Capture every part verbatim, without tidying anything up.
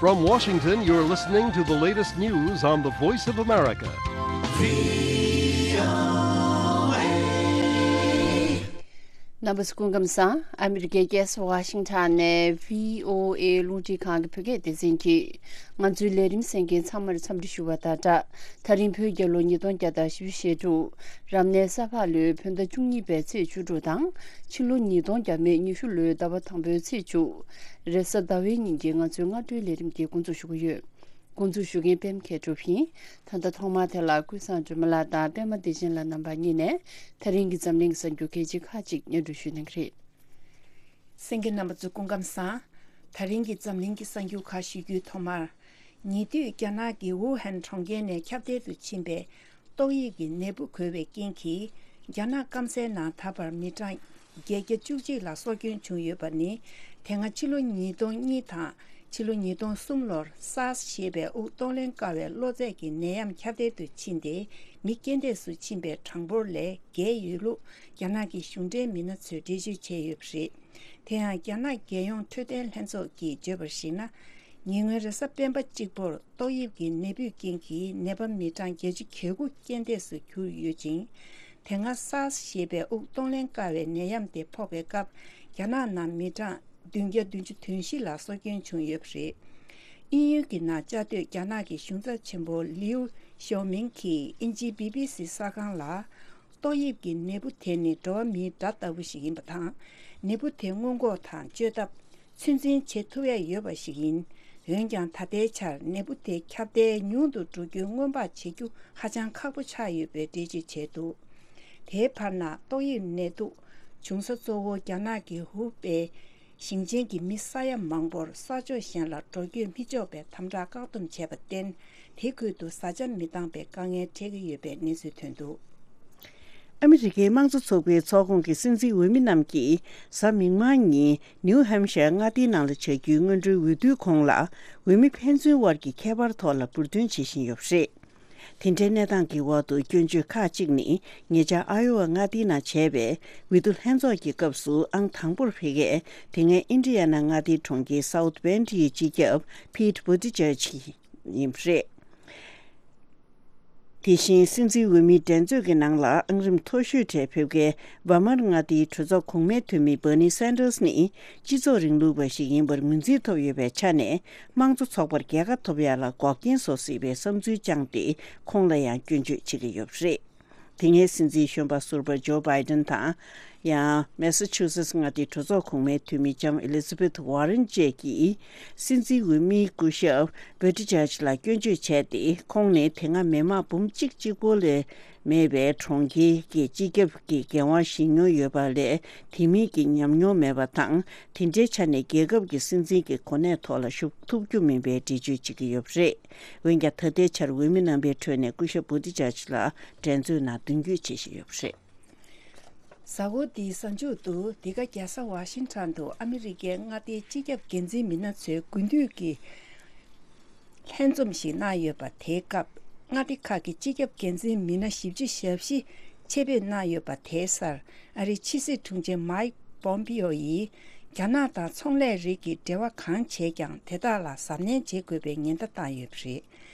From Washington, you're listening to the latest news on the Voice of America. རྣམ་པ་ཚོ་སྐུ་ཁམས་བཟང་། ཨ་མི་རི་ཀའི་རྒྱལ་ས་ཝ་ཤིང་ཊོན་ནས་བྷི་ཨོ་ཨེ་རླུང་འཕྲིན་ཁང་གི་བོད་སྐད་སྡེ་ཚན་གྱིས་ང་ཚོའི་ལས་རིམ་གསན་མཁན་ཚང་མར་འཚམས་འདྲི་ཞུ་བ་དང་སྦྲགས། ད་རིང་བོད་རྒྱལ་ལོ་ཉིས་སྟོང་བརྒྱ་དང་བཞི་བཅུ་ཞེ་དྲུག་རབ་གནས་ས་ཕག་ལོའི་བོད་ཟླ་བཅུ་གཉིས་པའི་ཚེས་བཅུ་དྲུག་དང་། ཕྱི་ལོ་ཉིས་སྟོང་བརྒྱ་མེད་ཉི་ཤུ་ལོའི་ཟླ་བ་དང་པོའི་ཚེས་བཅུ། རེས་གཟའ་ཟླ་བའི་ཉིན་གྱི་ང་ཚོའི་སྔ་དྲོའི་ལས་རིམ་འདི་འགོ་འཛུགས་ཞུ་གི་ཡོད། འགོ་འཛུགས་ཞུ་མཁན་པད་མ་མཁས་གྲུབ་ཡིན། ད་ལྟ་ཐོག་མར་དེ་ལ་ཀུན་བཟང་སྒྲོལ་མ་ལགས་དང་པད་མ་བདེ་ཆེན་ལགས་རྣམ་པ་གཉིས་ནས་ད་རིང་གི་འཛམ་གླིང་གི་གསར་འགྱུར་གལ་ཆེ་ཁག་ཅིག་སྙན་སྒྲོན་ཞུ་གནང་གི་རེད། གསན་མཁན་རྣམ་པ་ཚོ་སྐུ་ཁམས་བཟང་། ད་རིང་གི་འཛམ་གླིང་གི་གསར་འགྱུར་ཁག་ཞུ་རྒྱུའི་ཐོག་མར། ཉེ་དུས་རྒྱ་ནག་གི་ཝུ་ཧན་གྲོང་ཁྱེར་ནས་ཁྱབ་གདལ་དུ་ཕྱིན་པའི་ཏོག་དབྱིབས་ཀྱི་ནད་འབུ་འགོས་པའི་རྐྱེན་གྱིས། རྒྱ་ནག་སྐམ་སའི་ནང་ད་བར་མི་གྲངས་བརྒྱད་བརྒྱ་བཅུ་གཅིག་ལ་སྲོག་སྐྱོན་བྱུང་ཡོད་པ་ནི། དེ་སྔ་ཕྱི་ལོ་ཉིས་སྟོང་གཉིས་དང་ཕྱི་ལོ་ཉིས་སྟོང་གསུམ་ལོར་སཱར་སི་ཞེས་པའི་དབུགས་གཏོང་ལེན་དཀའ་བའི་གློ་ཚད་ཀྱི་ནད་ཡམས་ཁྱབ་གདལ་དུ་ཕྱིན་ཏེ། མི་རྐྱེན་འདས་སུ་ཕྱིན་པའི་གྲངས་འབོར་ལས་བརྒལ་ཡོད་ལུགས་རྒྱ་ནག་གི་གཞུང་འབྲེལ་མི་སྣ་ཚོས་འགྲེལ་བརྗོད་བྱས་ཡོད་པ་རེད། དེ་ཡང་རྒྱ་ནག་རྒྱལ་ཡོངས་འཕྲོད་བསྟེན་ལྷན་ཚོགས་ཀྱིས་བརྗོད་པར་གཞིགས་ན། ཉེ་སྔོན་རེས་གཟའ་སྤེན་པ་གཅིག་པོར་ཏོག་དབྱིབས་ཀྱི་ནད་འབུའི་རྐྱེན་གྱིས་ནད་པ་མི་གྲངས་བརྒྱད་ཅུ་གྱ་དགུ་རྐྱེན་འདས་སུ་གྱུར་ཡོད་ཅིང་། དེ་སྔ་སཱར་སི་ཞེས་པའི་དབུགས་གཏོང་ལེན་དཀའ་བའི་ནད་ཡམས་དེ་ཕོག་པའི་སྐབས། རྒྱ་ནག་ནང་མི་གྲངས་བདུན་བརྒྱ་བདུན་ཅུ་དོན་བཞི་ལ་སྲོག་སྐྱོན་བྱུང་ཡོད་པ་རེད། དབྱིན་ཡུལ་གྱི་ནང་བཅའ་སྡོད་རྒྱ་ནག་གི་གཞུང་ཚབ་ཆེན་པོ་ལིའུ་ཞའོ་མིང་གིས་དབྱིན་ཇིའི་བི་བི་སི་གསར་ཁང་ལ། ཏོག་དབྱིབས་ཀྱི་ནད་འབུ་དེ་ནི་འགྲོ་བ་མིའི་དགྲ་ལྟ་བུ་ཞིག་ཡིན་པ་དང་། ནད་འབུ་དེ་སྔོན་འགོག་དང་བཅོས་ཐབས། ཚོད་འཛིན་བྱེད་ཐུབ་ཡ་ཡོད་པ་ཞིག་ཡིན། འོན་ཀྱང་ད་ལྟའི་ཆར་ནད་འབུ་དེ་ཁྱབ་གདལ་ཉུང་དུ་འགྲོ་རྒྱུ་སྔོན་དཔག་བྱེད་རྒྱུ་ཧ་ཅང་ཁག་པོ་ཆགས་ཡོད་པའི་འགྲེལ་བརྗོད་བྱས་འདུག་དེའི་བར་ན་ཏོག་དབྱིབས་ནད་དུག་བྱུང་ས་གཙོ་བོ་རྒྱ་ནག་གི་ཧུའུ་པེ་ཞིང་ཆེན་གྱི་མི་ས་ཡ་མང་པོར་ས་ཕྱོགས་གཞན་ལ་འགྲོ་སྐྱོད་མི་ཆོག་པའི་དམ་དྲག་བཀག་སྡོམ་བྱས་པར་བརྟེན། དེ་ཁུལ་དུ་བཟའ་བཅའ་མི་འདང་པའི་དཀའ་ངལ་འཕྲད་ཀྱི་ཡོད་པའི་གནས་ཚུལ་ཐོན་འདུག་ཨ་མི་རི་ཀའི་དམངས་གཙོ་ཚོགས་པའི་ཚོགས་ཁོངས་ཀྱི་སྲིད་འཛིན་འོས་མི་རྣམས་ཀྱིས་གཟའ་མིག་དམར་ཉིན་ནིའུ་ཧེམ་ཤར་མངའ་སྡེའི་ནང་ལ་བྱ་རྒྱུའི་སྔོན་འགྲོའི་འོས་བསྡུའི་གོང་ལ། འོས་མི་ཕན་ཚུན་དབར་གྱི་ཁྱད་པར་ཐོག་ལ་འབུར་འདོན་བྱེད་བཞིན་ཡོད་པ་རེད། དེ་འདྲའི་གནས་སྟངས་ཀྱི་འོག་ཏུ་སྐྱོན་བརྗོད་ཁག་ཅིག་ནི། ཉེ་ཆར་ཨ་ཡོ་ཝ་མངའ་སྡེའི་ནང་བྱས་པའི་འོས་བསྡུ་ལྷན་ཚོགས་ཀྱི་སྐབས་སུ་ཨང་དང་པོར་ཕེབས་མཁན། དེ་སྔའི་ཨིན་ཌི་ཡ་ན་མངའ་སྡེའི་གྲོང་ཁྱེར་སའུ་ཐི་བྷེན་ཌི་ཡི་སྤྱི་ཁྱབ་ཕིད་བྷུ་ཏི་ཇར་ཇི་ཡིན་པ་རེད། དེ་བཞིན་སྲིད་འཛིན་འོས་མིའི་འགྲན་རྩོད་ཀྱི་ནང་ལ་ཨང་རིམ་མཐོ་ཤོས་གྲས་ཕེབས་མཁན་བྷ་མར་མངའ་སྡེའི་གྲོས་ཚོགས་གོང་མའི་འཐུས་མི་བྷར་ནི་སན་ཌར་སི་ནི་སྤྱི་ཚོགས་རིང་ལུགས་པ་ཞིག་ཡིན་པར་ངོས་འཛིན་ཐོབ་ཡོད་པའི་ཆ་ནས། དམངས་གཙོ་ཚོགས་པར་རྒྱལ་ཁ་ཐོབ་ཡག་ལ་འགོག་རྐྱེན་བཟོ་སྲིད་པའི་བསམ་ཚུལ་བཅངས་ཏེ། ཁོང་ལ་ཡང་སྐྱོན་བརྗོད་བྱེད་ཀྱི་ཡོད་པ་རེད། དེ་སྔའི་སྲིད་འཛིན་གཞོན་པ་ཟུར་པ་ཇོ་བྷའི་ཌེན་དང་། ཡང་མེ་ས་ཆུ་སེ་ཊི་མངའ་སྡེའི་གྲོས་ཚོགས་གོང་མའི་འཐུས་མི་ལྕམ་ཨེ་ལི་ཛ་བྷེཐ་ཝར་རན་བཅས་ཀྱིས། སྲིད་འཛིན་འོས་མིའི་སྐུ་ཞབས་བྷུ་ཏི་ཇར་ཇི་ལ་སྐྱོན་བརྗོད་བྱས་ཏེ། ཁོང་ནི་དེ་སྔ་མི་མང་འབུམ་གཅིག་གཅིག་པོ་ལས་མེད་པའི་གྲོང་ཁྱེར་གྱི་སྤྱི་ཁྱབ་ཀྱི་འགན་དབང་བཞེས་མྱོང་ཡོད་པ་ལས། དེ་མིན་གྱི་ཉམས་མྱོང་མེད་པ་དང་། དེ་འདྲའི་ཆ་ནས་རྒྱལ་ཁབ་ཀྱི་སྲིད་འཛིན་གྱི་གོ་གནས་ཐོག་ལ་བཞུགས་ཐུབ་རྒྱུ་མིན་པའི་འགྲེལ་བརྗོད་བྱེད་ཀྱི་ཡོད་པ་རེད། འོན་ཀྱང་། ད་ལྟའི་ཆར་འོས་མི་རྣམ་པའི་ཁྲོད་ནས་སྐུ་ཞབས་བྷུ་ཏི་ཇར་ཇི་ལ་འགྲན་རྩོད་ནང་མདུན་སྐྱོད་བྱེད་བཞིན་ཡོད་པ་རེད། གཟའ་འཁོར་འདིའི་གཟའ་མཇུག་ཏུ། འདི་ག་རྒྱལ་ས་ཝ་ཤིང་ཊོན་དུ་ཨ་མི་རི་ཀའི་མངའ་སྡེའི་སྤྱི་ཁྱབ་འགན་འཛིན་མི་སྣ་ཚོའི་དགུན་དུས་ཀྱི་ལྷན་འཛོམས་ཤིག་གནང་ཡོད་པ། དེའི་སྐབས་མངའ་སྡེ་ཁག་གི་སྤྱི་ཁྱབ་འགན་འཛིན་མི་སྣ་བཞི་བཅུ་ཞེ་བཞི་ཆེད་ཕེབས་གནང་ཡོད་པ། དེའི་སར་ཨ་རིའི་ཕྱི་སྲིད་དྲུང་ཆེ་མཱིག་པོམ་པིའོ་ཡིས། རྒྱ་ནག་དང་ཚོང་ལས་རིགས་ཀྱི་འབྲེལ་བ་གང་བྱས་ཀྱང་། དེ་དག་ལ་གཟབ་ནན་བྱེད་དགོས་པའི་ཉེན་བརྡ་བཏང་ཡོད་པ་རེད།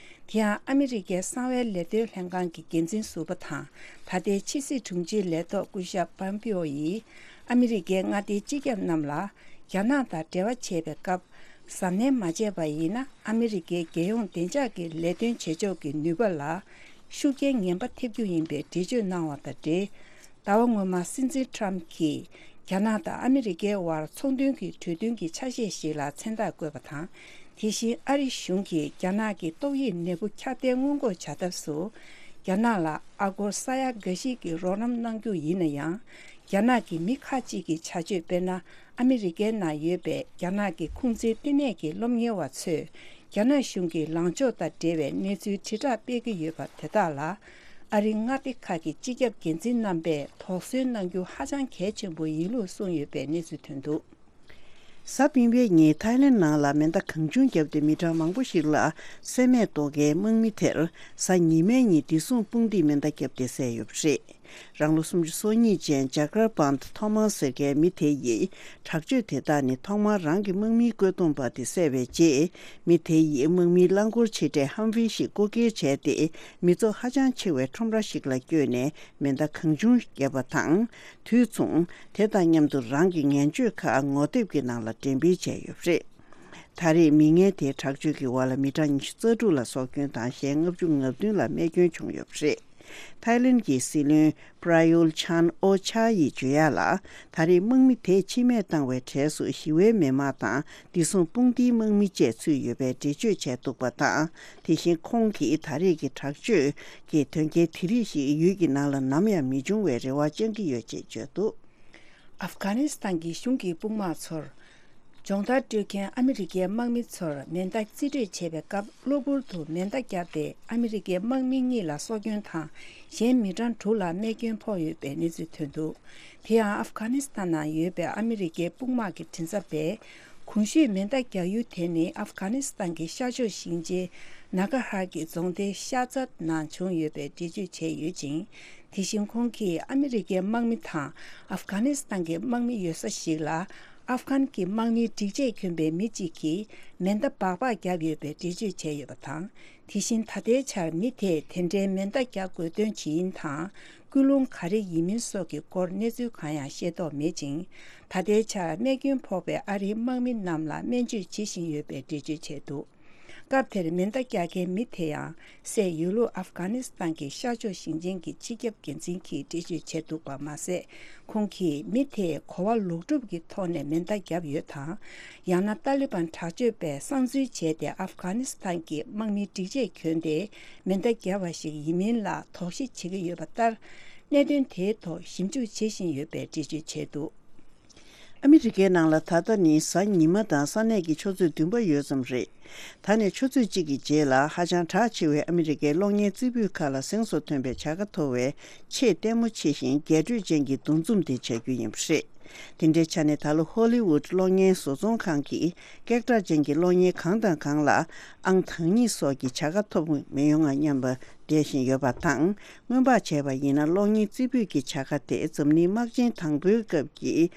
དེ་ཡང་ཨ་མི་རི་ཀའི་གསང་བའི་ལས་དོན་ལྷན་ཁང་གི་འགན་འཛིན་ཟུར་པ་དང་། ད་ལྟའི་ཕྱི་སྲིད་དྲུང་ཆེའི་ལས་ཐོག་སྐུ་ཞབས་པོམ་པིའོ་ཡིས། ཨ་མི་རི་ཀའི་མངའ་སྡེའི་སྤྱི་ཁྱབ་རྣམས་ལ། རྒྱ་ནག་དང་འབྲེལ་བ་བྱེད་པའི་སྐབས། གཟབ་ནན་མ་བྱས་པ་ཡིན་ན། ཨ་མི་རི་ཀའི་རྒྱལ་ཡོངས་བདེ་འཇགས་ཀྱི་ལས་དོན་བྱེད་ཕྱོགས་ཀྱི་ནུས་པ་ལ་ཤུགས་རྐྱེན་ངན་པ་ཐེབས་རྒྱུ་ཡིན་པའི་འགྲེལ་བརྗོད་གནང་བ་དང་འབྲེལ། ཟླ་བ་སྔོན་མ་སྲིད་འཛིན་ཊམ་གྱིས། རྒྱ་ནག་དང་ཨ་མི་རི་ཀའི་དབར་ཚོང་དོན་གྱི་གྲོས་མཐུན་གྱི་ཆ་ཤས་ཤིག་ལ་མཚན་རྟགས་བཀོད་པ་དང་། དེ་བཞིན་ཨ་རི་གཞུང་གིས་རྒྱ་ནག་གི་ཏོག་དབྱིབས་ནད་འབུ་ཁྱབ་གདལ་སྔོན་འགོག་བྱ་ཐབས་སུ། རྒྱ་ནག་ལ་ཨ་སྒོར་ས་ཡ་འགའ་ཞིག་གི་རོགས་རམ་གནང་རྒྱུ་ཡིན་ན་ཡང་། རྒྱ་ནག་གི་མི་ཁག་ཅིག་གི་བྱ་སྤྱོད། དཔེར་ན། ཨ་མི་རི་ཀའི་ནང་ཡོད་པའི་རྒྱ་ནག་གི་ཁུང་ཙི་ལྟེ་གནས་ཀྱི་སློབ་གཉེར་བ་ཚོས། རྒྱ་ནག་གཞུང་གི་ལངས་ཕྱོགས་དང་འབྲེལ་བའི་གནས་ཚུལ་དྲིལ་བསྒྲགས་སྤེལ་གྱི་ཡོད་པ་དེ་དག་ལ། ཨ་རིའི་མངའ་སྡེ་ཁག་གི་སྤྱི་ཁྱབ་འགན་འཛིན་རྣམ་པས་དོགས་ཟོན་གནང་རྒྱུ་ཧ་ཅང་གལ་ཆེན་པོ་ཡིན་ལུགས་གསུངས་ཡོད་པའི་གནས་ཚུལ་ཐོན་འདུག་གཟའ་སྤེན་པའི་ཉིན་ཐའི་ལེན་ནང་ལ་མེ་མདའ་གང་བྱུང་བརྒྱབ་སྟེ་མི་གྲངས་མང་པོ་ཞིག་ལ་བསད་རྨས་གཏོང་མཁན་དམག་མི་དེར། གཟའ་ཉི་མའི་ཉིན་བདེ་སྲུང་དཔུང་སྡེས་མེ་མདའ་བརྒྱབ་སྟེ་བསད་ཡོད་པ་རེད། རང་ལོ་སུམ་ཅུ་སོ་གཉིས་ཅན་ཇཱ་ཀར་པཱན་ཐོ་མཱས་ཟེར་མཁན་མི་དེ་ཡིས་དྲག་སྤྱོད་དེ་དག་ནི་ཐོག་མར་རང་གི་དམག་མིའི་བཀོད་འདོམས་པ་དེ་བསད་པའི་རྗེས། མི་དེ་ཡིས་དམག་མིའི་རླངས་འཁོར་ཆེ་གྲས་ཧམ་ཝི་ཞིག་རྐུ་འཁྱེར་བྱས་ཏེ། མི་ཚོགས་ཧ་ཅང་ཆེ་བའི་ཁྲོམ་ར་ཞིག་ལ་བསྐྱོད་ནས་མེ་མདའ་གང་བྱུང་བརྒྱབ་པ་དང་། དུས་མཚུངས་དེ་དང་མཉམ་དུ་རང་གི་ངན་སྤྱོད་ཁག་ངོ་དེབ་ཀྱི་ནང་ལ་འགྲེམས་སྤེལ་བྱས་ཡོད་པ་རེད། ད་རེས་མི་ངན་དེའི་དྲག་སྤྱོད་ཀྱི་འོག་ལ་མི་གྲངས་ཉི་ཤུ་རྩ་དྲུག་ལ་སྲོག་སྐྱོན་དང་གཞན་ལྔ་བཅུ་ང་བདུན་ལ་རྨས་སྐྱོན་བྱུང་ཡོད་པ་རེད། ཐའི་ལེན་གྱི་སྲིད་བློན་པྲ་ཡུལ་ཆན་ཨོ་ཆ་ཡིས་བརྗོད་ཡག་ལ། ད་རེས་དམག་མི་དེས་ཕྱི་མས་བཏང་བའི་གྲས་སུ་ཞི་བའི་མི་མང་དང་བདེ་སྲུང་དཔུང་སྡེའི་དམག་མི་བཅས་ཚུད་ཡོད་པའི་འགྲེལ་བརྗོད་བྱས་འདུག་པ་དང་། དེ་བཞིན་ཁོང་གིས་ད་རེས་ཀྱི་དྲག་སྤྱོད་ཀྱི་དོན་རྐྱེན་དེ་རིགས་ཤིག་ཡུལ་གྱི་ནང་ལ་ནམ་ཡང་མི་འབྱུང་བའི་རེ་བ་བཅང་གི་ཡོད་ཅེས་བརྗོད་འདུག། ཨབ་གྷ་ནི་སི་ཐན་གྱི་གཞུང་གི་དཔུང་དམག་ཚོར་སྦྱོང་བརྡར་སྤྲོད་མཁན་ཨ་མི་རི་ཀའི་དམག་མི་ཚོར་མེ་མདའ་རྩིས་སྤྲོད་བྱེད་པའི་སྐབས། གློ་བུར་དུ་མེ་མདའ་བརྒྱབ་སྟེ་ཨ་མི་རི་ཀའི་དམག་མི་གཉིས་ལ་སྲོག་སྐྱོན་དང་། གཞན་མི་གྲངས་དྲུག་ལ་རྨས་སྐྱོན་ཕོག་ཡོད་པའི་གནས་ཚུལ་ཐོན་འདུག། དེ་ཡང་ཨབ་གྷ་ནི་སི་ཐན་ནང་ཡོད་པའི་ཨ་མི་རི་ཀའི་དཔུང་དམག་གི་མགྲིན་ཚབ་པས། གོང་ཞུས་མེ་མདའ་རྒྱག་ཡུལ་དེ་ནི་ཨབ་གྷ་ནི་སི་ཐན་གྱི་ཤར་ཕྱོགས་ཞིང་ཆེན་ནཱ་གྷ་ཧར་གྱི་རྫོང་སྡེ་ཤ་ཛད་ནང་བྱུང་ཡོད་པའི་འགྲེལ་བརྗོད་བྱས་ཡོད་ཅིང་། དེ་བཞིན་ཁོང་གིས་ཨ་མི་རི་ཀའི་དམག་མི་དང་ཨབ་གྷ་ནི་སི་ཐན་གྱི་དམག་མི་ཡོད་ས་ཞིག་ལ། ཨབ་གྷན་གྱི་དམག་མིའི་སྒྲིག་ཆས་གྱོན་པའི་མི་གཅིག་གིས་མེ་མདའ་སྦག་སྦག་བརྒྱབ་ཡོད་པའི་འགྲེལ་བརྗོད་བྱས་ཡོད་པ་དང་། དེ་བཞིན་ད་ལྟའི་ཆར་མི་དེས་དེ་འདྲའི་མེ་མདའ་རྒྱག་དགོས་དོན་ཇི་ཡིན་དང་། ཀུན་སློང་ག་རེ་ཡིན་མིན་སོགས་ཀྱི་སྐོར་གནས་ཚུལ་གང་ཡང་ཤེས་རྟོགས་མེད་ཅིང་། ད་ལྟའི་ཆར་རྨས་སྐྱོན་ཕོག་པའི་ཨ་རིའི་དམག་མི་རྣམས་ལ་སྨན་བཅོས་བྱེད་བཞིན་ཡོད་པའི་འགྲེལ་བརྗོད་བྱས་འདུག། སྐབས་དེར་མེ་མདའ་རྒྱག་མཁན་མི་དེ་ཡང་སའི་ཡུལ་ལུང་ཨབ་གྷ་ནི་སི་ཐན་གྱི་ཤར་ཕྱོགས་ཞིང་ཆེན་གྱི་སྤྱི་ཁྱབ་འགན་འཛིན་གྱིས་འགྲེལ་བརྗོད་བྱས་འདུག་པ་མ་ཟད། ཁོང་གིས་མི་དེས་གོ་བ་ལོག་སྒྲུབ་ཀྱི་ཐོག་ནས་མེ་མདའ་བརྒྱབ་ཡོད་དང་། ཡང་ན་ཏཱ་ལི་བན་དྲག་སྤྱོད་པས་གསང་འཛུལ་བྱས་ཏེ་ཨབ་གྷ་ནི་སི་ཐན་གྱི་དམག་མིའི་སྒྲིག་ཆས་གྱོན་ཏེ་མེ་མདའ་བརྒྱབ་པ་ཞིག་ཡིན་མིན་ལ་དོགས་གཞི་བྱེད་ཀྱི་ཡོད་པ་ལྟར། གནད་དོན་དེའི་ཐོག་ཞིབ་འཇུག་བྱེད་བཞིན་ཡོད་པའི་འགྲེལ་བརྗོད་བྱས་འདུག། ཨ་མི་རི་ཀའི་ནང་ལ་ད་ལྟ་ནི་གཟའ་ཉི་མ་དང་ས་གནས་ཀྱི་ཆུ་ཚོད་བདུན་པ་ཡོལ་ཙམ་རེད། ད་ནས་ཆུ་ཚོད་གཅིག་གི་རྗེས་ལ་ཧ་ཅང་གྲགས་ཆེ་བའི་ཨ་མི་རི་ཀའི་གློག་བརྙན་རྩེ་ཕུད་ཁག་ལ་གཟེངས་སུ་ཐོན་པའི་བྱ་དགའ་ཐོབ་པའི་ཆེས་ལྟད་མོ་ཆེ་ཞིང་རྒྱས་སྤྲོས་ཅན་གྱི་འདུ་འཛོམས་དེ་བྱ་རྒྱུ་ཡིན་པ་རེད། དེ་འདྲའི་ཆ་ནས་ད་ལོ་ཧོ་ལི་ཝུད་གློག་བརྙན་བཟོ་ཚོང་ཁང་གིས་སྐད་གྲགས་ཅན་གྱི་གློག་བརྙན་གང་དང་གང་ལ་ཨང་དང་གཉིས་སོགས་ཀྱི་བྱ་དགའ་ཐོབ་མི་ཡོང་ང་སྙམ་པ་འགྲེལ་བཞིན་ཡོད་པ་དང་། སྔོན་དཔག་བྱས་པ་ཡིན་ན་གློག་བརྙན་རྩེ་ཕུད་ཀྱི་བྱ་དགའ་དེ་འཛམ་གླིང་དམག་ཆེན་དང་པོའི་སྐབས་ཀྱི་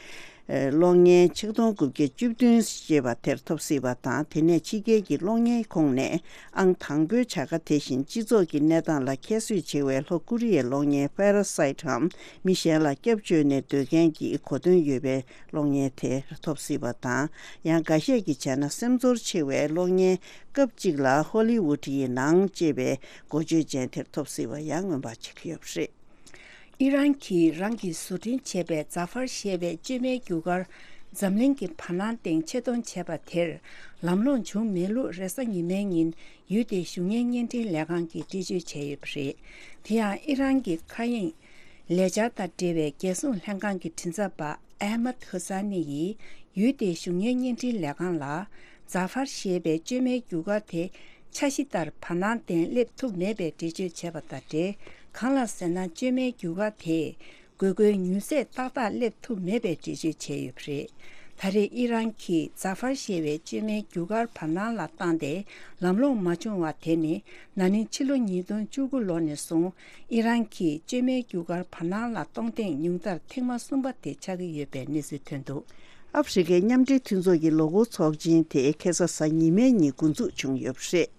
གློག་བརྙན་ཆིག་སྟོང་དགུ་བརྒྱ་བཅུ་བདུན་ཞེས་པ་དེར་ཐོབ་སྲིད་པ་དང་། དེ་ནས་ཕྱི་རྒྱལ་གྱི་གློག་བརྙན་ཁོངས་ནས་ཨང་དང་པོའི་བྱ་དགའ་དེ་བཞིན་སྤྱི་ཚོགས་ཀྱི་གནས་སྟངས་ལ་ཁྱད་གསོད་ཆེ་བའི་ལྷོ་ཀོ་རི་ཡའི་གློག་བརྙན་Parasite འམ་མི་གཞན་ལ་སྐྱབས་བཅོལ་ནས་སྡོད་མཁན་གྱི་གོ་དོན་ཡོད་པའི་གློག་བརྙན་དེ་ཐོབ་སྲིད་པ་དང་། ཡང་འགའ་ཤས་ཀྱིས་བྱས་ན་སེམས་ཚོར་ཆེ་བའི་གློག་བརྙན་སྐབས་གཅིག་ལ་ཧོ་ལི་ཝུད་ཡི་ནང་ཅེས་པའི་འགོ་བརྗོད་ཅན་དེར་ཐོབ་སྲིད་པ་ཡང་མངོན་པ་བྱེད་ཀྱི་ཡོད་པ་རེད། ཨི་རན་གྱིས་རང་གིས་བཟོ་སྐྲུན་བྱས་པའི་ཛ་ཧྥར་ཞེས་པའི་བཅོས་མའི་རྒྱུ་སྐར་འཛམ་གླིང་གི་བར་སྣང་སྟེང་ཆེད་གཏོང་བྱས་པ་དེར་ལམ་ལྷོང་བྱུང་མེད་ལུགས་རེས་གཟའ་ཉི་མའི་ཉིན་ཡུལ་དེའི་གཞུང་གཉེར་བརྙན་འཕྲིན་ལས་ཁང་གིས་འགྲེལ་བརྗོད་བྱས་ཡོད་པ་རེད། དེ་ཡང་ཨི་རན་གྱི་མཁའ་དབྱིངས་ལས་འཆར་དང་འབྲེལ་བའི་རྒྱལ་སྲུང་ལྷན་ཁང་གི་མགྲིན་ཚབ་པ་ཨེ་མད་ཧུ་ས་ནི་ཡིས་ཡུལ་དེའི་གཞུང་གཉེར་བརྙན་འཕྲིན་ལས་ཁང་ལ། ཛ་ཧྥར་ཞེས་པའི་བཅོས་མའི་རྒྱུ་སྐར་དེ་འཆར་གཞི་ལྟར་བར་སྣང་སྟེང་སླེབས་ཐུབ་མེད་པའི་འགྲེལ་བརྗོད་བྱས་པ་དང་འབྲེལ། གང་ལ་ཟེར་ན། བཅོས་མའི་རྒྱུ་སྐར་དེས་དགོས་མཁོའི་མྱུར་ཚད་ཏག་ཏག་སླེབས་ཐུབ་མེད་པའི་འགྲེལ་བརྗོད་བྱས་ཡོད་པ་རེད། ད་རེས་ཨི་རན་གྱིས་ཛ་ཧྥར་ཞེས་པའི་བཅོས་མའི་རྒྱུ་སྐར་བར་སྣང་ལ་བཏང་སྟེ་ལམ་ལྷོང་མ་བྱུང་བ་དེ་ནི། ན་ནིང་ཕྱི་ལོ་ཉིས་སྟོང་བཅུ་དགུ་ལོ་ནས་བཟུང་ཨི་རན་གྱིས་བཅོས་མའི་རྒྱུ་སྐར་བར་སྣང་ལ་གཏོང་ཐེངས་ཉུང་མཐར་ཐེངས་མ་གསུམ་པ་དེ་ཆགས་ཀྱི་ཡོད་པའི་གནས་ཚུལ་ཐོན་འདུག། ཨ་ཧྥེ་རི་ཁའི་མཉམ་འབྲེལ་མཐུན་ཚོགས་ཀྱི་ལོ་འཁོར་ཚོགས་ཆེན་དེ་ཁ་སང་གཟའ་ཉི་མའི་ཉིན་འགོ་འཛུགས་བྱུང་ཡོད་པ་རེད།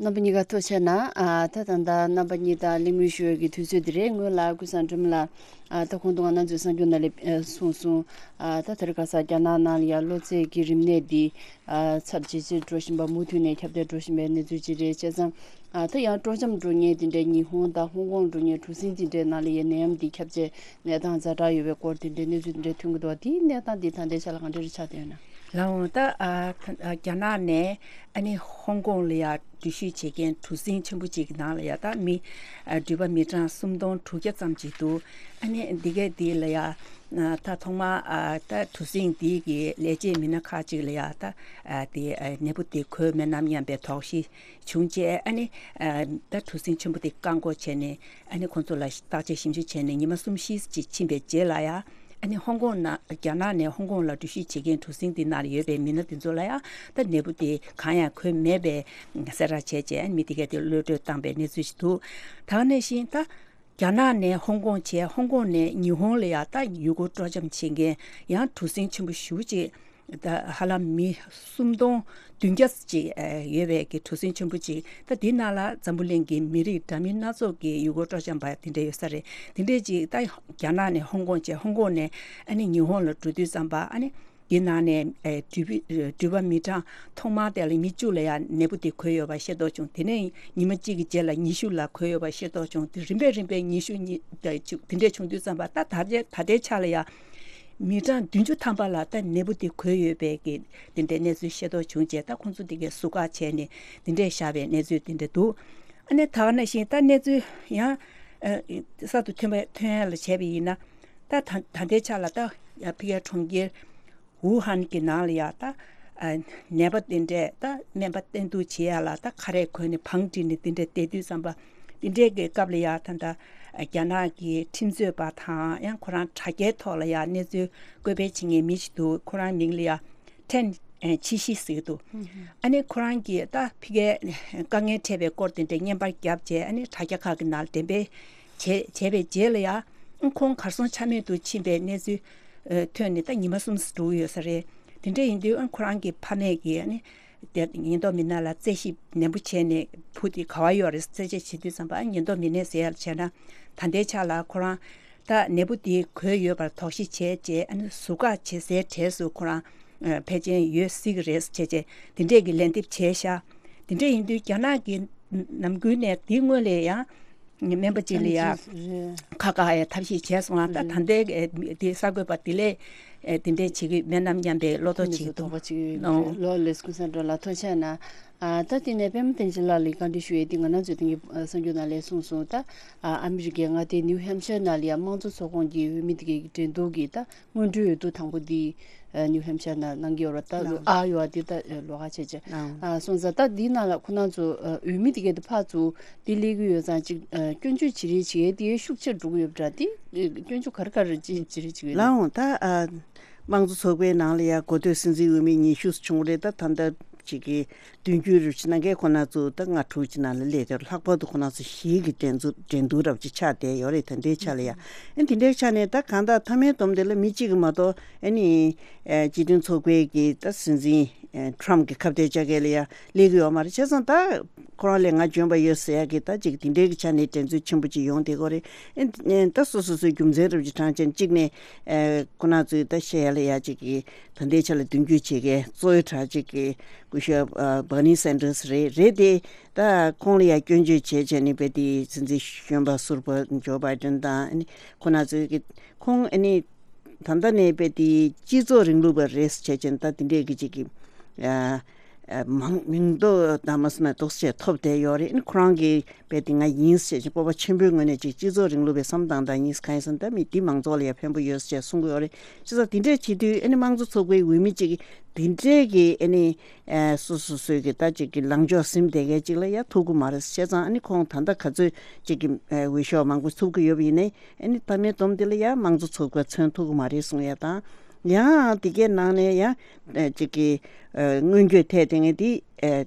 རྣམ་པ་གཉིས་ཀ་ཐུགས་རྗེ་གནང་། ཨ་ད་ད་ལྟ་རྣམ་པ་གཉིས་དང་གླེང་མོལ་ཞུ་བའི་གི་དུས་ཚོད་འདི་རེད། སྔོན་ལ་ཀུན་བཟང་སྒྲོལ་མ་ལགས། ཨ་ད་གོང་དུ་ང་རང་ཚོའི་གསར་འགྱུར་ནང་ལ་ཨ་གསུངས་སོང་། ཨ་ད་དེ་རིང་ཁ་སང་རྒྱ་ནག་ནང་ལ་ཡང་གློ་ཚད་ཀྱི་རིམས་ནད་འདི་ཨ་ཚབས་ཇེ་ཆེར་འགྲོ་བཞིན་པ། མུ་མཐུད་ནས་ཁྱབ་གདལ་འགྲོ་བཞིན་པའི་གནས་ཚུལ་ཅིག་རེད། བྱས་ཙང་ཨ་ད་ཡང་སྤྲོ་འཆམ་འགྲོ་མཁན་དེ་འདྲའི་ཉི་ཧོང་དང་ཧོང་ཀོང་འགྲོ་མཁན་གྲུ་གཟིངས་དེ་འདྲའི་ནང་ལ་ཡང་ནད་ཡམས་འདི་ཁྱབ་ཆེ་གནས་སྟངས་ཛ་དྲག་ཡོད་པའི་སྐོར་དེ་འདྲའི་གནས་ཚུལ་དེ་འདྲ་ཐོན་གྱི་འདུག། དེའི་གནས་སྟངས་འདི་ད་ལྟའི་ཆ་ལ་ག་འདྲ་རེ་ཆགས་བསྡད་ཡོད་ན། ལགས་འོང་། ད་ཨ་ཨ་རྒྱ་ནག་ནས་ཨ་ནི་ཧོང་ཀོང་ལ་ཡ་འགྲུལ་བཞུད་བྱེད་མཁན་གྲུ་གཟིངས་ཆེན་པོ་ཅིག་གི་ནང་ལ་ཡ་ད་མི་ཨ་འགྲུལ་པ་མི་གྲངས་སུམ་སྟོང་དྲུག་བརྒྱ་ཙམ་ཅིག་འདུག། ཨ་ནི་འདི་གའི་འདི་ལ་ཡ་ཨ་ད་ཐོག་མར་ཨ་ད་གྲུ་གཟིངས་འདི་གི་ལས་བྱེད་མི་སྣ་ཁག་ཅིག་ལ་ཡ་ད་ཨ་དེ་ཨ་ནད་འབུ་དེ་འགོས་མེད་ནམ་སྙམ་པའི་དོགས་གཞི་བྱུང་རྗེས། ཨ་ནི་ཨ་ད་གྲུ་གཟིངས་ཆེན་པོ་དེ་བཀག་འགོག་བྱས་ནས། ཨ་ནི་ཁོང་ཚོ་ལ་བརྟག་དཔྱད་ཞིབ་འཇུག་བྱས་ནས་ཉི་མ་གསུམ་བཞི་ཅིག་ཕྱིན་པའི་རྗེས་ལ་ཡ། ཨ་ ཨ་ནི་ཧོང་ཀོང་ནང་རྒྱ་ནག་ནས་ཧོང་ཀོང་ལ་འགྲུལ་བཞུད་བྱེད་མཁན་གྲུ་གཟིངས་དེ་ནང་ལ་ཡོད་པའི་མི་སྣ་དེ་ཚོ་ལ་ཡང་ད་ནད་འབུ་དེ་གང་ཡང་འཁོད་མེད་པའི་གསལ་བསྒྲགས་བྱས་རྗེས་ཨ་ནི་མི་དེ་གས་དེ་གློད་བཀྲོལ་བཏང་པའི་གནས་ཚུལ་ཞིག་འདུག་ད་ག་ནང་བཞིན་ད་རྒྱ་ནག་ནས་ཧོང་ཀོང་བྱས། ཧོང་ཀོང་ནས་ཉི་ཧོང་ལ་ཡང་ད་ཡུལ་སྐོར་སྤྲོ་འཆམ་བྱེད་མཁན་ཡང་གྲུ་གཟིངས་ཆེན་པོ་ཞེ་པོ་ཅིག་ད་ཧ་ལམ་མི་སུམ་སྟོང་བདུན་བརྒྱ་ཅིག་ཡོད་པའི་གི་གྲུ་གཟིངས་ཆེན་པོ་ཅིག་ད་དེའི་ནང་ལ་འཛམ་བུ་གླིང་གི་མི་རིགས་འདྲ་མིན་སྣ་ཚོགས་ཀྱི་ཡུལ་སྐོར་སྤྲོ་འཆམ་པ་དེ་འདྲ་ཡོད་ས་རེད། དེ་འདྲས་ཅིག་ད་རྒྱ་ནག་ནས་ཧོང་ཀོང་བྱས། ཧོང་ཀོང་ནས་ཨ་ནི་ཉི་ཧོང་ལ་འགྲོ་དུས་ཙམ་པ་ཨ་ནི་དེའི་ནང་ནས་ཨེ་འགྲུལ་པ་འགྲུལ་པ་མི་གྲངས་ཐོག་མར་དེ་ལ་ཉི་ཤུ་ལ་ཡང་ནད་འབུ་དེ་འགོས་ཡོད་པ་ཤེས་རྟོགས་བྱུང་། དེ་ནས་ཉི་མ་གཅིག་གི་རྗེས་ལ་ཉི་ཤུ་ལ་འགོས་ཡོད་པ་ཤེས་རྟོགས་བྱུང་། དེ་རིམ་པས་རིམ་པས་ཉི་ཤུ་ཉི་དེ་འདྲས་བྱུང་དུས་ཙམ་པ་ད་ད་ལྟའི་ད་ལྟའི་ཆ་ལ་ཡང་མི་གྲངས་བདུན་ཅུ་ཐམ་པ་ལ་ད་ནད་འབུ་དེ་འགོས་ཡོད་པའི་གི་དེ་འདྲའི་གནས་ཚུལ་ཤེས་རྟོགས་བྱུང་རྗེས་ད་ཁོང་ཚོ་དེ་གའི་ཟུར་བཀག་བྱས་ནས་དེ་འདྲས་བཞག་པའི་གནས་ཚུལ་དེ་འདྲ་འདུག་ཨ་ནི་ད་ག་ནང་བཞིན་ད་གནས་ཚུལ་ཡང་ཨ་གསར་དུ་ཐོན་པ་ཐོན་ཡ་ལ་བྱས་པ་ཡིན་ན་ད་ད་ད་ལྟའི་ཆ་ལ་ད་ཡ་ཕི་གའི་གྲོང་ཁྱེར་ཝུ་ཧན་གྱི་ནང་ལ་ཡ་ད་ཨ་ནད་པ་དེ་འདྲས་ད་སྨན་པ་བསྟེན་གཏུག་བྱེད་ཡ་ལ་ད་ཁ་རས་གོན་ནས་བང་བསྒྲིགས་ནས་དེ་འདྲས་བསྡད་དུས་ཙམ་པ་དེ་འདྲས་ཀྱི་སྐབས་ལ་ཡ་ད་ད་རྒྱ་ནག་གི་ཁྲིམས་རྩོད་པ་དང་ཡང་ཁོ་རང་དྲ་རྒྱའི་ཐོག་ལ་ཡ་གནས་ཚུལ་བཀོད་སྤེལ་བྱེད་མཁན་མི་ཞིག་འདུག་ཁོ་རང་མིང་ལ་ཡ་ཁྲེན་ཆི་ཤི་ཟེར་གྱི་འདུག་ཨ་ནི་ཁོ་རང་གིས་ད་ཕི་གའི་དཀའ་ངལ་འཕྲད་པའི་སྐོར་དེ་འདྲས་བརྙན་པར་བརྒྱབ་རྗེས་ཨ་ནི་དྲ་རྒྱ་ཁག་གི་ནང་ལ་འགྲེམས་སྤེལ་བྱས་བྱས་པའི་རྗེས་ལ་ཡ་ཁོང་གར་སོང་ཆ་མེད་དུ་ཕྱིན་པའི་གནས་ཚུལ་ཐོན་ནས་ད་ཉི་མ་གསུམ་འགྲོ་གི་ཡོད་ས་རེད། དེ་འདྲ་ཡིན་དུས་ཁོ་རང་གི་ཕ་མས་ཀྱིས་ཨ་ནི་དེ་ཉེན་རྟོག་མི་སྣ་ལ་རྩད་ཞིབ་ནན་པོ་བྱས་ནས་བུ་དེ་ག་བ་ཡོད་རེད་རྩད་དཔྱད་བྱེད་དུས་ཙམ་པ་ཉེན་རྟོག་མི་སྣས་ཟེར་ཡ་ལ་བྱས་ན་ད་ལྟའི་ཆ་ལ་ཁོ་རང་ད་ནད་འབུ་དེ་འགོས་ཡོད་པར་དོགས་གཞི་བྱས་རྗེས་ཨ་ནི་ཟུར་བཀག་བྱེད་སའི་གྲས་སུ་ཁོ་རང་ཕལ་ཆེར་ཡོད་སྲིད་ཀྱི་རེད་བྱས་རྗེས་དེ་འདྲས་ཀྱི་ལན་འདེབས་བྱས་ཤག་དེ་འདྲས་ཡིན་དུས་རྒྱ་ནག་གི་ནམ་རྒྱུན་ནས་དེའི་སྔོན་ལ་ཡང་སྨན་པ་ཅིག་ལ་ཡ་ཁ་བཀག་ཡ་ཐབས་ཤེས་བྱས་སོང་ང་། ད་ད་ལྟའི་དེ་གསར་འགོད་པ་དེ་ལས་དེ་འདྲས་བྱེད་ཀྱི་མེད་ནམ་སྙམ་པའི་བློ་དོགས་ཅིག་འདུག་ལོ་ལེ་སྐུ་སེང་སྒྲོལ་ལགས་ཐུགས་རྗེ་གནང་། ད་དེ་ནས་པད་མ་བསྟན་འཛིན་ལགས་ལ་བཀའ་འདྲི་ཞུ་ཡས་དེ་ང་རང་ཚོས་དེང་གི་གསར་འགྱུར་ནང་ལས་གསུངས་སོང་། ད་ཨ་མི་རི་ཀའི་མངའ་སྡེ་ནིའུ་ཧེམ་ཤར་ནང་ལ་ཡ་དམངས་གཙོ་ཚོགས་ཁོངས་ཀྱི་འོས་མི་དེ་གའི་འགྲན་བསྡུར་གྱི་ད་སྔོན་འགྲོའི་འོས་བསྡུ་དང་པོ་འདི་ཨ་ནིའུ་ཧེམ་ཤར་ནང་གནང་གི་ཡོད་རེད། ད་ཨ་ཡོ་ཨ་འདི་ད་ལོགས་ཀ་བྱས་བྱས་ཨ་སོང་ཙང་ད་འདི་ནང་ལ་ཁོ་རང་ཚོ་ཨ་འོས་མི་དེ་གའི་ད་ཕར་ཚུར་འདི་སླེབས་ཀྱི་ཡོད་ཙང་ཅིག་ཨ་སྐྱོན་བརྗོད་བྱེད་རེས་བྱེད་ཡས་དེ་ཤུགས་ཆེར་འགྲོ་གི་ཡོད་པ་འདྲ། དེ་སྐྱོན་བརྗོད་ག་རེ་ག་རེ་ཅིག་བྱེད་རེས་བྱེད་ཀྱི་ཡོད་ལགས། འོང་ད་ཨ་དམངས་གཙོ་ཚོགས་པའི་ནང་ལ་ཡ་འགོ་སྟོད་སྲིད་འཛིན་འོས་མི་ཉི་ཤུ་བྱུང་རེད། ད་ད་ལྟ་ཅིག་གི་བདུན་ཅུ་རེ་བཞི་ནང་གའི་ཁོ་ན་ཚོ་ད་ལྔ་དྲུག་ཅིག་ནང་ལ་སླེབས་ཏེ་ལྷག་པར་དུ་ཁོ་ན་ཚོ་ཞིག་གི་འགྲན་རྩོད་འགྲན་བསྡུར་རབ་ཅིག་ཆགས་བསྡད་ཡོད་རེད། ད་ལྟའི་ཆ་ལ་ཡ་ཨ་དེ་འདྲའི་ཆ་ནས་ད་གང་ལྟར་མཐའ་མའི་སྡོམ་དེ་ལ་མི་གཅིག་གི་མ་གཏོགས་ཨ་ནི་ཨ་སྤྱི་མཐུན་ཚོགས་པའི་གི་ད་སྲིད་འཛིན་ཨ་ཊམ་གི་ཁ་གཏད་བཅག་མཁན་ལ་ཡ་སླེབས་ཀྱི་ཡོད་མ་རེད། བྱས་ཙང་ད་ཁོ་རང་ལས་ང་འཇོན་པ་ཡོད་ཟེར་ཡ་གི་ད་ཅིག་དེ་འདྲའི་གི་ཆ་ནས་འགྲན་རྩོད་ཆེན་པོ་ཅིག་ཡོང་བསྡད་ཀྱི་ཡོད་རེད། ཨ་ད་སོ་སོ་སོའི་རྒྱུ་མཚན་རབ་ཅིག་དྲངས་བྱས་གཅིག་ནས་ཨ་ཁོ་ན་ཚོའི་ད་བཤད་ཡ་ལ་ཡ་ཅིག་གི་ད་ལྟའི་ཆ་ལ་མདུན་སྐྱོད་བྱེད་མཁན་གཙོ་བོའི་གྲས་གཅིག་གི་སྐུ་ཞབས་ཨ་བར་ནི་སན་ཏར་སི་རེད། རེད་དེ་ད་ཁོང་ལ་ཡ་སྐྱོན་བརྗོད་བྱས་བྱས་ནས་དཔེ་དེ་སྲིད་འཛིན་གཞོན་པ་ཟུར་པ་ཇོ་བྷའི་ཏན་དང་ཨ་ནི་ཁོ་ན་ཚོས་ཀྱི་ཁོང་ཨ་ནི་ད་ལྟ་ནས་དཔེ་དེ་སྤྱི་ཚོགས་རིང་ལུགས་པ་རེད་བྱས་བྱས་ད་དེ་འདྲས་ཀྱི་གཅིག་གི་ཨ་ཨ་མང་མིང་འདོགས་དང་མ་སོང་ན་འདོགས་བྱས་ཐོབ་བསྡད་ཡོད་རེད། ཨ་ནི་ཁོ་རང་གི་དཔེ་དེ་ང་ཡིན་ཟེར་བྱས་སྤོབས་པ་ཆེན་པོའི་ངོས་ནས་ཅིག་སྤྱི་ཚོགས་རིང་ལུགས་པའི་བསམ་སྟངས་དང་ཡིན་གང་ཡིན་ཟེར་ན་ད་མི་འདི་མང་ཚོགས་ལ་ཡང་ཕན་པོ་ཡོད་ཟེར་བྱས་གསུང་གི་ཡོད་རེད། བྱས་ཙང་དེ་འདྲས་བྱེད་དུས་ཨ་ནི་དམངས་གཙོ་ཚོགས་པའི་འོས་མི་གཅིག་གིས་དེ་འདྲས་ཀྱི་ཨ་ནི་ཨ་སོ་སོ་སོའི་གི་ད་ཅིག་གི་ལངས་ཕྱོགས་ཟིན་བསྡད་མཁན་གཅིག་ལ་ཡང་ཐུག་གི་མ་རེད། བྱས་ཙང་ཨ་ནི་ཁོང་ད་ལྟ་ག་ཚོད་ཅིག་གི་ཨ་འོས་ཤོག་མང་པོ་ཐོབ་ཀྱི་ཡོད་པ་ཡིན་ནའི་ཨ་ནི་མཐའ་མའི་སྡོམ་དེ་ལ་ཡང་དམངས་གཙོ་ཚོགས་པ་མཚོན་ཐུབ་ཀྱི་མ་རེད་གསུང་ཡ་དང་། ཡང་དེ་གའི་ནང་ནས་ཡང་ཨ་ཅིག་གི་ཨ་སྔོན་སྐྱོད་ཐད་དེ་ངས་དེ་ཨ་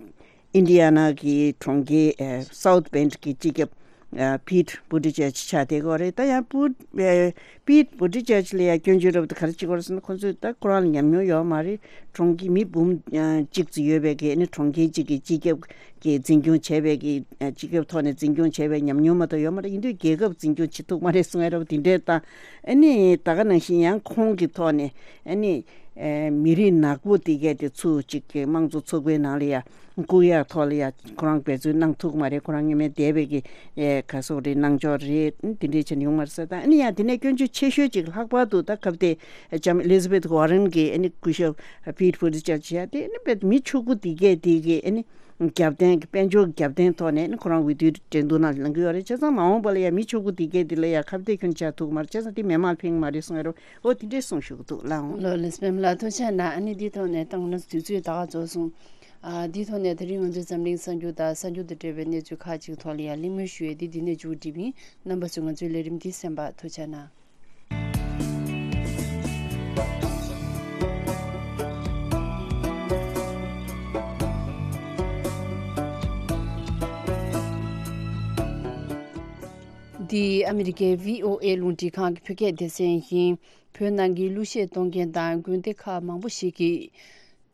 ཨིན་ཌི་ཡ་ན་གི་གྲོང་ཁྱེར་ཨ་སའུཐ་བེན་གི་སྤྱི་ཁྱབ་ཨ་པིད་བུ་ཏི་ཇེཇ་ཆགས་བསྡད་ཀྱི་ཡོད་རེད། ད་ཡང་པུ་ཨ་པིད་བུ་ཏི་ཇེཇ་ལ་ཡང་སྐྱོན་བརྗོད་རབ་ཏུ་ག་རེ་བྱེད་ཀྱི་ཡོད་རེད་ཟེར་ན་ཁོང་ཚོས་ད་ཁོ་རང་ལ་ཉམས་མྱོང་ཡོད་མ་རེད། གྲོང་ཁྱེར་མི་འབུམ་ཨ་གཅིག་ཙམ་ཡོད་པའི་གི་ཨ་ནི་གྲོང་ཁྱེར་གཅིག་གི་སྤྱི་ཁྱབ་ཀྱི་འཛིན་སྐྱོང་བྱས་པའི་གི་ཨ་སྤྱི་ཁྱབ་ཐོག་ནས་འཛིན་སྐྱོང་བྱས་པའི་ཉམས་མྱོང་མ་གཏོགས་ཡོད་མ་རེད། ཡིན་དུས་རྒྱལ་ཁབ་འཛིན་སྐྱོང་བྱེད་ཐུབ་མ་རེད་གསུང་ཡ་རབ་དེ་འདྲས་དང་། ཨ་ནི་ད་ག་ནང་བཞིན་ཡང་ཁོང་གི་ཐོག་ནས་ཨ་ནི་ཨ་མི་རིགས་ནག་པོ་དེ་གས་དེ་ཚུར་གཅིག་གི་དམངས་གཙོ་ཚོགས་པའི་ནང་ལ་ཡ་བཀུག་ཡག་ཐོག་ལ་ཡ་ཁོ་རང་འབད་བརྩོན་གནང་ཐུབ་ཀྱི་མ་རེད། ཁོ་རང་ཉི་མའི་འདས་པའི་གི་ཨེ་ག་སོགས་རེད་གནང་ཕྱོགས་རེད་དེ་འདྲས་བྱས་ནས་ཡོང་མ་རེད་ཟེར། ད་ཨ་ནི་ཡང་དེ་ནས་སྐྱོན་བརྗོད་ཆེ་ཤོས་ཅིག་ལྷག་པར་དུ་ད་སྐབས་དེ་ལྕམ་ཨེ་ལི་ཛ་བེད་ཝར་རན་གྱི་ཨ་ནི་སྐུ་ཞབས་པིད་བུ་ཏི་ཇེཇ་བྱས་དེ་ཨ་ནི་དཔེ་མི་ཕྱུག་པོ་དེ་གས་དེ་གི་ཨ་ནི་རྒྱབ་རྟེན་གྱི་དཔལ་འབྱོར་གྱི་རྒྱབ་རྟེན་ཐོག་ནས་ཨ་ནི་ཁོ་རང་འོས་བསྡུའི་འགྲན་བསྡུར་ནང་ལངས་ཀྱི་ཡོད་རེད། བྱས་ཙང་མ་འོངས་པ་ལ་ཡང་མི་ཕྱུག་པོ་དེ་གས་དེ་ལ་ཡང་ཁ་གཏད་ཁྱོན་ཆགས་ཐུབ་ཀྱི་མ་རེད། བྱས་ཙང་དེ་མི་མང་ལ་ཕན་གྱི་མ་རེད་གསུང་ཡ་རེད། འོ་དེ་འདྲས་གསུངས་ཞུ་གི་འདུག་ལགས། འོང་། ལོ་ལེགས་པད་མ་ལགས་ཐུགས་རྗེ་གནང་། ཨ་ནི་འདིའི་ཐོག་ནས་ད་ང་རང་ཚོ་དུས་ཚོད་ད་ག་རྫོགས་སོང་། ཨ་འདིའི་ཐོག་ནས་དེ་རིང་ང་ཚོའི་འཛམ་གླིང་གསར་འགྱུར་དང་གསར་འགྱུར་དང་འབྲེལ་བའི་གནས་ཚུལ་ཁག་ཅིག་ཐོག་ལ་ཡང་གླེང་མོལ་ཞུ་ཡས་འདི་འདི་ནས་མཇུག་སྒྲིལ་བ་ཡིན། རྣམ་པ་ཚོས་ང་ཚོའི་ལས་རིམ་འདི་གསན་པར་ཐུགས་རྗེ་གནང་། འདི་ཨ་མི་རི་ཀའི་བྷི་ཨོ་ཨེ་རླུང་འཕྲིན་ཁང་གི་བོད་སྐད་སྡེ་ཚན་ཡིན། བོད་ནང་གི་གླུ་གཞས་གཏོང་མཁན་དང་དགོན་སྡེ་ཁག་མང་པོ་ཞིག་གིས།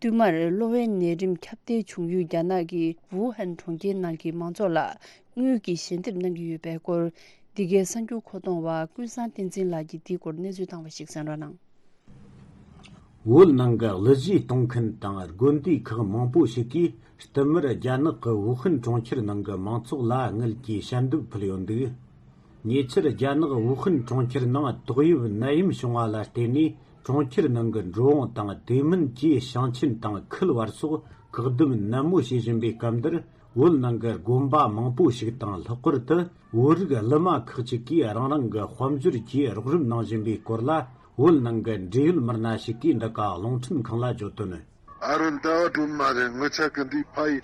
བསྟུད་མར་གློ་བའི་ནད་རིམས་ཁྱབ་གདལ་བྱུང་ཡུལ་རྒྱ་ནག་གི་ཝུ་ཧན་གྲོང་ཁྱེར་ནང་གི་མང་ཚོགས་ལ་དངུལ་གྱི་ཞལ་འདེབས་གནང་གི་ཡོད་པའི་སྐོར། འདི་གའི་གསར་འགྱུར་མཁོ་གཏོང་བ་ཀུན་བཟང་བསྟན་འཛིན་ལགས་ཀྱིས་འདིའི་སྐོར་གནས་ཚུལ་བཏང་བ་ཞིག་གསན་རོགས་གནང་། བོད་ནང་གི་གླུ་གཞས་གཏོང་མཁན་དང་དགོན་སྡེ་ཁག་མང་པོ་ཞིག་གིས་བསྟུད་མར་རྒྱ་ནག་གི་ཝུ་ཧན་གྲོང་ཁྱེར་ནང་གི་མང་ཚོགས་ལ་དངུལ་གྱི་ཞལ་འདེབས་ཕུལ་ཡོད་འདུག་ཉེ་ཆར་རྒྱ་ནག་ཝུ་ཧན་གྲོང་ཁྱེར་ནང་ཏོག་དབྱིབས་ནད་ཡམས་བྱུང་བ་ལ་བརྟེན་ནས། གྲོང་ཁྱེར་ནང་གི་འགྲོ་འོང་དང་དེ་མིན་གྱི་ཞིང་ཆེན་དང་ཁུལ་བར་སོགས་བཀག་སྡོམ་ནན་མོ་བྱེད་བཞིན་པའི་སྐབས་འདིར། བོད་ནང་གི་དགོན་པ་མང་པོ་ཞིག་དང་། ལྷག་པར་དུ་བོད་རིགས་གླུ་མ་ཁག་ཅིག་གིས་རང་རང་གི་དཔལ་འབྱོར་གྱི་རོགས་རམ་གནང་བཞིན་པའི་སྐོར་ལ། བོད་ནང་གི་འབྲེལ་ཡོད་མི་སྣ་ཞིག་གིས་འདི་ག་རླུང་འཕྲིན་ཁང་ལ་བརྗོད་དོན། ཨ་རོ་ཟླ་བ་སྒྲོལ་མ་རེད། ངི་ཆ་གི་འདི་ཕ་ཡི་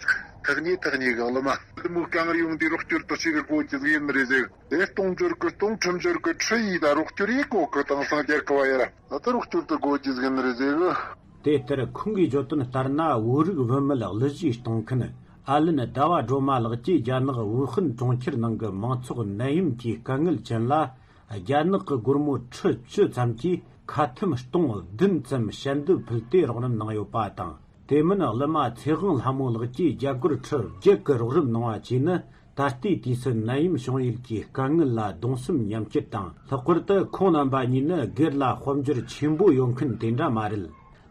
ཐག་ཉེ་ཐག་ཉེ་གི་གླུ་མ། འདི་མོ་རྐང་རིང་འདི་རོགས་སྐྱོར་དུ་ཞིག་གི་སྒོ་ཅི་ཟིག་ཡིན་ནི་རེད་ཟེར། དེ་གཏོང་འབྱོར་གི་གཏོང་ཁྲིམས་འབྱོར་གི་ཁྲི་ཡིས་ད་རོགས་སྐྱོར་ཡིས་གོ་གི་དེང་སང་རྒྱལ་ཁབ་བ་ཡ་ར་ད་ད་རོགས་སྐྱོར་དུ་སྒོ་ཅི་ཟིག་ཡིན་ནི་རེད་ཟེར་གི། དེ་ལྟར་ཁོང་གིས་བརྗོད་དོན་ལྟར་ན། བོད་རིགས་བུད་མེད་གླུ་གཞས་གཏོང་མཁན་ཨ་ལན་ཟླ་བ་སྒྲོལ་མ་ལགས་ཀྱིས་རྒྱ་ནག་ཝུ་ཧན་གྲོང་ཁྱེར་ནང་གི་མང་ཚོགས་ནད་ཡམས་ཀྱི་དཀའ་ངལ་ཅན་ལ། རྒྱ་ནག་གི་སྒོར་མོ་ཁྲི་བཅུ་ཙམ་གྱིས་ཁ་ཐུམ་སྟོང་བདུན་ཙམ་ཞལ་འདེབས་ཕུལ་ཏེ་རོགས་རམ་གནང་ཡོད་པ་དང་། དེ་མིན་གླུ་མ་ཚེ་དབང་ལྷ་མོ་ལགས་ཀྱིས་རྒྱ་སྒོར་ཁྲི་བརྒྱད་ཀྱི་རོགས་རམ་གནང་བ་བཅས་ནི། ད་ལྟའི་དུས་སུ་ནད་ཡམས་བྱུང་ཡུལ་གྱི་དཀའ་ངལ་ལ་གདུང་སེམས་མཉམ་སྐྱེད་དང་། ལྷག་པར་དུ་ཁོང་རྣམ་པ་གཉིས་ནི་སྒེར་ལ་དཔལ་འབྱོར་ཆེན་པོ་ཡོད་མཁན་དེ་འདྲ་མ་རེད།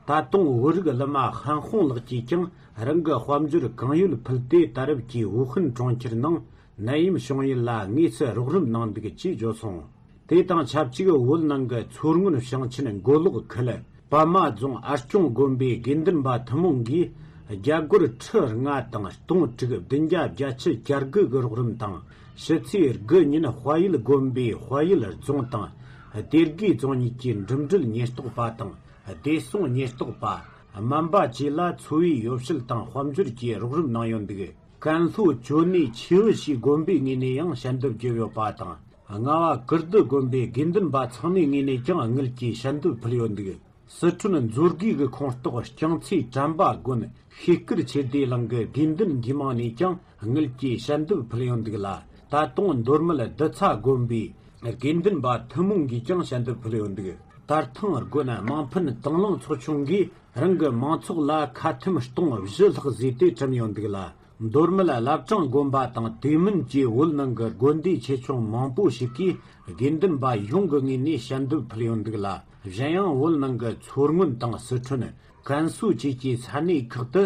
ད་དུང་བོད་རིགས་གླུ་མ་ཧན་ཧོང་ལགས་ཀྱིས་ཀྱང་རང་གི་དཔལ་འབྱོར་གང་ཡོད་ཕུལ་ཏེ། ད་རེབ་ཀྱི་ཝུ་ཧན་གྲོང་ཁྱེར་ནང་ནད་ཡམས་བྱུང་ཡུལ་ལ་དངོས་སུ་རོགས་རམ་གནང་འདུག་ཅེས་བརྗོད་སོང་། དེ་དང་ཆབས་ཅིག་བོད་ནང་གི་མཚོ་སྔོན་ཞིང་ཆེན་མགོ་ལོག་ཁུལ་པདྨ་རྫོང་ཨ་སྐྱོང་དགོན་པའི་དགེ་འདུན་པ་ཐུན་མོང་གིས་རྒྱ་སྒོར་ཁྲི་ལྔ་དང་སྟོང་དྲུག་བདུན་བརྒྱ་བརྒྱད་ཅུ་གྱ་དགུ་གི་རོགས་རམ་དང་། ཕྱི་ཚེས་དགུ་ཉིན་དཔལ་ཡུལ་དགོན་པའི་དཔལ་ཡུལ་རྫོང་དང་སྡེ་དགེ་རྫོང་གཉིས་ཀྱི་འགྲིམ་འགྲུལ་ཉེན་རྟོག་པ་དང་བདེ་སྲུང་ཉེན་རྟོག་པ། སྨན་པ་བཅས་ལ་འཚོ་བའི་ཡོ་བྱད་དང་དཔལ་འབྱོར་གྱི་རོགས་རམ་གནང་ཡོད་འདུག་ཀན་ལྷོ་ཅོ་ནེ་ཆུས་ཞི་དགོན་པའི་ངོས་ནས་ཡང་ཞལ་འདེབས་བརྒྱབ་ཡོད་པ་དང་། རྔ་བ་ཀིརྟི་དགོན་པའི་དགེ་འདུན་པ་ཚང་མའི་ངོས་ནས་ཀྱང་དངུལ་གྱི་ཞལ་འདེབས་ཕུལ་ཡོད་འདུག་སི་ཁྲོན་མཛོད་དགེ་གི་ཁོངས་གཏོགས་རྐྱང་ཚེ་དྲན་པ་དགོན་ཤེས་སྐུར་ཆོས་སྡེ་གླིང་གི་དགེ་འདུན་འདུས་མང་ནས་ཀྱང་དངུལ་གྱི་ཞལ་འདེབས་ཕུལ་ཡོད་འདུག་ལ། ད་དུང་མདོ་སྨད་རྡི་ཚ་དགོན་པའི་དགེ་འདུན་པ་ཐུན་མོང་གིས་ཀྱང་ཞལ་འདེབས་ཕུལ་ཡོད་འདུག་དར་ཐང་དགོན་དམངས་ཕན་དང་བླངས་ཚོགས་ཆུང་གིས་རང་གི་མང་ཚོགས་ལ་ཁ་ཐུམ་སྟོང་བཞི་ལྷག་བཟོས་ཏེ་བཀྲམ་ཡོད་འདུག་ལ། མདོ་སྨད་བླ་བྲང་དགོན་པ་དང་དེ་མིན་གྱི་བོད་ནང་གི་དགོན་སྡེ་ཆེ་ཆུང་མང་པོ་ཞིག་གིས་དགེ་འདུན་པ་གཞུང་གི་ངོས་ནས་ཞལ་འདེབས་ཕུལ་ཡོད་འདུག་ལ། གཞན་ཡང་བོད་ནང་གི་མཚོ་སྔོན་དང་སི་ཁྲོན། ཀན་སུའུ་བཅས་ཀྱི་ས་གནས་ཁག་ཏུ་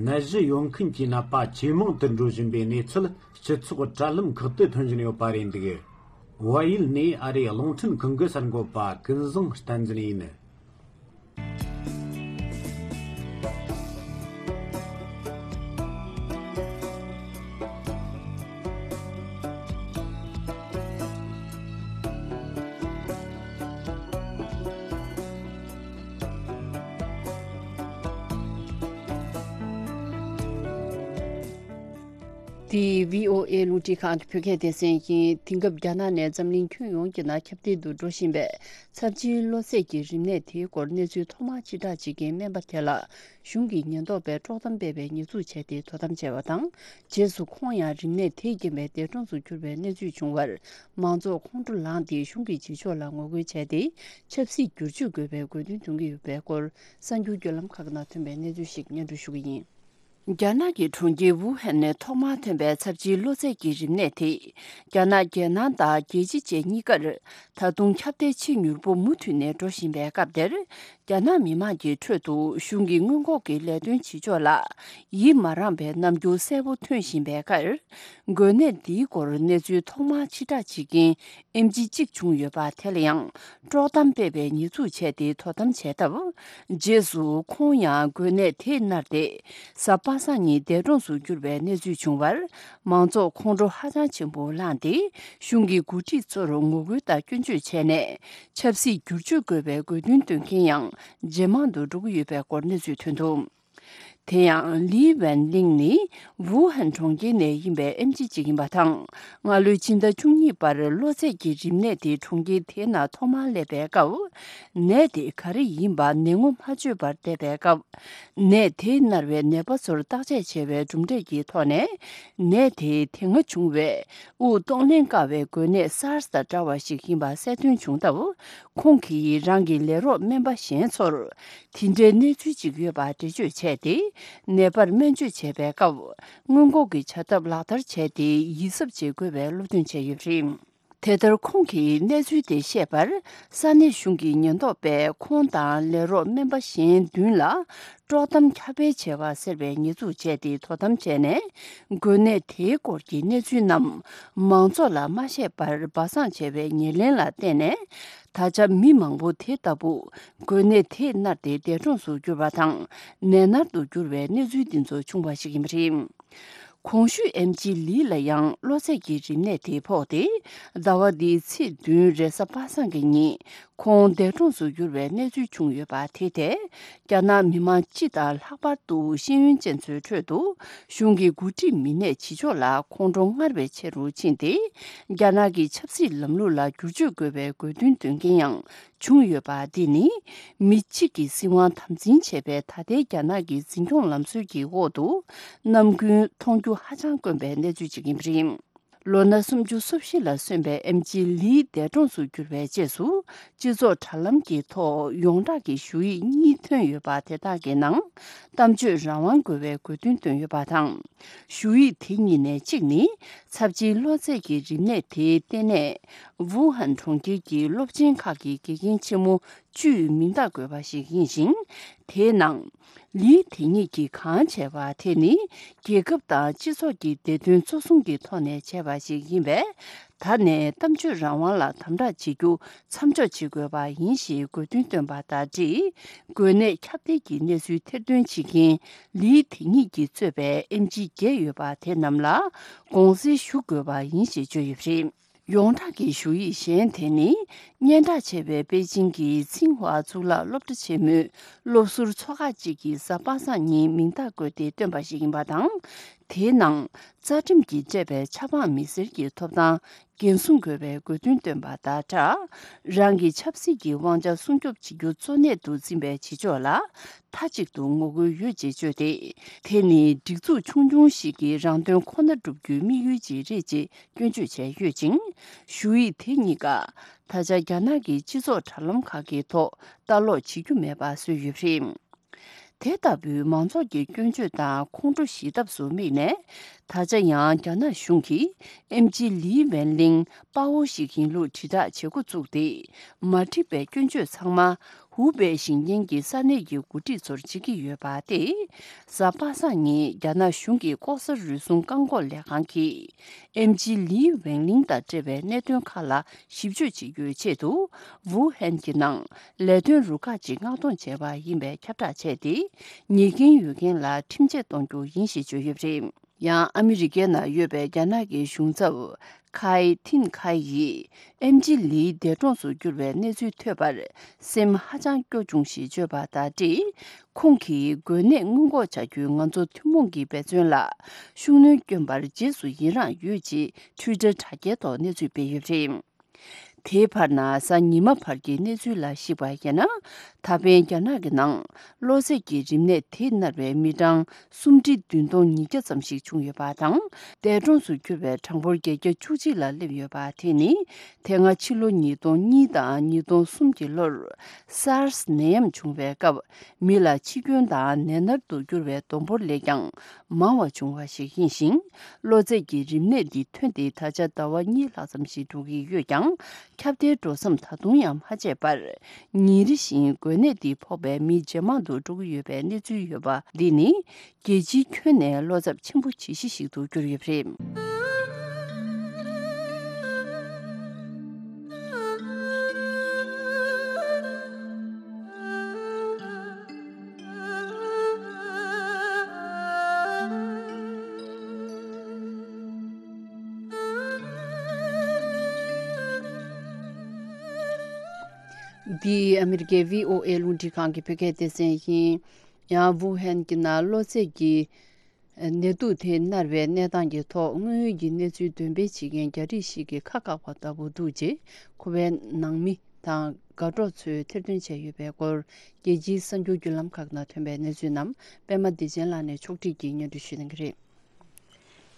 ནད་གཞི་ཡོད་མཁན་གྱི་ནད་པ་ཇེ་མང་དུ་འགྲོ་བཞིན་པའི་གནས་ཚུལ་སྤྱི་ཚོགས་དྲ་ལམ་ཁག་ཏུ་ཐོན་བཞིན་ཡོད་པ་རེད་འདུག་བལ་ཡུལ་ནས་ཨ་རིའི་རླུང་འཕྲིན་ཁང་གི་གསར་འགོད་པ་ཀུན་བཟང་བསྟན་འཛིན་ཡིན། འདི་བྷི་ཨོ་ཨེ་རླུང་འཕྲིན་ཁང་གི་བོད་སྐད་སྡེ་ཚན་ཡིན། དེང་སྐབས་རྒྱ་ནག་ནས་འཛམ་གླིང་ཁྱོན་ཡོངས་ཀྱི་ནང་ཁྱབ་གདལ་དུ་འགྲོ་བཞིན་པའི་ཚབས་ཆེའི་གློ་ཚད་ཀྱི་རིམས་ནད་དེའི་སྐོར་གནས་ཚུལ་ཐོག་མར་ཕྱིར་བསྒྲགས་བྱེད་མཁན་སྨན་པ་དེ་ལ་གཞུང་གི་ཉེན་རྟོག་པས་དཀྲོག་གཏམ་སྤེལ་བའི་ཉེས་འཛུགས་བྱས་ཏེ་དོ་དམ་བྱས་པ་དང་། རྗེས་སུ་ཁོང་ཡང་རིམས་ནད་དེས་རྐྱེན་པས་འདས་གྲོངས་སུ་གྱུར་བའི་གནས་ཚུལ་བྱུང་བར། མང་ཚོགས་ཁོང་ཁྲོ་ལངས་ཏེ་གཞུང་གི་བྱེད་ཕྱོགས་ལ་ངོ་རྒོལ་བྱས་ཏེ། ཆབ་སྲིད་བསྒྱུར་བཅོས་དགོས་པའི་དགོས་འདུན་འདོན་གྱི་ཡོད་པའི་སྐོར། གསར་འགྱུར་བརྒྱུད་ལམ་ཁག་ནང་ཐོན་པའི་གནས་ཚུལ་ཞིག་སྙན་སྒྲོན་ཞུ་གི་ཡིན། རྒྱ་ནག་གི་གྲོང་ཁྱེར་ཝུ་ཧན་ནས་ཐོག་མར་ཐོན་པའི་ཚབས་ཆེའི་གློ་ཚད་ཀྱི་རིམས་ནད་དེ། རྒྱ་ནག་རྒྱལ་ནང་དང་རྒྱལ་སྤྱི་བཅས་གཉིས་ཀར་ད་དུང་ཁྱབ་གདལ་ཆེས་མྱུར་པོ་མུ་མཐུད་ནས་འགྲོ་བཞིན་པའི་སྐབས་དེར། རྒྱ་ནག་མི་དམངས་ཀྱི་ཁྲོད་དུ་གཞུང་གི་སྔོན་འགོག་གི་ལས་དོན་བྱེད་ཕྱོགས་ལ་ཡིད་མ་རངས་པའི་རྣམ་འགྱུར་གསལ་པོ་ཐོན་བཞིན་པའི་ཁར། འགོས་ནད་འདིའི་སྐོར་གནས་ཚུལ་ཐོག་མར་ཕྱིར་བསྒྲགས་བྱེད་མཁན་ཨེམ་ཆི་གཅིག་བྱུང་ཡོད་པ་དེ་ལ་ཡང་དཀྲོག་གཏམ་སྤེལ་བའི་ཉེས་འཛུགས་བྱས་ཏེ་དོ་དམ་བྱས་སྟབས། རྗེས་སུ་ཁོང་ཡང་འགོས་ནད་དེས་མནར་ཏེ། གཟའ་པ་སངས་ཉིན་འདས་གྲོངས་སུ་གྱུར་བའི་གནས་ཚུལ་བྱུང་བར། མང་ཚོགས་ཁོང་ཁྲོ་ཧ་ཅང་ཆེན་པོ་ལངས་ཏེ། གཞུང་གི་འགོ་ཁྲིད་ཚོར་ངོ་རྒོལ་དང་སྐྱོན་བརྗོད་བྱས་ནས། ཆབ་སྲིད་བསྒྱུར་བཅོས་དགོས་པའི་དགོས་འདུན་འདོན་མཁན་ཡང་ཇེ་མང་དུ་འགྲོ་གི་ཡོད་པའི་སྐོར་གནས་ཚུལ་ཐོན་འདུག་དེ་ཡང་ལི་ཝན་ལིང་ནི་ཝུ་ཧན་གྲོང་ཁྱེར་ནས་ཡིན་པའི་ཨེམ་ཆི་ཅིག་ཡིན་པ་དང་། སྔ་ལོའི་ཕྱི་ཟླ་བཅུ་གཉིས་པར་གློ་ཚད་ཀྱི་རིམས་ནད་དེ་གྲོང་ཁྱེར་དེའི་ནང་ཐོག་མར་སླེབས་པའི་སྐབས། ནད་དེ་ག་རེ་ཡིན་པ་ནད་ངོ་མ་བཅོས་པར་བསྡད་པའི་སྐབས། ནད་དེས་མནར་བའི་ནད་པ་ཚོར་བརྟག་དཔྱད་བྱས་པའི་གྲུབ་འབྲས་ཀྱི་ཐོག་ནས། ནད་དེའི་དེ་སྔ་བྱུང་བའི་དབུགས་གཏོང་ལེན་དཀའ་བའི་འགོས་ནད་སཱར་སི་དང་འདྲ་བ་ཞིག་ཡིན་པ་གསལ་སྟོན་བྱུང་སྟབས། ཁོང་གིས་རང་གི་ལས་རོགས་སྨན་པ་གཞན་ཚོར། དེ་འདྲའི་གནས་ཚུལ་ཅིག་ཡོད་པ་འགྲེལ་བརྗོད་བྱས་ཏེ། ནད་པར་སྨན་བཅོས་བྱས་པའི་སྐབས། སྔོན་འགོག་གི་བྱ་ཐབས་ལག་བསྟར་བྱས་ཏེ། ཡིད་གཟབ་བྱེད་དགོས་པའི་སློབ་སྟོན་བྱས་ཡོད་པ་རེད། དེ་ལྟར་ཁོང་གིས་གནས་ཚུལ་དེ་བཤད་པར། ས་གནས་གཞུང་གི་ཉེན་རྟོག་པས་ཁོང་དང་ལས་རོགས་སྨན་པ་གཞན་བདུན་ལ། དཀྲོག་གཏམ་ཁྱབ་སྤེལ་བྱས་པ་ཟེར་བའི་ཉེས་འཛུགས་བྱས་ཏེ། དོ་དམ་བྱས་ནས། འགོས་ནད་དེའི་སྐོར་གྱི་གནས་ཚུལ་རྣམས་མང་ཚོགས་ལ་མ་བཤད་པར་སྦ་གསང་བྱས་པའི་ཉེར་ལེན་ལ་བརྟེན་ནས། ད་ཆ་མི་མང་པོ་དེ་ལྟ་བུ་འགོས་ནད་དེས་མནར་ཏེ་འདས་གྲོངས་སུ་གྱུར་པ་དང་། ནད་མནར་དུ་གྱུར་བའི་གནས་ཚུལ་འདི་ཚོ་བྱུང་བ་ཞིག་ཡིན་པ་རེད། གོང་ཞུས་ཨེམ་ཆི་ལི་ལ་ཡང་གློ་ཚད་ཀྱི་རིམས་ནད་དེ་ཕོག་སྟེ། ཟླ་བ་འདིའི་ཚེས་བདུན་རེས་གཟའ་པ་སངས་ཀྱི་ཉིན། ཁོང་འདས་གྲོངས་སུ་གྱུར་བའི་གནས་ཚུལ་བྱུང་ཡོད་པ་དེ་ཐད། རྒྱ་ནག་མི་མང་སྤྱི་དང་ལྷག་པར་དུ་ཤེས་ཡོན་ཅན་ཚོའི་ཁྲོད་དུ། གཞུང་གི་འགོ་ཁྲིད་མི་སྣས་བྱེད་ཕྱོགས་ལ་ཁོང་ཁྲོ་སྔར་བས་ཆེ་རུ་ཕྱིན་ཏེ། རྒྱ་ནག་གི་ཆབ་སྲིད་ལམ་ལུགས་ལ་བསྒྱུར་བཅོས་དགོས་པའི་དགོས་འདུན་འདོན་མཁན་ཡང་བྱུང་ཡོད་པ། འདི་ནི་མི་གཅིག་གི་སྲིད་དབང་དམ་འཛིན་བྱས་པའི་ད་ལྟའི་རྒྱ་ནག་གི་འཛིན་སྐྱོང་ལམ་སྲོལ་གྱི་འོག་ཏུ་ནམ་རྒྱུན་མཐོང་རྒྱུ་ཧ་ཅང་དཀོན་པའི་གནས་ཚུལ་ཅིག་ཡིན་པ་རེད། ལོ་ན་སུམ་ཅུ་སོ་བཞི་ལ་སོན་པའི་ཨེམ་ཆི་ལི་འདས་གྲོངས་སུ་གྱུར་བའི་རྗེས་སུ། སྤྱི་ཚོགས་དྲ་ལམ་གྱི་ཐོག་ཡོངས་གྲགས་ཀྱི་ཞུ་ཡིག་གཉིས་ཐོན་ཡོད་པ་དེ་དག་གི་ནང་། གཏམ་བརྗོད་རང་དབང་དགོས་པའི་དགོས་འདུན་བཏོན་ཡོད་པ་དང་། ཞུ་ཡིག་དེ་གཉིས་ནས་གཅིག་ནི། ཚབས་ཆེའི་གློ་ཚད་ཀྱི་རིམས་ནད་དེའི་ལྟེ་གནས། ཝུ་ཧན་གྲོང་ཁྱེར་གྱི་སློབ་ཆེན་ཁག་གི་དགེ་རྒན་ཆེན་མོ་བཅུའི་མིང་རྟགས་བཀོད་པ་ཞིག་ཡིན་ཞིང་། དེའི་ནང་། ལི་དེ་ཉིད་ཀྱིས་གང་བྱས་པ་དེ་ནི། རྒྱལ་ཁབ་དང་སྤྱི་ཚོགས་ཀྱི་བདེ་དོན་གཙོ་བཟུང་གི་ཐོག་ནས་བྱས་པ་ཞིག་ཡིན་པས། ད་ནས་གཏམ་བརྗོད་རང་དབང་ལ་དམ་དྲག་བྱེད་རྒྱུ་མཚམས་འཇོག་བྱེད་དགོས་པ་ཡིན་ཞེས་དགོས་འདུན་བཏོན་པ་དང་འབྲེལ། འགོས་ནད་ཁྱབ་གདལ་གྱི་གནས་ཚུལ་ཐེར་འདོན་བྱེད་མཁན་ལི་དེ་ཉིད་ཀྱིས་གཙོས་པའི་ཨེམ་ཆི་བརྒྱད་ཡོད་པ་དེ་རྣམས་ལ་དགོངས་སེལ་ཞུ་དགོས་པ་ཡིན་ཞེས་བརྗོད་ཡོད་པ་རེད། ཡོངས་གྲགས་ཀྱི་ཞུ་ཡིག་གཞན་དེ་ནི། སྙན་གྲགས་ཆེ་བའི་པེ་ཅིང་གི་ཚིང་ཧྭ་གཙུག་ལག་སློབ་གྲྭ་ཆེན་མོའི་སློབ་ཟུར་ཚོགས་ཁག་ཅིག་གིས་གཟའ་པ་སངས་ཉིན་མིང་རྟགས་བཀོད་དེ་བཏོན་པ་ཞིག་ཡིན་པ་དང་། དེའི་ནང་། རྩ་ཁྲིམས་ཀྱིས་སྤྲད་པའི་ཆབ་འབངས་མི་སེར་གྱི་ཐོབ་ཐང་འགན་སྲུང་དགོས་པའི་དགོས་འདུན་བཏོན་པ་དང་སྦྲགས། རང་གི་ཆབ་སྲིད་ཀྱི་དབང་ཆ་སྲུང་སྐྱོབ་བྱེད་རྒྱུ་གཙོ་གནད་དུ་འཛིན་པའི་བྱེད་ཕྱོགས་ལ་མཐའ་གཅིག་ཏུ་ངོ་རྒོལ་ཡོད་ཅེས་བརྗོད་དེ། དེ་ནི་སྒྲིག་འཛུགས་ཆུང་ཆུང་ཞིག་གི་རང་དོན་ཁོ་ན་བསྒྲུབ་རྒྱུའི་དམིགས་ཡུལ་ཅིག་རེད་ཅེས་སྐྱོན་བརྗོད་བྱས་ཡོད་ཅིང་། ཞུ་ཡིག་དེ་གཉིས་ཀ་ད་ཆ་རྒྱ་ནག་གི་སྤྱི་ཚོགས་དྲ་ལམ་ཁག་གི་ཐོག་ལྟ་ཀློག་བྱེད་རྒྱུ་མེད་པ་བཟོས་ཡོད་པ་རེད། དེ་ལྟ་བུའི་མང་ཚོགས་ཀྱི་སྐྱོན་བརྗོད་དང་ཁོང་ཁྲོ་ཞི་ཐབས་སུ་དམིགས་ནས། ད་ཆ་ཡང་རྒྱ་ནག་གཞུང་གིས་ཨེམ་ཆི་ལི་ཝན་ལིང་དཔའ་བོ་ཞིག་ཡིན་ལུགས་དྲིལ་བསྒྲགས་བྱེད་འགོ་བཙུགས་ཏེ། མ་འགྲིག་པའི་སྐྱོན་བརྗོད་ཚང་མ། ཧུའུ་པེ་ཞིང་ཆེན་གྱི་ས་གནས་ཀྱི་འགོ་ཁྲིད་ཚོར་བྱེད་ཀྱི་ཡོད་པ་སྟེ། གཟའ་པ་སངས་ཉིན་རྒྱ་ནག་གཞུང་གི་ལྐོག་ཟ་རུལ་སུངས་བཀག་འགོག་ལས་ཁང་གིས། ཨེམ་ཆི་ལི་ཝེང་ལིང་དང་འབྲེལ་བའི་གནད་དོན་ཁག་ལ་ཞིབ་དཔྱོད་བྱེད་རྒྱུའི་ཆེད་དུ། ཝུ་ཧན་གྱི་ནང་ལས་དོན་རུ་ཁག་ཅིག་མངགས་གཏོང་བྱས་པ་ཡིན་པའི་ཁྱབ་བསྒྲགས་བྱས་ཏེ། ཉེས་འགན་ཡོད་མཁན་ལ་ཁྲིམས་ཆད་གཏོང་རྒྱུ་ཡིན་ཞེས་བརྗོད་ཡོད་པ་རེད། ཡང་ཨ་མི་རི་ཀའི་ནང་ཡོད་པའི་རྒྱ་ནག་གི་གཞུང་ཚབ། ཁའེ་ཐིན་ཁའེ་ཡིས་ཨེམ་ཆི་ལིའི་འདས་གྲོངས་སུ་གྱུར་བའི་གནས་ཚུལ་ཐོས་པར་སེམས་ཧ་ཅང་སྐྱོ་བྱུང་ཞེས་བརྗོད་པ་དང་འབྲེལ། ཁོང་གིས་འགོས་ནད་སྔོན་འགོག་བྱ་རྒྱུའི་ང་ཚོ་ཐུན་མོང་གི་འབད་བརྩོན་ལ་ཤུགས་སྣོན་བསྐྱོན་པར་རྗེས་སུ་ཡི་རངས་ཡོད་ཅེས་ཊུའི་ཊར་དྲ་རྒྱའི་ཐོག་གནས་ཚུལ་སྤེལ་ཡོད་པ་རེད། དེའི་བར་ན་གཟའ་ཉི་མ་བར་གྱི་གནས་ཚུལ་ལ་གཞིགས་པ་ཡིན་ན། ད་ཕན་རྒྱ་ནག་གི་ནང་གློ་ཚད་ཀྱི་རིམས་ནད་དེས་མནར་བའི་མི་གྲངས་སུམ་ཁྲི་བདུན་སྟོང་ཉིས་བརྒྱ་ཙམ་ཞིག་བྱུང་ཡོད་པ་དང་། འདས་གྲོངས་སུ་གྱུར་བའི་གྲངས་འབོར་བརྒྱད་བརྒྱ་བཅུ་གཅིག་ལ་སླེབས་ཡོད་པ་དེ་ནི། དེ་སྔ་ཕྱི་ལོ་ཉིས་སྟོང་གཉིས་དང་ཉིས་སྟོང་གསུམ་གྱི་ལོར། སཱར་སི་ནད་ཡམས་བྱུང་བའི་སྐབས། མི་ལ་འཆི་སྐྱོན་དང་ནད་མནར་དུ་གྱུར་བའི་བསྡོམས་འབོར་ལས་ཀྱང་མང་བ་བྱུང་བ་ཞིག་ཡིན་ཞིང་། གློ་ཚད་ཀྱི་རིམས་ནད་འདི་ཐོན་ཏེ་ད་ཆ་ཟླ་བ་གཉིས་ལྷག་ཙམ་ཞིག་འགྲོ་གི་ཡོད་ཀྱང་། ཁྱབ་གདལ་འགྲོ་མཚམས་ད་དུང་ཡང་མ་ཆད་པར། ཉིན་རེ་བཞིན་འགོས་ནད་འདི་ཕོག་པའི་མི་ཇེ་མང་དུ་འགྲོ་གི་ཡོད་པའི་གནས་ཚུལ་ཡོད་པ་འདི་ནི། རྒྱལ་སྤྱིའི་ཁྱོན་ནས་བློ་འཚབ་ཆེན་པོ་བྱེད་གཞི་ཞིག་ཏུ་གྱུར་ཡོད་པ་རེད། འདི་ཨ་མི་རི་ཀའི་བྷི་ཨོ་ཨེ་རླུང་འཕྲིན་ཁང་གི་བོད་སྐད་སྡེ་ཚན་ཡིན། ཡང་ཝུ་ཧན་གྱི་ནང་གློ་ཚད་ཀྱི་ནད་དུག་དེ་མནར་བའི་གནས་སྟངས་ཀྱི་ཐོག་དངོས་ཡོད་ཀྱི་གནས་ཚུལ་འདོན་སྤེལ་བྱེད་མཁན་རྒྱ་རིགས་ཤིག་གིས་ཁ་བཀག་པ་ལྟ་བུ་འདུག་ཅེས་ཁོ་པའི་ནང་མི་དང་དགའ་གྲོགས་ཚོས་ཐེར་འདོན་བྱས་ཡོད་པའི་སྐོར། རྒྱལ་སྤྱིའི་གསར་འགྱུར་བརྒྱུད་ལམ་ཁག་ནང་ཐོན་པའི་གནས་ཚུལ་རྣམས་པད་མ་བདེ་ཆེན་ལགས་ནས་ཕྱོགས་སྒྲིག་གིས་སྙན་སྒྲོན་ཞུ་གནང་གི་རེད།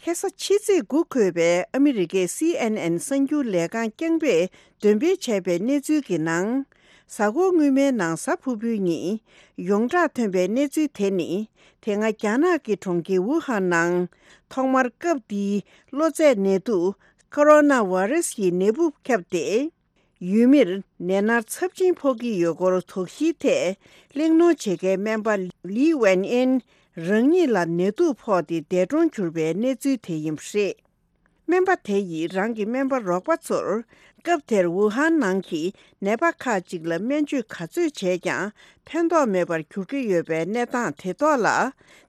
ལྷ་ས་ཕྱི་ཚེས་དགུ་འཁོད་པའི་ཨ་མི་རི་ཀའི་སི་ཨེན་ཨེན་གསར་འགྱུར་ལས་ཁང་རྐྱང་པས་འདོན་སྤེལ་བྱས་པའི་གནས་ཚུལ་གྱི་ནང་། གཟའ་འཁོར་སྔོན་མའི་ནང་གཟའ་ཕུར་བུའི་ཉིན་ཡོངས་གྲགས་ཐོན་པའི་གནས་ཚུལ་དེ་ནི། དེ་སྔ་རྒྱ་ནག་གི་གྲོང་ཁྱེར་ཝུ་ཧན་ནང་ཐོག་མར་སྐབས་འདིའི་གློ་ཚད་ནད་དུག་ཁོ་རོ་ན་ཝ་རེ་སི་ཡི་ནད་འབུ་ཁྱབ་སྟེ། ཡུལ་མིར་ནད་མནར་ཚབས་ཆེན་ཕོག་གི་ཡོད་སྐོར་དོགས་གཞིའི་ཐད་གླེང་སློང་བྱེད་མཁན་སྨན་པ་ལི་ཝན་ཨིན་རང་ཉིད་ལ་ནད་དུག་ཕོག་སྟེ་འདས་གྲོངས་གྱུར་པའི་གནས་ཚུལ་དེ་ཡིན་པ་རེད། སྨན་པ་དེ་ཡིས་རང་གི་སྨན་པ་རོགས་པ་ཚོར་སྐབས་དེར་ཝུ་ཧན་ནང་གི་ནད་པ་ཁག་ཅིག་ལ་སྨན་བཅོས་ག་ཚོད་བྱས་ཀྱང་ཕན་ཐོགས་མེད་པར་གྱུར་གྱི་ཡོད་པའི་གནས་སྟངས་དེ་ཐོག་ལ།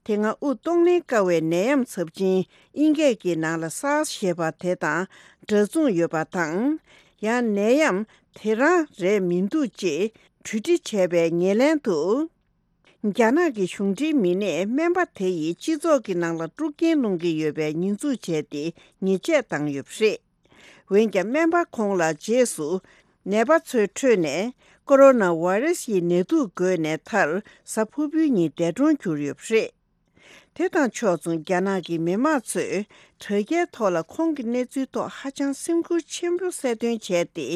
དེ་སྔ་དབུགས་གཏོང་ལེན་དཀའ་བའི་ནད་ཡམས་ཚབས་ཆེན་དབྱིན་སྐད་ཀྱི་ནང་ལ་སཱར་སི་ཞེས་པ་དེ་དང་འདྲ་མཚུངས་ཡོད་པ་དང་། ཡང་ནད་ཡམས་དེ་རང་རེད་མི་འདུག་ཅེས་གྲོས་འདྲི་བྱས་པའི་ཉེར་ལེན་དུ། རྒྱ་ནག་གི་གཞུང་འབྲེལ་མི་སྣས་སྨན་པ་དེ་ཡིས་སྤྱི་ཚོགས་ཀྱི་ནང་ལ་དཀྲུག་རྐྱེན་སློང་གི་ཡོད་པའི་ཉེས་འཛུགས་བྱས་ཏེ་ཉེས་ཆད་བཏང་ཡོད་པ་རེད། འོན་ཀྱང་སྨན་པ་ཁོང་ལ་རྗེས་སུ་ནད་པ་ཚོའི་ཁྲོད་ནས་ཀོ་རོ་ན་ཝེ་རེ་སི་ཡི་ནད་དུག་འགོས་ནས་མཐར་གཟའ་ཕུར་བུའི་ཉིན་འདས་གྲོངས་གྱུར་ཡོད་པ་རེད། དེ་དང་ཕྱོགས་མཚུངས་རྒྱ་ནག་གི་མི་མང་ཚོས་དྲ་རྒྱའི་ཐོག་ལ་ཁོང་གི་གནས་ཚུལ་ཐོག་ཧ་ཅང་སེམས་ཁུར་ཆེན་པོ་གསལ་སྟོན་བྱས་ཏེ།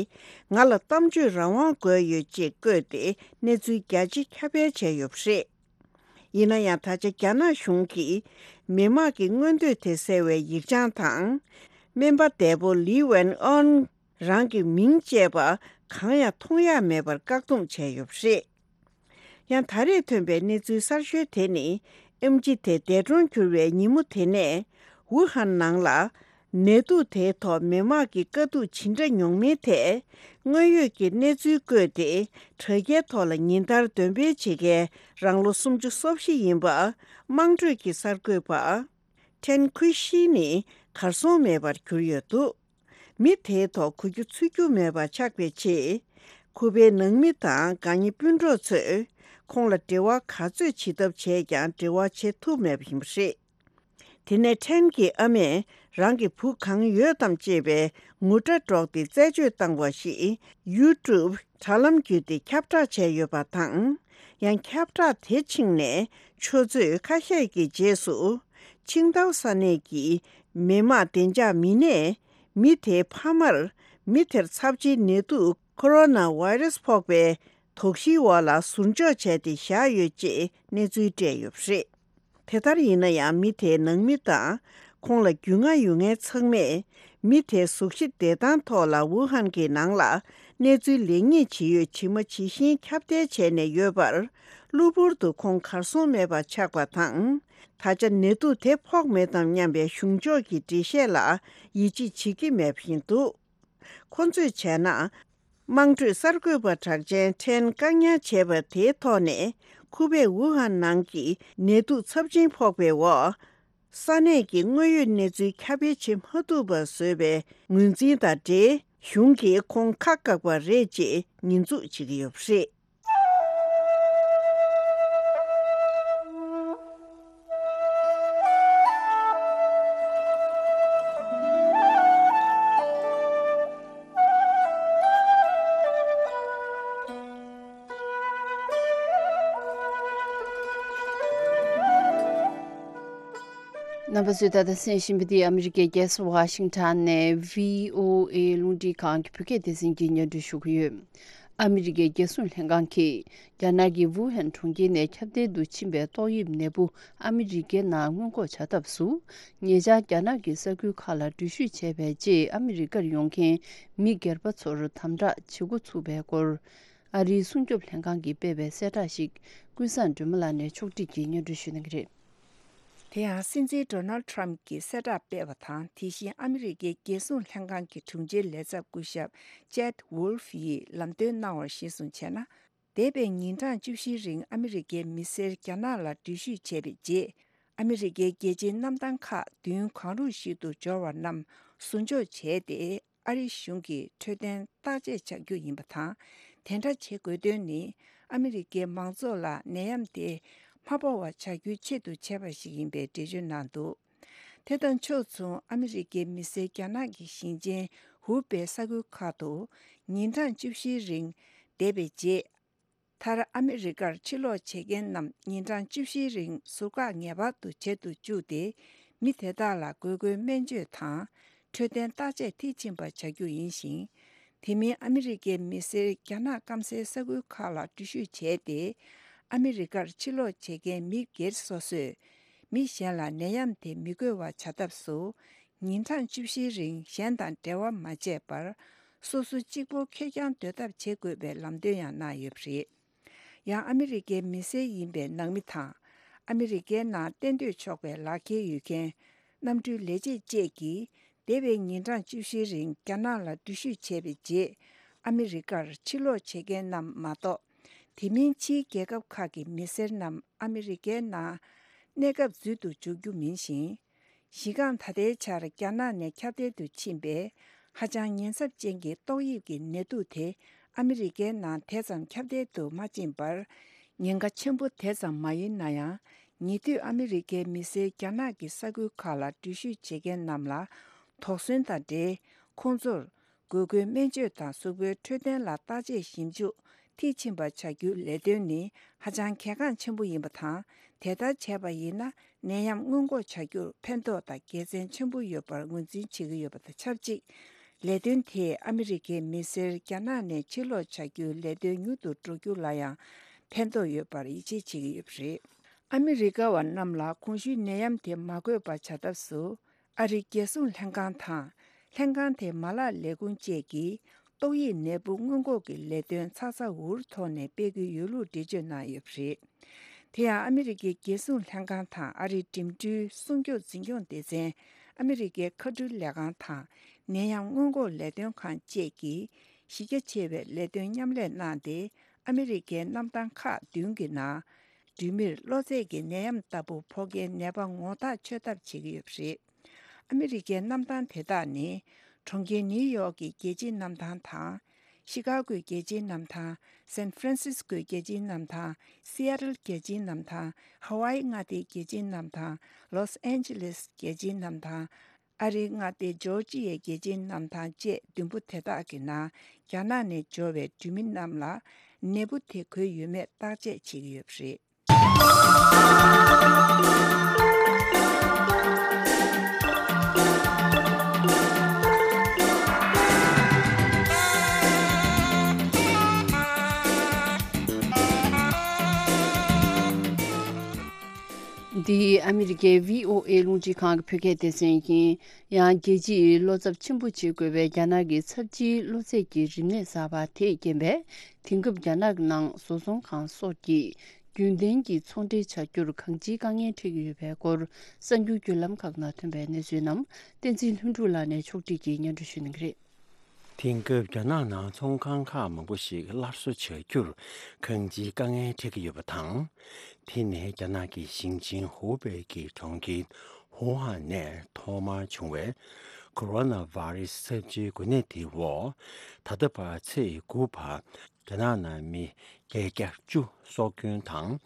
ང་ལ་གཏམ་བརྗོད་རང་དབང་དགོས་ཡོད་ཅེས་བཀོད་དེ་གནས་ཚུལ་རྒྱ་ཆེ་ཁྱབ་སྤེལ་བྱས་ཡོད་པ་རེད། ཡིན་ན་ཡང་ད་ཆ་རྒྱ་ནག་གཞུང་གིས་མི་མང་གི་མངོན་འདོད་དེ་གསལ་བའི་ཡིག་བྱང་དང་། སྨན་པ་འདས་པོ་ལི་ཝན་ཨོན་རང་གི་མིང་བཅས་པ་གང་ཡང་མཐོང་ཡ་མེད་པར་བཀག་སྡོམ་བྱས་ཡོད་པ་རེད། ཡང་ད་རེས་ཐོན་པའི་གནས་ཚུལ་གསར་ཤོས་དེ་ནི། ཨེམ་ཆི་དེ་འདས་གྲོངས་གྱུར་བའི་ཉིན་མོ་དེ་ནས་ཝུ་ཧན་ནང་ལ་ནད་དུག་དེའི་ཐོག་མི་མང་གི་དཀའ་སྡུག་ཇི་འདྲ་མྱོང་མིན་ཐད་དངོས་ཡོད་ཀྱི་གནས་ཚུལ་བཀོད་དེ་དྲ་རྒྱའི་ཐོག་ལ་ཉིན་ལྟར་འདོན་སྤེལ་བྱེད་མཁན་རང་ལོ་སུམ་ཅུ་སོ་བཞི་ཡིན་པ་དམངས་ཁྲོད་ཀྱི་གསར་འགོད་པ་ཁྲེན་ཁུའེ་ཤི་ནི་གར་སོང་མེད་པར་གྱུར་ཡོད་འདུག་མི་དེའི་ཐོག་གོ་རྒྱུ་ཚོར་རྒྱུ་མེད་པ་ཆགས་པའི་ཆེད། ཁོ་པའི་ནང་མི་དང་དགའ་ཉེ་སྤུན་གྲོགས་ཚོས་ཁོང་ལ་འབྲེལ་བ་ག་ཚོད་བྱེད་ཐབས་བྱས་ཀྱང་འབྲེལ་བ་བྱེད་ཐུབ་མེད་པ་ཡིན་པ་རེད། དེ་ནས་ཁྲེན་གྱི་ཨ་མས་རང་གི་བུ་གང་ཡོད་དམ་ཅེས་པའི་ངུ་སྒྲ་སྒྲོག་སྟེ་རྩད་གཅོད་བཏང་བ་ཞིག་ཡུ་ཊུབ་དྲ་ལམ་བརྒྱུད་དེ་ཁྱབ་བསྒྲགས་བྱས་ཡོད་པ་དང་། ཡང་ཁྱབ་བསྒྲགས་དེ་ཕྱིན་ནས་ཆུ་ཚོད་ཁ་ཤས་ཀྱི་རྗེས་སུ་ཆིང་ཏའོ་ས་གནས་ཀྱི་མི་དམངས་བདེ་འཇགས་མི་སྣས་མི་དེའི་ཕ་མར་མི་དེར་ཚབས་ཆེའི་ནད་དུག་ཁོ་རོ་ན་ཝེ་རེ་སི་ཕོག་པའི་དོགས་གཞིའི་འོག་ལ་ཟུར་འཇོག་བྱས་ཏེ་བཞག་ཡོད་ཅེས་གནས་ཚུལ་སྤྲད་ཡོད་པ་རེད། དེ་ལྟར་ཡིན་ན་ཡང་མི་དེའི་ནང་མི་དང་ཁོང་ལ་རྒྱུས་མངའ་ཡོད་མཁན་ཚང་མས་མི་དེའི་གཟུགས་གཞི་བདེ་ཐང་ཐོག་ལ་ཝུ་ཧན་གྱི་ནང་ལ་གནས་ཚུལ་ལེགས་ཉེས་ཇི་ཡོད་ཇི་མ་ཇི་བཞིན་ཁྱབ་གདལ་བྱས་ནས་ཡོད་པར། གློ་བུར་དུ་ཁོང་གར་སོང་མེད་པ་ཆགས་པ་དང་། ད་ཆ་ནད་དུག་དེ་ཕོག་མེད་དམ་སྙམ་པའི་གཞུང་ཕྱོགས་ཀྱི་འགྲེལ་བཤད་ལ་ཡིད་ཆེས་བྱེད་ཀྱི་མེད་པ་ཡིན་འདུག་ཁོ་ཚོས་བྱས་ན། དམངས་ཁྲོད་གསར་འགོད་པ་གྲགས་ཅན་ཁྲེན་བཀག་ཉར་བྱས་པ་དེའི་ཐོག་ནས་ཁོ་པས་ཝུ་ཧན་ནང་གི་ནད་དུག་ཚབས་ཆེན་ཕོག་པའི་འོག་ས་གནས་ཀྱི་དངོས་ཡོད་གནས་ཚུལ་ཁྱབ་སྤེལ་བྱེད་མ་ཐུབ་པ་བཟོས་པའི་ངོས་འཛིན་དང་འབྲེལ། གཞུང་གིས་ཁོང་ཁ་བཀག་པ་རེད་ཅེས་ཉེས་འཛུགས་བྱེད་ཀྱི་ཡོད་པ་རེད། རྣམ་པ་ཚོས་ད་ལྟ་གསན་བཞིན་པ་འདི་ཨ་མི་རི་ཀའི་རྒྱལ་ས་ཝ་ཤིང་ཊོན་ནས་བྷི་ཨོ་ཨེ་རླུང་འཕྲིན་ཁང་གི་བོད་སྐད་སྡེ་ཚན་གྱིས་སྙན་སྒྲོན་ཞུ་གི་ཡོད། ཨ་མི་རི་ཀའི་རྒྱལ་སྲུང་ལྷན་ཁང་གིས་རྒྱ་ནག་གི་ཝུ་ཧན་གྲོང་ཁྱེར་ནས་ཁྱབ་གདལ་དུ་ཕྱིན་པའི་ཏོག་དབྱིབས་ནད་འབུ་ཨ་མི་རི་ཀའི་ནང་སྔོན་འགོག་བྱ་ཐབས་སུ། ཉེ་ཆར་རྒྱ་ནག་གི་ས་ཁུལ་ཁག་ལ་འགྲུལ་བཞུད་བྱས་པའི་རྗེས་ཨ་མི་རི་ཀར་ཡོང་མཁན་མི་སྒེར་པ་ཚོར་དམ་དྲག་བྱེད་འགོ་ཚུགས་པའི་སྐོར། ཨ་རིའི་སྲུང་སྐྱོབ་ལྷན་ཁང་གིས་སྤེལ་བའི་གསལ་བསྒྲགས་ཤིག་ཀུན་བཟང་སྒྲོལ་མ་ལགས་ནས་ཕྱོགས་སྒྲིག་གིས་སྙན་སྒྲོན་ཞུ་གནང་གི་རེད། དེ་ཡང་སྲིད་འཛིན་ཌོ་ནལ་ཌི་ཊརམ་གྱིས་གསལ་བསྒྲགས་སྤེལ་བ་དང་། དེ་བཞིན་ཨ་མི་རི་ཀའི་རྒྱལ་སྲུང་ལྷན་ཁང་གི་དྲུང་ཆེའི་ལས་ཚབ་སྐུ་ཞབས་ཅེད་ཝུལ་ཕི་ཡིས་ལམ་སྟོན་གནང་བར་གཞིར་བཟུང་བྱས་ན། འདས་པའི་ཉིན་གྲངས་བཅུ་བཞིའི་རིང་ཨ་མི་རི་ཀའི་མི་སེར་རྒྱ་ནག་ལ་འགྲུལ་བཞུད་བྱས་པའི་རྗེས། ཨ་མི་རི་ཀའི་རྒྱལ་སྤྱིའི་གནམ་ཐང་ཁག་མདུན་གང་རུང་ཞིག་ཏུ་འབྱོར་བ་རྣམས་ཟུར་འཇོག་བྱས་ཏེ། ཨ་རིའི་གཞུང་གིས་འཕྲོད་བསྟེན་བརྟག་དཔྱད་བྱ་རྒྱུ་ཡིན་པ་དང་། དེ་འདྲ་བྱེད་དགོས་དོན་ནི། ཨ་མི་རི་ཀའི་མང་ཚོགས་ལ་ནད་ཡམས་དེ་ མ་སྤོ་བ་བྱ་རྒྱུའི་ཆེད་དུ་བྱས་པ་ཞིག་ཡིན་པའི་འགྲེལ་བརྗོད་གནང་འདུག་དེ་དང་ཕྱོགས་མཚུངས། ཨ་མི་རི་ཀའི་མི་སེར་རྒྱ་ནག་གི་ཞིང་ཆེན་ཧུའུ་པེ་ས་ཁུལ་ཁག་ཏུ་ཉིན་གྲངས་བཅུ་བཞིའི་རིང་བསྡད་པའི་རྗེས། མཐར་ཨ་མི་རི་ཀར་ཕྱིར་ལོག་བྱེད་མཁན་རྣམས་ཉིན་གྲངས་བཅུ་བཞིའི་རིང་ཟུར་བཀག་ངེས་པར་དུ་བྱེད་དུ་བཅུག་སྟེ། མི་དེ་དག་ལ་དགོས་མཁོའི་སྨན་བཅོས་དང་འཕྲོད་བསྟེན་བརྟག་དཔྱད་མཐིལ་ཕྱིན་པ་བྱ་རྒྱུ་ཡིན་ཞིང་། དེ་མིན་ཨ་མི་རི་ཀའི་མི་སེར་རྒྱ་ནག་སྐམ་སའི་ས་ཁུལ་ཁག་ལ་འགྲུལ་བཞུད་བྱས་ཏེ། ཨ་མི་རི་ཀར་ཕྱིར་ལོག་བྱེད་མཁན་མི་སྒེར་སོ་སོས་མི་གཞན་ལ་ནད་ཡམས་དེ་མི་འགོས་པ་བྱ་ཐབས་སུ། ཉིན་གྲངས་བཅུ་བཞིའི་རིང་གཞན་དང་འབྲེལ་བ་མ་བྱས་པར། སོ་སོ་གཅིག་པོ་ཁེར་རྐྱང་སྡོད་ཐབས་བྱེད་དགོས་པའི་ལམ་སྟོན་ཡང་གནང་ཡོད་པ་རེད། ཡང་ཨ་མི་རི་ཀའི་མི་སེར་ཡིན་པའི་ནང་མི་དང་། ཨ་མི་རི་ཀའི་ནང་གཏན་སྡོད་ཆོག་པའི་ལག་འཁྱེར་ཡོད་མཁན། གནམ་གྲུའི་ལས་བྱེད་བཅས་ཀྱིས་འདས་པའི་ཉིན་གྲངས་བཅུ་བཞིའི་རིང་རྒྱ་ནག་ལ་འགྲུལ་བཞུད་བྱས་པའི་རྗེས། ཨ་མི་རི་ཀར་ཕྱིར་ལོག་བྱེད་མཁན་རྣམས་མ་གཏོགས། དེ་མིན་ཕྱིའི་རྒྱལ་ཁབ་ཁག་གི་མི་སེར་རྣམས་ཨ་མི་རི་ཀའི་ནང་གནས་སྐབས་འཛུལ་དུ་འཇུག་རྒྱུ་མིན་ཞིང་། གཞི་རྐང་ད་ལྟའི་ཆར་རྒྱ་ནག་ནས་ཁྱབ་གདལ་དུ་ཕྱིན་པའི་ཧ་ཅང་ཉེན་ཚབས་ཅན་གྱི་ཏོག་དབྱིབས་ཀྱི་ནད་དུག་དེ་ཨ་མི་རི་ཀའི་ནང་དེ་ཙམ་ཁྱབ་གདལ་དུ་མ་ཕྱིན་པར། ཉེན་ཁ་ཆེན་པོ་དེ་ཙམ་མ་ཡིན་ན་ཡང་། ཉེ་དུས་ཨ་མི་རི་ཀའི་མི་སེར་རྒྱ་ནག་གི་ས་ཁུལ་ཁག་ལ་འགྲུལ་བཞུད་བྱེད་མཁན་རྣམས་ལ་དོགས་ཟོན་དང་འབྲེལ། ཁོང་ཚོར་དགོས་མཁོའི་སྨན་བཅོས་དང་གཟུགས་པོའི་འཕྲོད་བསྟེན་ལ་བརྟག་དཔྱད་ཞིབ་འཇུག་མཐིལ་ཕྱིན་པ་བྱ་རྒྱུའི་ལས་དོན་ནི་ཧ་ཅང་གལ་འགངས་ཆེན་པོ་ཡིན་པ་དང་། དེ་ལྟར་བྱས་པ་ཡིན་ན། ནད་ཡམས་སྔོན་འགོག་བྱ་རྒྱུར་ཕན་ཐོགས་དང་དགེ་མཚན་ཆེན་པོ་ཡོད་པར་ངོས་འཛིན་བྱེད་ཀྱི་ཡོད་པ་དང་ཆབས་ཅིག་ལས་དོན་དེས་ཨ་མི་རི་ཀའི་མི་སེར་རྒྱ་ནག་ནས་ཕྱིར་ལོག་བྱ་རྒྱུའི་ལས་དོན་མྱུར་དུ་འགྲོ་རྒྱུ་ལ་ཡང་ཕན་ཐོགས་ཡོད་པར་ཡིད་ཆེས་བྱེད་ཀྱི་ཡོད་པ་རེད། ཨ་མི་རི་ཀ་བ་རྣམས་ལ་གོང་ཞུས་ནད་ཡམས་དེ་མ་འགོས་པ་བྱ་ཐབས་སུ། ཨ་རིའི་རྒྱལ་སྲུང་ལྷན་ཁང་དང་། ལྷན་ཁང་དེའི་མ་ལག་ལས་ཁུངས་བཅས་ཀྱིས་ཏོག་དབྱིབས་ནད་འབུ་སྔོན་འགོག་གི་ལས་དོན་ཚ་ཚ་འུར་འུར་ཐོག་ནས་སྤེལ་གྱི་ཡོད་ལུགས་འགྲེལ་བརྗོད་གནང་ཡོད་པ་རེད། དེ་ཡང་ཨ་མི་རི་ཀའི་རྒྱལ་སྲུང་ལྷན་ཁང་དང་ཨ་རིའི་འགྲིམ་འགྲུལ་སྲུང་སྐྱོབ་འཛིན་སྐྱོང་སྡེ་ཚན། ཨ་མི་རི་ཀའི་མཁའ་འགྲུལ་ལས་ཁང་དང་ནད་ཡམས་སྔོན་འགོག་ལས་དོན་ཁང་བཅས་ཀྱིས་གཞི་རྒྱ་ཆེ་བའི་ལས་དོན་མཉམ་ལས་གནང་སྟེ། ཨ་མི་རི་ཀའི་གནམ་ཐང་ཁག་བདུན་གྱི་ནང་། འགྲུལ་མིར་གློ་ཚད་ཀྱི་ནད་ཡམས་ལྟ་བུ་ཕོག་མཁན་ནད་པ་ངོ་ཐག་ཆོད་ཐབས་བྱེད་ཀྱི་ཡོད་པ་རེད། ཨ་མི་རི་ཀའི་གནམ་ཐང་དེ་དག་ནི། གྲོང་ཁྱེར་ནིའུ་ཡོག་གི་རྒྱལ་སྤྱིའི་གནམ་ཐང་དང་། ཤི་ཀ་གོའི་རྒྱལ་སྤྱིའི་གནམ་ཐང་། སན་ཧྥ་རན་སིས་ཀོའི་རྒྱལ་སྤྱིའི་གནམ་ཐང་། སི་ཨ་ཏལ་རྒྱལ་སྤྱིའི་གནམ་ཐང་། ཧ་ཝཱ་ཡི་མངའ་སྡེའི་རྒྱལ་སྤྱིའི་གནམ་ཐང་། ལོས་ཨན་ཇི་ལེས་རྒྱལ་སྤྱིའི་གནམ་ཐང་། ཨ་རིའི་མངའ་སྡེ་ཇོར་ཇི་ཡའི་རྒྱལ་སྤྱིའི་གནམ་ཐང་བཅས་བདུན་པོ་དེ་དག་གི་ནང་རྒྱ་ནག་ནས་འབྱོར་བའི་འགྲུལ་མི་རྣམས་ལ་ནད་འབུ་དེ་འགོས་ཡོད་མེད་བརྟག་དཔྱད་བྱེད་ཀྱི་ཡོད་པ་རེད། འདི་ཨ་མི་རི་ཀའི་བྷི་ཨོ་ཨེ་རླུང་འཕྲིན་ཁང་གི་བོད་སྐད་སྡེ་ཚན་ཡིན། ཡང་རྒྱལ་སྤྱིའི་བློ་འཚབ་ཆེན་པོ་བྱེད་དགོས་པའི་རྒྱ་ནག་གི་ཚབས་ཆེའི་གློ་ཚད་ཀྱི་རིམས་ནད་གསར་པ་དེས་རྐྱེན་པས། དེང་སྐབས་རྒྱ་ནག་ནང་བཟོ་ཚོང་ཁང་སོགས་ཀྱིས་རྒྱུན་ལྡན་གྱི་ཚོང་འབྲེལ་བྱ་རྒྱུར་གང་ཅིའི་དཀའ་ངལ་འཕྲད་ཀྱི་ཡོད་པའི་སྐོར། གསར་འགྱུར་བརྒྱུད་ལམ་ཁག་ནང་ཐོན་པའི་གནས་ཚུལ་རྣམས་བསྟན་འཛིན་ལྷུན་གྲུབ་ལགས་ནས་ཕྱོགས་སྒྲིག་གིས་སྙན་སྒྲོན་ཞུ་གནང་གི་རེད། དེང་སྐབས་རྒྱ་ནག་ནང་ཚོང་ཁང་ཁག་མང་པོ་ཞིག་སླར་གསོ་བྱ་རྒྱུར་གང་ཅིའི་དཀའ་ངལ་འཕྲད་ཀྱི་ཡོད་པ་དང་། དེ་ནི་རྒྱ་ནག་གི་ཞིང་ཆེན་ཧུའུ་པེ་གི་གྲོང་ཁྱེར་ཧུའུ་ཧན་ནས་ཐོག་མར་བྱུང་བའི་ཀོ་རོ་ན་བྷ་རེ་སི་ཚབས་ཆེའི་འགོས་ནད་དེའི་འོག་ད་ལྟ་བར་ཚེས་དགུ་བར་རྒྱ་ནག་ནང་མི་བརྒྱད་བརྒྱ་བཅུ་སྲོག་སྐྱོན་དང་།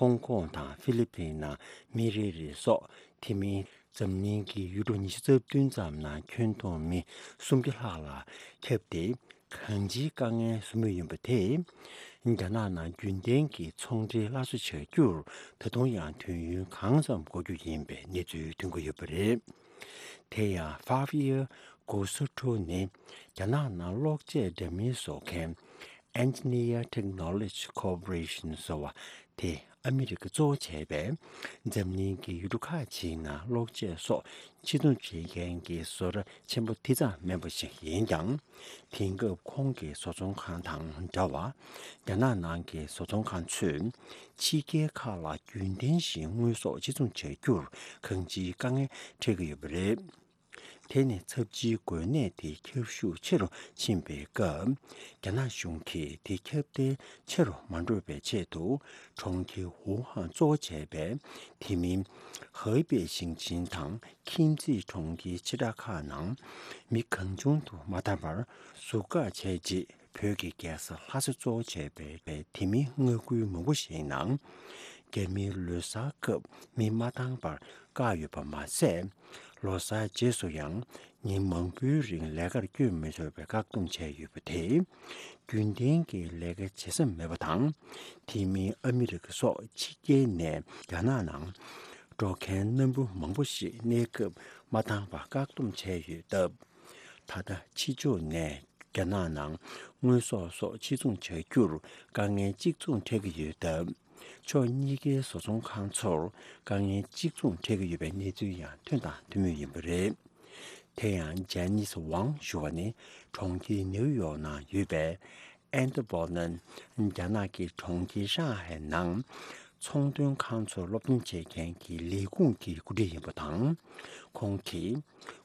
ཧོང་ཀོང་དང་ཧྥི་ལི་པིན་ནང་མི་རེ་རེ་སོགས། དེ་མིན་འཛམ་གླིང་གི་ཡུལ་གྲུ་ཉི་ཤུ་རྩ་བདུན་ཙམ་ནང་ཁྱོན་བསྡོམས་མི་སུམ་བརྒྱ་ལྷག་ལ་ཁྱབ་སྟེ། གང་ཅིའི་དཀའ་ངལ་བཟོ་མུས་ཡིན་པ་དེས། རྒྱ་ནག་ནང་རྒྱུན་ལྡན་གྱི་ཚོང་འབྲེལ་སླར་གསོ་བྱ་རྒྱུར་ད་དུང་ཡང་དུས་ཡུན་གང་ཙམ་འགོར་རྒྱུ་ཡིན་པའི་གནས་ཚུལ་ཐོན་གྱི་ཡོད་པ་རེད། དེ་ཡང་ཧྥ་བི་ཡར་གོ་སོ་ཁྲོ་ནི་རྒྱ་ནག་ནང་གློག་ཆས་འདྲ་མིན་བཟོ་མཁན་Engineer Technology Corporation ཟེར་བ་དེ་ཨ་མི་རི་ཀ་གཙོ་བོ་བྱས་པའི་འཛམ་གླིང་གི་ཡུལ་གྲུ་ཁག་ཅིག་ནང་གློག་ཆས་སོགས་ཕྱིར་ཚོང་བྱེད་མཁན་གྱི་བཟོ་གྲྭ་ཆེན་པོ་དེ་ཙམ་མིན་པ་ཞིག་ཡིན་ཀྱང་། དེང་སྐབས་ཁོང་གི་བཟོ་ཚོང་ཁང་དང་འདྲ་བར་རྒྱ་ནག་ནང་གི་བཟོ་ཚོང་ཁང་ཚོས་ཕྱི་རྒྱལ་ཁག་ལ་རྒྱུན་ལྡན་བཞིན་དངོས་ཟོག་ཕྱིར་ཚོང་བྱ་རྒྱུར་གང་ཅིའི་དཀའ་ངལ་འཕྲད་ཀྱི་ཡོད་པ་རེད། དེ་ནི་ཚབས་ཆེའི་འགོས་ནད་དེ་ཁྱབ་ཤུགས་ཆེ་རུ་ཕྱིན་པའི་སྐབས། རྒྱ་ནག་གཞུང་གིས་དེ་ཁྱབ་གདལ་ཆེ་རུ་མ་འགྲོ་བའི་ཆེད་དུ། གྲོང་ཁྱེར་ཝུ་ཧན་གཙོ་བོ་བྱས་པའི་དེ་མིན་ཧའེ་པེ་ཞིང་ཆེན་དང་ཁྱིམ་མཚེས་གྲོང་ཁྱེར་ཆེ་ཕྲ་ཁག་ནང་མི་གང་བྱུང་དུ་མ་བསྡད་པར་ཟུར་བཀག་བྱས་རྗེས། བོད་ཀྱི་རྒྱལ་ས་ལྷ་ས་གཙོ་བོ་བྱས་པའི་དེ་མིན་མངའ་ཁུལ་མང་པོ་ཞིག་ནང་ རྒྱ་མིའི་ལོ་གསར་སྐབས་མི་མ་བཏང་བར་བཀག་ཡོད་པ་མ་ཟད། ལོ་གསར་རྗེས་སུ་ཡང་ཉིན་མང་པོའི་རིང་ལས་ཀར་བསྐྱོད་མི་ཆོག་པའི་བཀག་སྡོམ་བྱས་ཡོད་པ་དེས། རྒྱུན་ལྡན་གྱི་ལས་ཀ་བྱེད་ས་མེད་པ་དང་། དེ་མིན་ཨ་མི་རི་ཀ་སོགས་ཕྱི་རྒྱལ་ནས་རྒྱ་ནག་ནང་འགྲོ་མཁན་སྣ་འབུ་མང་པོ་ཞིག་གནས་སྐབས་མ་བཏང་བར་བཀག་སྡོམ་བྱས་ཡོད་སྟབས། ད་ལྟ་ཕྱི་ཕྱོགས་ནས་རྒྱ་ནག་ནང་དངོས་ཟོག་སོགས་ཕྱིར་ཚོང་བྱ་རྒྱུར་དཀའ་ངལ་གཅིག་མཚུངས་འཕྲད་ཀྱི་ཡོད་སྟབས། ཕྱོགས་གཉིས་ཀའི་བཟོ་ཚོང་ཁང་ཚོར་དཀའ་ངལ་གཅིག་མཚུངས་འཕྲད་ཀྱི་ཡོད་པའི་གནས་ཚུལ་ཡང་ཐོན་དང་ཐོན་མུས་ཡིན་པ་རེད། དེ་ཡང་ཇེ་ནིས་ཝང་ཞུ་བ་ནི་གྲོང་ཁྱེར་ནེའུ་ཡོག་ནང་ཡོད་པའི་ཨན་ཏི་བོ་ནན། རྒྱ་ནག་གི་གྲོང་ཁྱེར་ཧྲང་ཧའེ་ནང་ཚོང་དོན་ཁང་ཚོར་སློབ་སྟོན་བྱེད་མཁན་གྱི་ལས་ཁུངས་ཀྱི་འགོ་ཁྲིད་ཡིན་པ་དང་། ཁོང་གིས།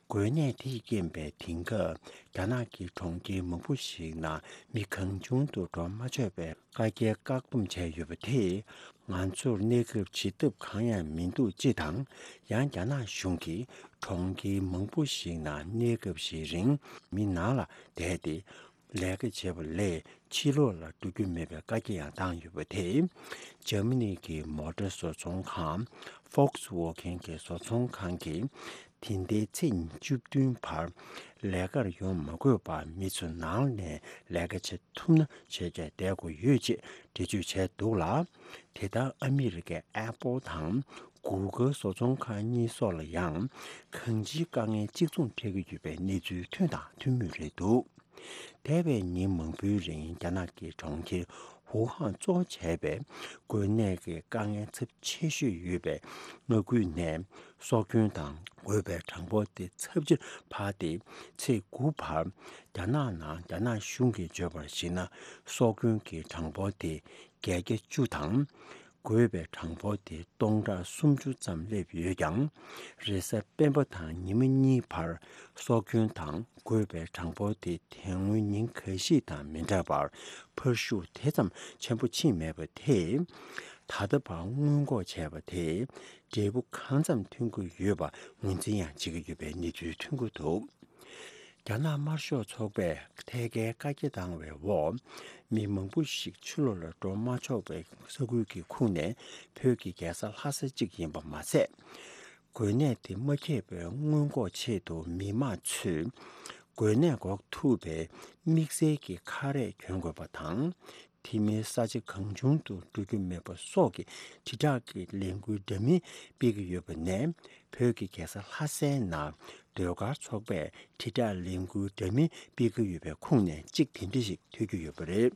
འགོས་ནད་དེས་རྐྱེན་པས་དེང་སྐབས་རྒྱ་ནག་གི་གྲོང་ཁྱེར་མང་པོ་ཞིག་ནང་མི་གང་བྱུང་དུ་འགྲོ་མ་ཆོག་པའི་བཀའ་རྒྱ་བཀག་སྡོམ་བྱས་ཡོད་པ་དེས། ང་ཚོར་གནས་སྐབས་བྱེད་ཐབས་གང་ཡང་མི་འདུག་ཅེས་དང་། ཡང་རྒྱ་ནག་གཞུང་གིས་གྲོང་ཁྱེར་མང་པོ་ཞིག་ནང་གནས་སྐབས་ཤིག་རིང་མི་ནང་ལ་བསྡད་དེ། ལས་ཀ་བྱེད་པ་ལས་ཕྱི་ལོགས་ལ་འགྲོ་རྒྱུ་མེད་པའི་བཀའ་རྒྱ་ཡང་བཏང་ཡོད་པ་དེས། འཇར་མ་ནི་གི་མོ་ཊ་བཟོ་ཚོང་ཁང་Volkswagen གི་བཟོ་ཚོང་ཁང་གིས། དེ་ཟླའི་ཚེས་བཅུ་བདུན་བར་ལས་ཀར་ཡོང་མ་དགོས་པར་མི་ཚོ་ནང་ནས་ལས་ཀ་བྱེད་ཐུབ་ན་བྱས་རྗེས་བསྡད་དགོས་ཡོད་ཅེས་འགྲེལ་བརྗོད་བྱས་འདུག་ལ། དེ་ལྟར་ཨ་མི་རི་ཀའི་ཨེ་པོལ་དང་གུ་གལ་བཟོ་ཚོང་ཁང་གཉིས་སོགས་ལ་ཡང་གང་ཅིའི་དཀའ་ངལ་གཅིག་མཚུངས་འཕྲད་ཀྱི་ཡོད་པའི་གནས་ཚུལ་ཐོན་དང་ཐོན་མུས་རེད་འདུག་འདས་པའི་ཉིན་མང་པོའི་རིང་རྒྱ་ནག་གི་གྲོང་ཁྱེར་ཝུ་ཧན་གཙོ་བྱས་པའི་འགོས་ནད་ཀྱི་དཀའ་ངལ་ཚབས་ཆེ་ཤོས་ཡོད་པའི་མངའ་ཁུལ་ནས་སྲོག་སྐྱོན་དང་འགོས་པའི་གྲངས་འབོར་དེ་ཚབས་ཆེར་འཕར་ཏེ། ཚེས་དགུ་བར་རྒྱ་ནག་ནང་རྒྱ་ནག་གཞུང་གིས་བརྗོད་པར་གཞིགས་ན། སྲོག་སྐྱོན་གྱི་གྲངས་འབོར་དེ་བརྒྱད་བརྒྱ་བཅུ་དང་། འགོས་པའི་གྲངས་འབོར་དེ་སྟོང་ཕྲག་སུམ་ཅུ་ཙམ་སླེབས་ཡོད་ཀྱང་། རེས་གཟའ་སྤེན་པ་དང་ཉི་མ་གཉིས་བར་སྲོག་སྐྱོན་དང་འགོས་པའི་གྲངས་འབོར་དེ་དེ་སྔོན་ཉིན་འགའ་ཞིག་དང་མི་འདྲ་བར་འཕར་ཤུགས་དེ་ཙམ་ཆེན་པོ་ཕྱིན་མེད་པ་དེས། ད་ལྟ་བར་སྔོན་འགོག་བྱས་པ་དེས་འབྲས་བུ་གང་ཙམ་ཐོན་གྱི་ཡོད་པ་ངོས་འཛིན་ཡང་བྱེད་ཀྱི་ཡོད་པའི་གནས་ཚུལ་ཐོན་གྱི་འདུག་རྒྱ་ནག་དམར་ཤོག་ཚོགས་པས་ཐད་ཀའི་བཀའ་རྒྱ་བཏང་བའི་འོག་མི་མང་པོ་ཞིག་ཕྱི་ལོགས་ལ་འགྲོ་མ་ཆོག་པའི་ས་ཁུལ་གྱི་ཁོངས་ནས་བོད་ཀྱི་རྒྱལ་ས་ལྷ་ས་གཅིག་ཡིན་པ་མ་ཟད། འགོས་ནད་དེ་མ་ཁྱབ་པའི་སྔོན་འགོག་ཆེད་དུ་མི་མང་ཚོས་འགོས་ནད་འགོག་ཐུབ་པའི་དམིགས་བསལ་གྱི་ཁ་རས་གྱོན་དགོས་པ་དང་། དེ་མིན་ས་ཆ་གང་བྱུང་དུ་འགྲོ་རྒྱུ་མེད་པ་སོགས་ཀྱི་དྲིལ་བསྒྲགས་ཀྱི་ལས་འགུལ་འདྲ་མིན་སྤེལ་གྱི་ཡོད་པ་ནས། བོད་ཀྱི་རྒྱལ་ས་ལྷ་སའི་ནང་ཟློས་གར་ཚོགས་པས་དྲིལ་བསྒྲགས་ལས་འགུལ་འདྲ་མིན་སྤེལ་གྱི་ཡོད་པའི་ཁོངས་ནས་གཅིག་དེ་འདྲ་ཞིག་ཐོས་རྒྱུ་ཡོད་པ་རེད།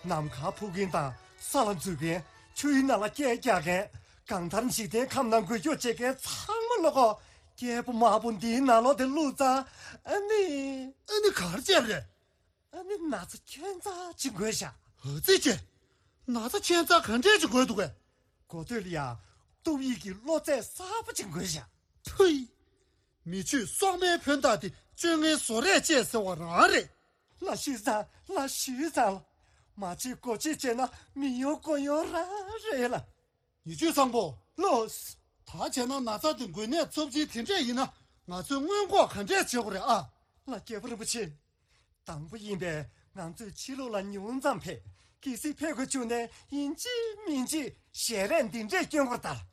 ནམ་མཁར་འཕུར་མཁན་དང་ས་ལ་འཛུལ་མཁན། ཆུའི་ནང་ལ་སྐད་རྒྱག་མཁན། གང་ལྟར་འཇིག་རྟེན་ཁམས་ནང་འགུལ་སྐྱོད་བྱེད་མཁན་ཚང་མ་བློ་ཁོག་རྒྱལ་པོ་དམར་པོ་འདིའི་ནང་ལོགས་དེ་བླུགས་ཙང་། ཨ་ནི། ཨ་ནི་ག་རེ་བྱས་པ་རེད། ཨ་ནི་ན་ཚ་ཁྱད་མཚར་ཅིག་འགོས་ཤག་ཨ་ཙི་ཅེ། ན་ཚ་ཁྱད་མཚར་ག་འདྲས་ཅིག་འགོས་འདུག་གས། གོ་ཐོས་ལ་ཡང་ཏོག་དབྱིབས་ཀྱི་གློ་ཚད་གསར་པ་ཅིག་འགོས་ཤག་ཐུའི། མི་ཆོས་སྲོག་མེད་བོན་དག་དེ་བཅོ་ལྔའི་བཟོ་རས་བཅད་ཟེར་བ་རང་རེད། ལ་ཞུས་ཙང་ལ་ཞུས་ཙང་ལ། མ་བྱེད་དགོས་བྱེད་བྱས་ན་མི་ཡོང་དགོས་ཡོང་རང་རེད་ལ། ཉི་ཆོས་བཟང་པོ། ལོས། ད་བྱས་ན་ན་ཚ་དེ་འགོས་ནད་ཚབས་ཆེན་དེ་འདྲས་ཡིན་ན། ང་ཚོས་སྔོན་འགོག་ག་འདྲས་བྱེད་དགོས་རེད་ཨ། ལ་རྒྱལ་པོ་རིན་པོ་ཆེ། དང་པོ་ཡིན་པས་ང་ཚོས་ཕྱི་ལོགས་ལ་ཉུང་ཙམ་ཕེབས། གལ་སྲིད་ཕེབས་དགོས་བྱུང་ནས་ཡིན་གཅིག་མིན་གཅིག་ཞལ་རས་འདི་འདྲས་སྐྱོན་དགོས་རེད་ད།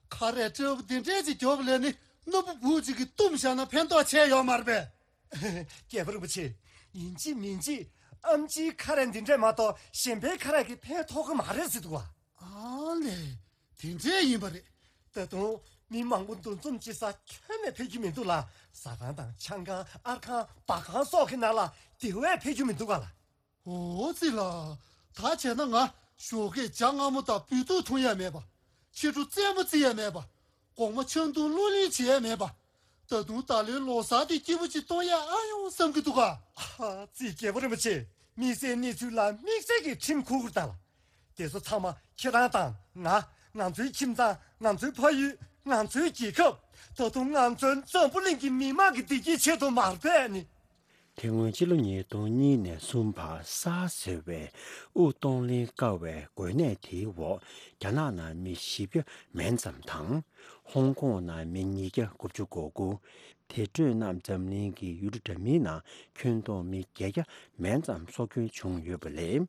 ཁ་རས་སྤྲེའུ་འདི་འདྲས་ཅིག་རྒྱོབ་ལས་ནི་སྣུམ་པོ་བུ་གཅིག་གིས་བཏུམས་བཞག་ན་ཕན་ཐོགས་ཆེ་ཡོད་མ་རེད་པས། རྒྱལ་པོ་རིན་པོ་ཆེ། ཡིན་གཅིག་མིན་གཅིག་ཨམ་ཆིའི་ཁ་རས་འདི་འདྲས་མ་གཏོགས་གཞན་པའི་ཁ་རས་ཀྱིས་ཕན་ཐོགས་ཀྱི་མ་རེད་ཟེར་འདུག་བ། ཨ་ལས། དེ་འདྲས་ཡིན་པ་རེད། ད་དུང་མི་མང་པོ་འདུ་འཛོམས་བྱེད་ས་ཁྱོན་ནས་ཕེབས་ཀྱི་མི་འདུག་ལ། ཟ་ཁང་དང་ཆང་ཁང་། ཨར་ཁང་། སྦ་ཁང་སོགས་ཀྱི་ནང་ལ་དེ་བས་ཕེབས་རྒྱུ་མི་འདུག་ག་ལ། འོ་ཙི་ལ། ད་བྱས་ན་ང་ཞོགས་ཀས་ཇ་མངར་མོ་དང་སྦུལ་ཏོག་འཐུང་ཡ་མེད་པ། ཕྱི་དྲོ་རྩེད་མོ་རྩེ་ཡ་མེད་པ། དགོང་མོ་ཆང་འཐུང་གློ་ལེན་བྱེད་ཡ་མེད་པ། ད་དུང་ད་ལོའི་ལོ་གསར་དེ་སྐྱིད་པོ་ཅིག་གཏོང་ཡ་ཨ་ཡོང་བསམ་གྱི་འདུག་ག་ཨ་ཙི། རྒྱལ་པོ་རིན་པོ་ཆེ། དམིགས་བསལ་གནས་ཚུལ་ལ་དམིགས་བསལ་གྱི་ཁྲིམས་འཁུར་དགོས་ད་ལ། དེ་ཚོ་ཚང་མ་ཁྱེད་རང་དང་ང་། ང་ཚོའི་ཁྱིམ་ཚང་། ང་ཚོའི་ཕ་ཡུལ། ང་ཚོའི་རྒྱལ་ཁབ། ད་དུང་ང་ཚོའི་འཛམ་བུ་གླིང་གི་མི་མང་གི་བདེ་སྐྱིད་ཆེད་དུ་མ་རེད་པས་ནི། དེ་སྔོན་ཕྱི་ལོ་ཉིས་སྟོང་གཉིས་ནས་གསུམ་བར་སཱར་ཟེར་བའི་དབུགས་གཏོང་ལེན་དཀའ་བའི་འགོས་ནད་དེའི་འོག་རྒྱ་ནག་ནང་མི་བཞི་བརྒྱ་མན་ཙམ་དང་། ཧོང་ཀོང་ནང་མི་ཉིས་བརྒྱ་དགུ་བཅུ་གོ་དགུ། དེ་འཕྲོས་རྣམས་འཛམ་གླིང་གི་ཡུལ་གྲུ་འདྲ་མིན་ནང་ཁྱོན་བསྡོམས་མི་བརྒྱད་བརྒྱ་མན་ཙམ་སྲོག་སྐྱོན་བྱུང་ཡོད་པ་ལས།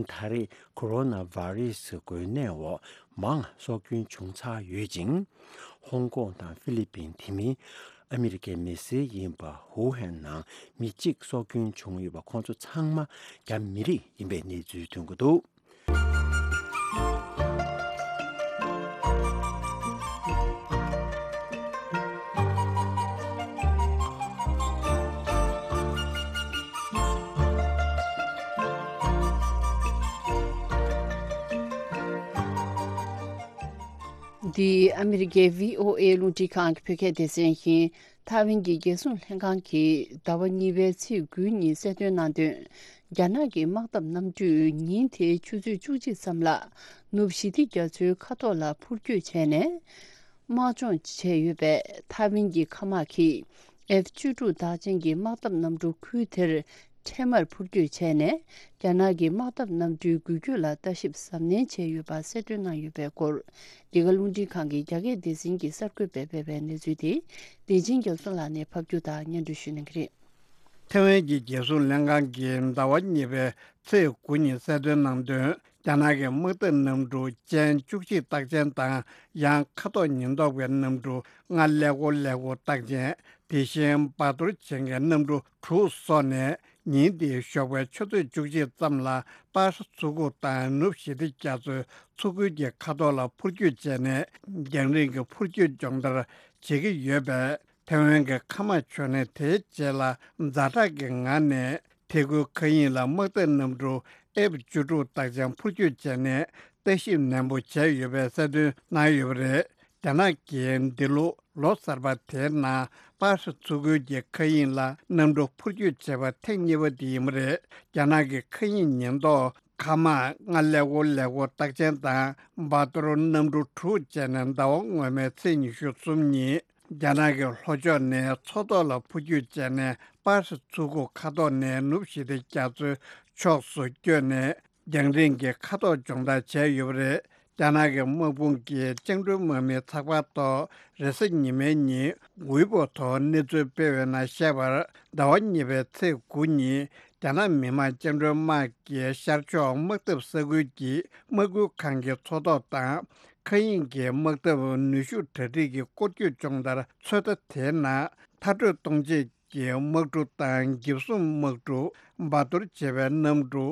ད་རེས་ཁོ་རོ་ན་བྷ་རི་སི་འགོས་ནད་འོག་མང་སྲོག་སྐྱོན་བྱུང་ཚར་ཡོད་ཅིང་། ཧོང་ཀོང་དང་ཧྥི་ལི་པིན། དེ་མིན་ཨ་མི་རི་ཀའི་མི་སེར་ཡིན་པ་ཧུའུ་ཧན་ནང་མི་གཅིག་སྲོག་སྐྱོན་བྱུང་ཡོད་པ། ཁོང་ཚོ་ཚང་མ་རྒྱ་མི་རིགས་ཡིན་པའི་གནས་ཚུལ་ཐོན་གྱི་འདུག། འདི་ཨ་མི་རི་ཀའི་བྷི་ཨོ་ཨེ་རླུང་འཕྲིན་ཁང་གི་བོད་སྐད་སྡེ་ཚན་ཡིན། ཐའེ་ཝན་གྱི་རྒྱལ་སྲུང་ལྷན་ཁང་གིས་ཟླ་བ་གཉིས་པའི་ཚེས་དགུ་ཉིན་གསལ་སྟོན་གནང་དོན། རྒྱ་ནག་གི་དམག་འཐབ་གནམ་གྲུས་ཉིན་དེའི་ཆུ་ཚོད་བཅུ་གཅིག་ཙམ་ལ་ནུབ་ཞི་བདེ་རྒྱ་མཚོའི་ཁ་ཐོག་ལ་འཕུར་སྐྱོད་བྱས་ནས་དམག་སྦྱོང་བྱས་ཡོད་པས། ཐའེ་ཝན་གྱི་མཁའ་དམག་གིས་ཨེཕ་བཅུ་དྲུག་རྟགས་ཅན་གྱི་དམག་འཐབ་གནམ་གྲུ་ཁུལ་དེར་འཕྲལ་མར་འཕུར་སྐྱོད་བྱས་ནས། རྒྱ་ནག་གི་དམག་འཐབ་གནམ་གྲུའི་འགུལ་སྐྱོད་ལ་ལྟ་ཞིབ་གཟབ་ནན་བྱས་ཡོད་པ་གསལ་སྟོན་གནང་ཡོད་པའི་སྐོར། འདི་ག་རླུང་འཕྲིན་ཁང་གི་རྒྱ་སྐད་སྡེ་ཚན་གྱི་གསར་འགོད་པས་སྤེལ་བའི་གནས་ཚུལ་དེ། བདེ་ཆེན་རྒྱ་མཚོ་ལགས་ནས་ཕབ་སྒྱུར་དང་སྙན་སྒྲོན་ཞུ་གནང་གི་རེད། ཐའེ་ཝན་གྱི་རྒྱལ་སྲུང་ལྷན་ཁང་གིས་ཟླ་བ་གཉིས་པའི་ཚེས་དགུ་ཉིན་གསལ་སྟོན་གནང་དོན། རྒྱ་ནག་གི་དམག་འཐབ་གནམ་གྲུ་ཅན་བཅུ་གཅིག་རྟགས་ཅན་དང་། ཡང་ཁ་དོག་ཉེན་རྟོག་པའི་གནམ་གྲུ་ལྔ་ཀླད་ཀོར་ཀླད་ཀོར་རྟགས་ཅན། དེ་བཞིན་འབར་གཏོར་ཅན་གྱི་གནམ་གྲུ་དྲུག་སོགས་ནས། ཉིན་དེའི་ཞོགས་པའི་ཆུ་ཚོད་བཅུ་གཅིག་ཙམ་ལ་པར་ཧྲི་མཚོ་ཁུག་དང་ནུབ་ཞི་བདེ་རྒྱ་མཚོའི་མཚོ་ཁུལ་གྱི་ཁ་ཐོག་ལ་འཕུར་སྐྱོད་བྱས་ནས། རྒྱང་རིང་གི་འཕུར་སྐྱོད་སྦྱོང་བརྡར་བྱེད་ཀྱི་ཡོད་པས། ཐའེ་ཝན་གྱི་མཁའ་དམག་མཆོག་ནས་དེའི་རྗེས་ལ་ཛ་དྲག་གི་ངང་ནས་ཐེ་ཁུལ་མཁའ་དབྱིངས་ལ་དམག་འཐབ་གནམ་གྲུ་ཨེཕ་བཅུ་དྲུག་རྟགས་ཅན་འཕུར་སྐྱོད་བྱས་ནས་ལྟ་ཞིབ་ནན་པོ་བྱས་ཡོད་པའི་གསལ་སྟོན་གནང་ཡོད་པ་རེད། རྒྱ་ནག་གིས་འདི་ལོ་ལོ་གསར་པ་དེའི་ནང་པར་ཧྲི་མཚོ་ཁུལ་གྱི་མཁའ་དབྱིངས་ལ་གནམ་གྲུ་འཕུར་སྐྱོད་བྱས་པ་ཐེངས་གཉིས་པ་དེ་ཡིན་པ་རེད། རྒྱ་ནག་གི་མཁའ་དབྱིངས་ཉེན་རྟོག་མཁའ་དམག་ལྔ་ཀླད་ཀོར་ཀླད་ཀོར་རྟགས་ཅན་དང་འབར་གཏོར་གནམ་གྲུ་དྲུག་བཅས་ནས་ཟླ་བ་སྔོན་མའི་ཚེས་ཉི་ཤུ་གསུམ་ཉིན་རྒྱ་ནག་གི་ལྷོ་ཕྱོགས་ནས་མཚོ་ཐོག་ལ་འཕུར་སྐྱོད་བྱས་ནས། པར་ཧྲི་མཚོ་ཁུག་ཁ་ཐོག་ནས་ནུབ་ཞི་བདེ་རྒྱ་མཚོའི་ཕྱོགས་སུ་བསྐྱོད་ནས། རྒྱང་རིང་གི་ཁ་དོག་སྦྱོང་བརྡར་བྱས་ཡོད་པ་རེད། རྒྱ་ནག་གི་དམག་དཔུང་གིས་བཅིངས་འགྲོལ་དམག་མིའི་ཚགས་པར་ཐོག་རེས་གཟའ་ཉི་མའི་ཉིན་ཝེ་པོ་ཐོག་གནས་ཚུལ་སྤེལ་བའི་ནང་བཤད་པར། ཟླ་བ་གཉིས་པའི་ཚེས་དགུ་ཉིན་རྒྱ་ནག་མི་དམངས་བཅིངས་འགྲོལ་དམག་གིས་ཤར་ཕྱོགས་དམག་འཐབ་ས་ཁུལ་གྱི་དམག་ཁུལ་ཁང་གི་མཚོ་ཐོག་དང་། མཁའ་དབྱིངས་ཀྱི་དམག་འཐབ་ནུས་ཤུགས་གྲ་སྒྲིག་གི་སྐོར་སྐྱོད་སྦྱོང་བརྡར་ཚོད་ལྟ་དེའི་ནང་མཐར་སྐྲོད་གཏོང་ཆེད་ཀྱི་དམག་གྲུ་དང་། འགེབས་སྲུང་དམག་གྲུ། འབར་གཏོར་བྱེད་པའི་གནམ་གྲུ།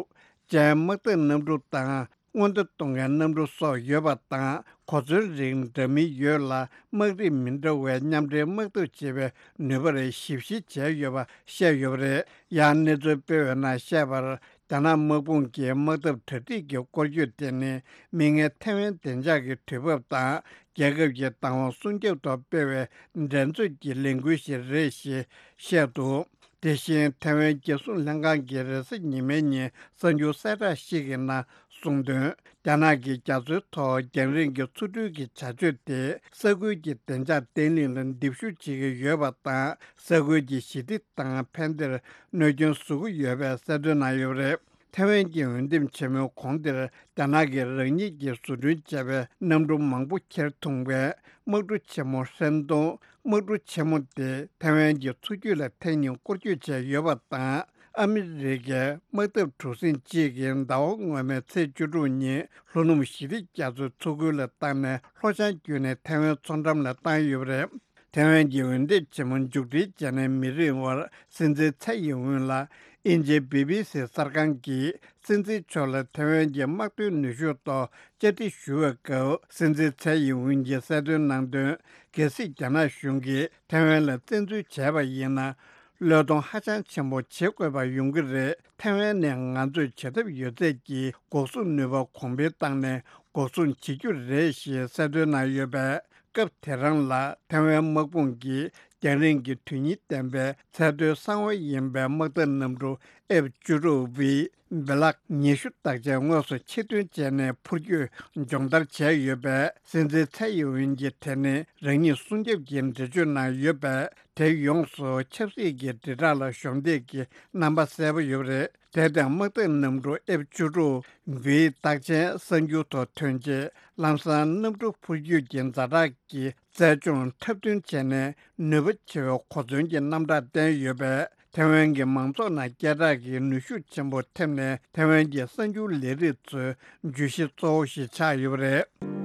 ཅན་དམག་འཐབ་གནམ་གྲུ་དང་། སྔོན་བརྡ་གཏོང་མཁན་གནམ་གྲུ་སོགས་ཡོད་པ་དང་། གོ་མཚོན་རིགས་འདྲ་མིན་ཡོད་ལ། དམག་རིགས་མི་འདྲ་བའི་མཉམ་འབྲེལ་དམག་འཐབ་བྱེད་པའི་ནུས་པར་ཞིབ་བཤེར་བྱས་ཡོད་པ་བཤད་ཡོད་པ་རེད། ཡང་གནས་ཚུལ་སྤེལ་བའི་ནང་བཤད་པར། རྒྱ་ནག་དམག་དཔུང་གི་དམག་འཐབ་གྲ་སྒྲིག་གི་སྐོར་སྐྱོད་དེ་ནི། མིག་སྔའི་ཐའེ་ཝན་བདེ་འཇགས་ཀྱི་དུས་བབ་དང་། རྒྱལ་ཁབ་ཀྱི་བདག་དབང་སྲུང་སྐྱོབ་ཐོག་སྤེལ་བའི་འགྲན་རྩོད་ཀྱི་ལས་འགུལ་ཞིག་རེད་ཞེས་བཤད་འདུག། དེ་བཞིན་ཐའེ་ཝན་རྒྱལ་སྲུང་ལྷན་ཁང་གིས་རེས་གཟའ་ཉི་མའི་ཉིན་གསར་འགྱུར་གསལ་བསྒྲགས་ཤིག་གི་ནང་གསུངས་དོན། རྒྱ་ནག་གིས་རྒྱ་མཚོའི་ཐོག་རྒྱང་རིང་གི་མཚོ་འགྲུལ་གྱི་བྱ་སྤྱོད་དེ། ས་ཁུལ་གྱི་བདེ་འཇགས་བརྟན་ལྷིང་ལ་འདེབས་ཤུགས་བྱེད་ཀྱི་ཡོད་པ་དང་། ས་ཁུལ་གྱི་ཞི་བདེ་དང་ཕན་བདེར་གནོད་སྐྱོན་བཟོ་གི་ཡོད་པའི་གསལ་སྟོན་གནང་ཡོད་པ་རེད། ཐའེ་ཝན་གྱི་འོས་འདེམས་ཆེན་མོའི་གོང་དེར། རྒྱ་ནག་གིས་རང་ཉིད་ཀྱིས་བཟོ་སྐྲུན་བྱས་པའི་གནམ་གྲུ་མང་པོ་ཁྱེར་ཐོན་པའི་དམག་གྲུ་ཆེན་མོ་ཧྲན་ཏུང་། དམག་གྲུ་ཆེན་མོ་དེ་ཐའེ་ཝན་གྱི་མཚོ་རྒྱུད་ལ་ཐེངས་གཉིས་སྐོར་སྐྱོད་བྱས་ཡོད་པ་དང་། ཨ་མི་རི་ཀའི་དམག་འཐབ་གྲུ་གཟིངས་གཅིག་གིས་ཟླ་བ་སྔོན་མའི་ཚེས་བཅུ་དྲུག་ཉིན་ལྷོ་ནུབ་ཞི་བདེ་རྒྱ་མཚོའི་མཚོ་ཁུལ་ལ་བཏང་ནས། ལྷོ་བྱང་བརྒྱུད་ནས་ཐའེ་ཝན་མཚོ་འགྲམ་ལ་བཏང་ཡོད་པ་རེད། ཐའེ་ཝན་གྱི་འོས་འདེམས་ཆེན་མོ་མཇུག་སྒྲིལ་བྱས་ནས་མི་རིང་བར། སྲིད་འཛིན་ཚའེ་ཡིན་ཝུན་ལ། དབྱིན་ཇིའི་བི་བི་སི་གསར་ཁང་གིས་སྲིད་འཛིན་མཆོག་ལ་ཐའེ་ཝན་གྱི་དམག་དོན་ནུས་ཤུགས་ཐོག་བཅར་འདྲི་ཞུ་བའི་སྐབས། སྲིད་འཛིན་ཚའེ་ཡིན་ཝུན་གྱིས་གསལ་སྟོན་གནང་དོན། གལ་སྲིད་རྒྱ་ནག་གཞུང་གིས་ཐའེ་ཝན་ལ་བཙན་འཛུལ་བྱས་པ་ཡིན་ན། བློས་གཏོང་ཧ་ཅང་ཆེན་པོ་བྱེད་དགོས་པ་ཡོང་གི་རེད། ཐའེ་ཝན་ནས་ང་ཚོས་བྱེད་ཐབས་ཡོད་ཚད་ཀྱིས་འགོག་སྲུང་ནུས་པ་གོང་འཕེལ་བཏང་ནས་འགོག་སྲུང་བྱེད་རྒྱུ་རེད་ཞེས་གསལ་སྟོན་གནང་ཡོད་པས། སྐབས་དེ་རང་ལ་ཐའེ་ཝན་དམག་དཔུང་གིས་རྒྱང་རིང་གི་དོན་སྙིང་ལྡན་པའི་ཚད་མཐོའི་གསང་བ་ཡིན་པའི་དམག་འཐབ་གནམ་གྲུ་ཨེཕ་བཅུ་དྲུག་བྷི་བྷེ་ལག་ཉི་ཤུ་རྟགས་ཅན་དངོས་སུ་ཕྱིར་ཐོན་བྱས་ནས་འཕུར་སྐྱོད་སྦྱོང་བརྡར་བྱས་ཡོད་པས། སྲིད་འཛིན་ཚའེ་ཡིན་ཝུན་གྱིས་དེ་ནི་རང་ཉིད་སྲུང་སྐྱོབ་ཀྱི་འགྲེལ་བརྗོད་གནང་ཡོད་པས། དེ་ཡོངས་སུ་ཆབ་སྲིད་ཀྱི་དྲིལ་བསྒྲགས་ལ་གཞོགས་འདེགས་ཀྱི་རྣམ་པ་གསལ་པོ་ཡོད་པ་རེད། དེ་དང་དམག་འཐབ་གནམ་གྲུ་ཨེཕ་བཅུ་དྲུག་བིའི་རྟགས་ཅན་གསར་འགྱུར་ཐོག་ཐོན་རྗེས་ལམ་སང་གནམ་གྲུ་འཕུར་སྐྱོད་ཀྱི་ཛ་དྲག་གི་རྩལ་སྦྱོང་འཁྲབ་སྟོན་བྱས་ནས་ནུས་པ་ཆེ་བའི་གོ་མཚོན་གྱི་རྣམ་གྲངས་བསྟན་ཡོད་པས། ཐའེ་ཝན་གྱི་མང་ཚོགས་ནང་སྐད་གྲགས་ཀྱི་ནུས་ཤུགས་ཆེན་པོ་ཐེབས་ནས་ཐའེ་ཝན་གྱི་གསར་འགྱུར་ལས་རིགས་ཚོའི་བརྗོད་གཞི་གཙོ་བོ་ཞིག་ཆགས་ཡོད་པ་རེད།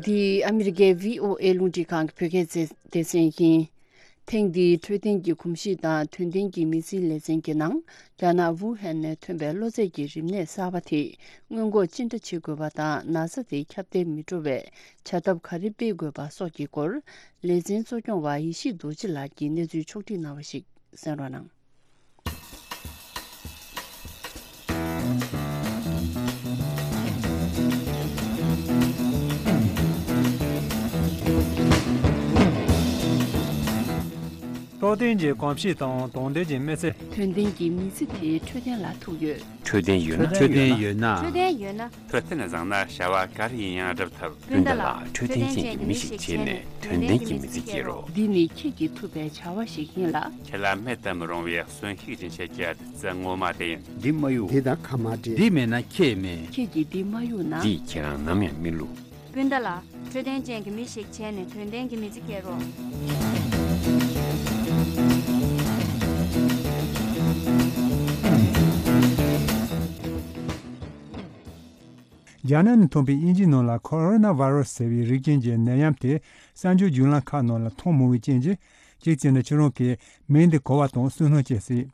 འདི་ཨ་མི་རི་ཀའི་བྷི་ཨོ་ཨེ་རླུང་འཕྲིན་ཁང་གི་བོད་སྐད་སྡེ་ཚན་ཡིན། ཐེངས་འདིའི་འཕྲོད་བསྟེན་གྱི་གོམས་གཤིས་དང་དོན་ལྡན་གྱི་མི་ཚེའི་ལེ་ཚན་གྱི་ནང་། རྒྱ་ནག་ཝུ་ཧན་ནས་ཐོན་པའི་གློ་ཚད་ཀྱི་རིམས་ནད་གསར་པ་དེ་སྔོན་འགོག་ཅི་འདྲ་བྱེད་དགོས་པ་དང་ན་ཚ་དེ་ཁྱབ་གདལ་མི་འགྲོ་བའི་བྱ་ཐབས་ག་རེ་སྤེལ་དགོས་པ་སོགས་ཀྱི་སྐོར། ལེ་ཚན་གཙོ་སྐྱོང་བ་ཡེ་ཤེས་རྡོ་རྗེ་ལགས་ཀྱིས་གནས་ཚུལ་ཕྱོགས་སྒྲིག་གནང་བ་ཞིག་གསན་རོགས་གནང་། འཕྲོད་བསྟེན་གྱི་གོམས་གཤིས་དང་དོན་ལྡན་གྱི་མི་ཚེ། དོན་ལྡན་གྱི་མི་ཚེ་དེ་འཕྲོད་བསྟེན་ལ་ཐུག་ཡོད། འཕྲོད་བསྟེན་ཡོད་ན། འཕྲོད་བསྟེན་ཡོད་ན། འཕྲོད་བསྟེན་ཡོད་ན། འཕྲོད་བསྟེན་བཟང་ན་བྱ་བ་ག་རེ་ཡིན་ཡང་སྒྲུབ་ཐུབ། སྤུན་ཟླ་ལགས། འཕྲོད་བསྟེན་ཅན་གྱི་མི་ཞིག་བྱས་ནས་དོན་ལྡན་གྱི་མི་ཚེ་སྐྱེལ་རོགས། འདི་ནི་ཁྱེད་ཀྱིས་ཐུབ་པའི་བྱ་བ་ཞིག་ཡིན་ལ། ཁྱེད་ལ་མེད་དུ་མི་རུང་བའི་གསོན་ཤུགས་ཅན་ཞིག་སྐྱེལ། རྩེ་ངོ་མ་དེ་ཡིན། འདི་མ་གཡུག་འདི་དང་ཁ་མ་འབྲལ། འདི་མེད་ན་ཁྱེད་མེད། ཁྱེད་ཀྱིས་འདི་མ་གཡུག་ན། འདིས་ཁྱེད་རང་ནམ་ཡང་མི་བསླུ། སྤུན་ཟླ་ལགས། འཕྲོད་བསྟེན་ཅན་གྱི་མི་ཞིག་བྱས་ནས་དོན་ལྡན་གྱི་མི་ཚེ་སྐྱེལ་རོགས། རྒྱ་ནག་ནས་ཐོན་པའི་དབྱིན་ཇིའི་ནང་ལ་ཁོ་རོ་ན་ཝ་རོ་སི་ཟེར་བའི་རིགས་ཅན་གྱི་ནད་ཡམས་དེ་གསར་འགྱུར་བརྒྱུད་ལམ་ཁག་ནང་ལ་མཐོང་མྱོང་བའི་རྐྱེན་གྱིས། གཅིག་བྱས་ན་ཁྱེད་རང་གིས་མིང་འདི་གོ་བ་དང་བསུན་སྣང་སྐྱེ་སྲིད།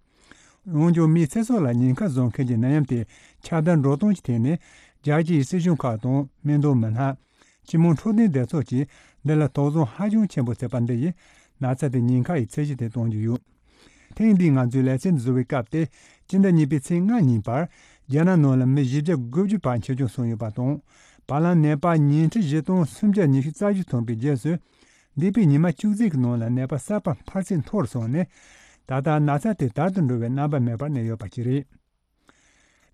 འོན་ཀྱང་མིའི་ཚེ་སྲོག་ལ་ཉེན་ཁ་བཟོ་མཁན་གྱི་ནད་ཡམས་དེ་ཁྱབ་གདལ་འགྲོ་སྟངས་ཀྱི་ཐད་ནས། རྒྱལ་སྤྱིའི་སྲིད་གཞུང་ཁག་དང་སྨན་དོན་མི་སྣ། སྤྱི་དམངས་འཕྲོད་བསྟེན་སྡེ་ཚོགས་ཀྱིས་འདི་ལ་དོགས་ཟོན་ཧ་ཅང་ཆེན་པོ་བྱས་པ་འདི་ཡིས། ན་ཚ་དེ་ཉེན་ཁ་ཡི་ཚད་གཞི་དེ་གཏོང་རྒྱུ་ཡོད། ཐེངས་འདིའི་ང་ཚོའི་ལེ་ཚན་བཟོ་བའི་སྐབས་དེ་སྤྱི་ཟླ་གཉིས་པའི་ཚེས་ལྔ་ཉིན་པར། རྒྱ་ནག་ནང་ལ་མི་བཞི་བརྒྱ་དགུ་བཅུ་བར་ཆེ་ཆུང་སོང་ཡོད་པ་དང་། བར་ལམ་ནད་པ་ཉིས་ཁྲི་བཞི་སྟོང་སུམ་བརྒྱ་ཉི་ཤུ་རྩ་བཞི་ཐོན་པའི་རྗེས་སུ། འདས་པའི་ཉི་མ་བཅུ་གཅིག་གི་ནང་ལ་ནད་པ་གསར་པ་འཕར་ཚད་མཐོ་རུ་སོང་ནས། ད་ལྟ་ན་ཚ་དེ་དལ་དུ་འགྲོ་བའི་རྣམ་པ་མེད་པར་གནས་ཡོད་པ་ཞིག་རེད།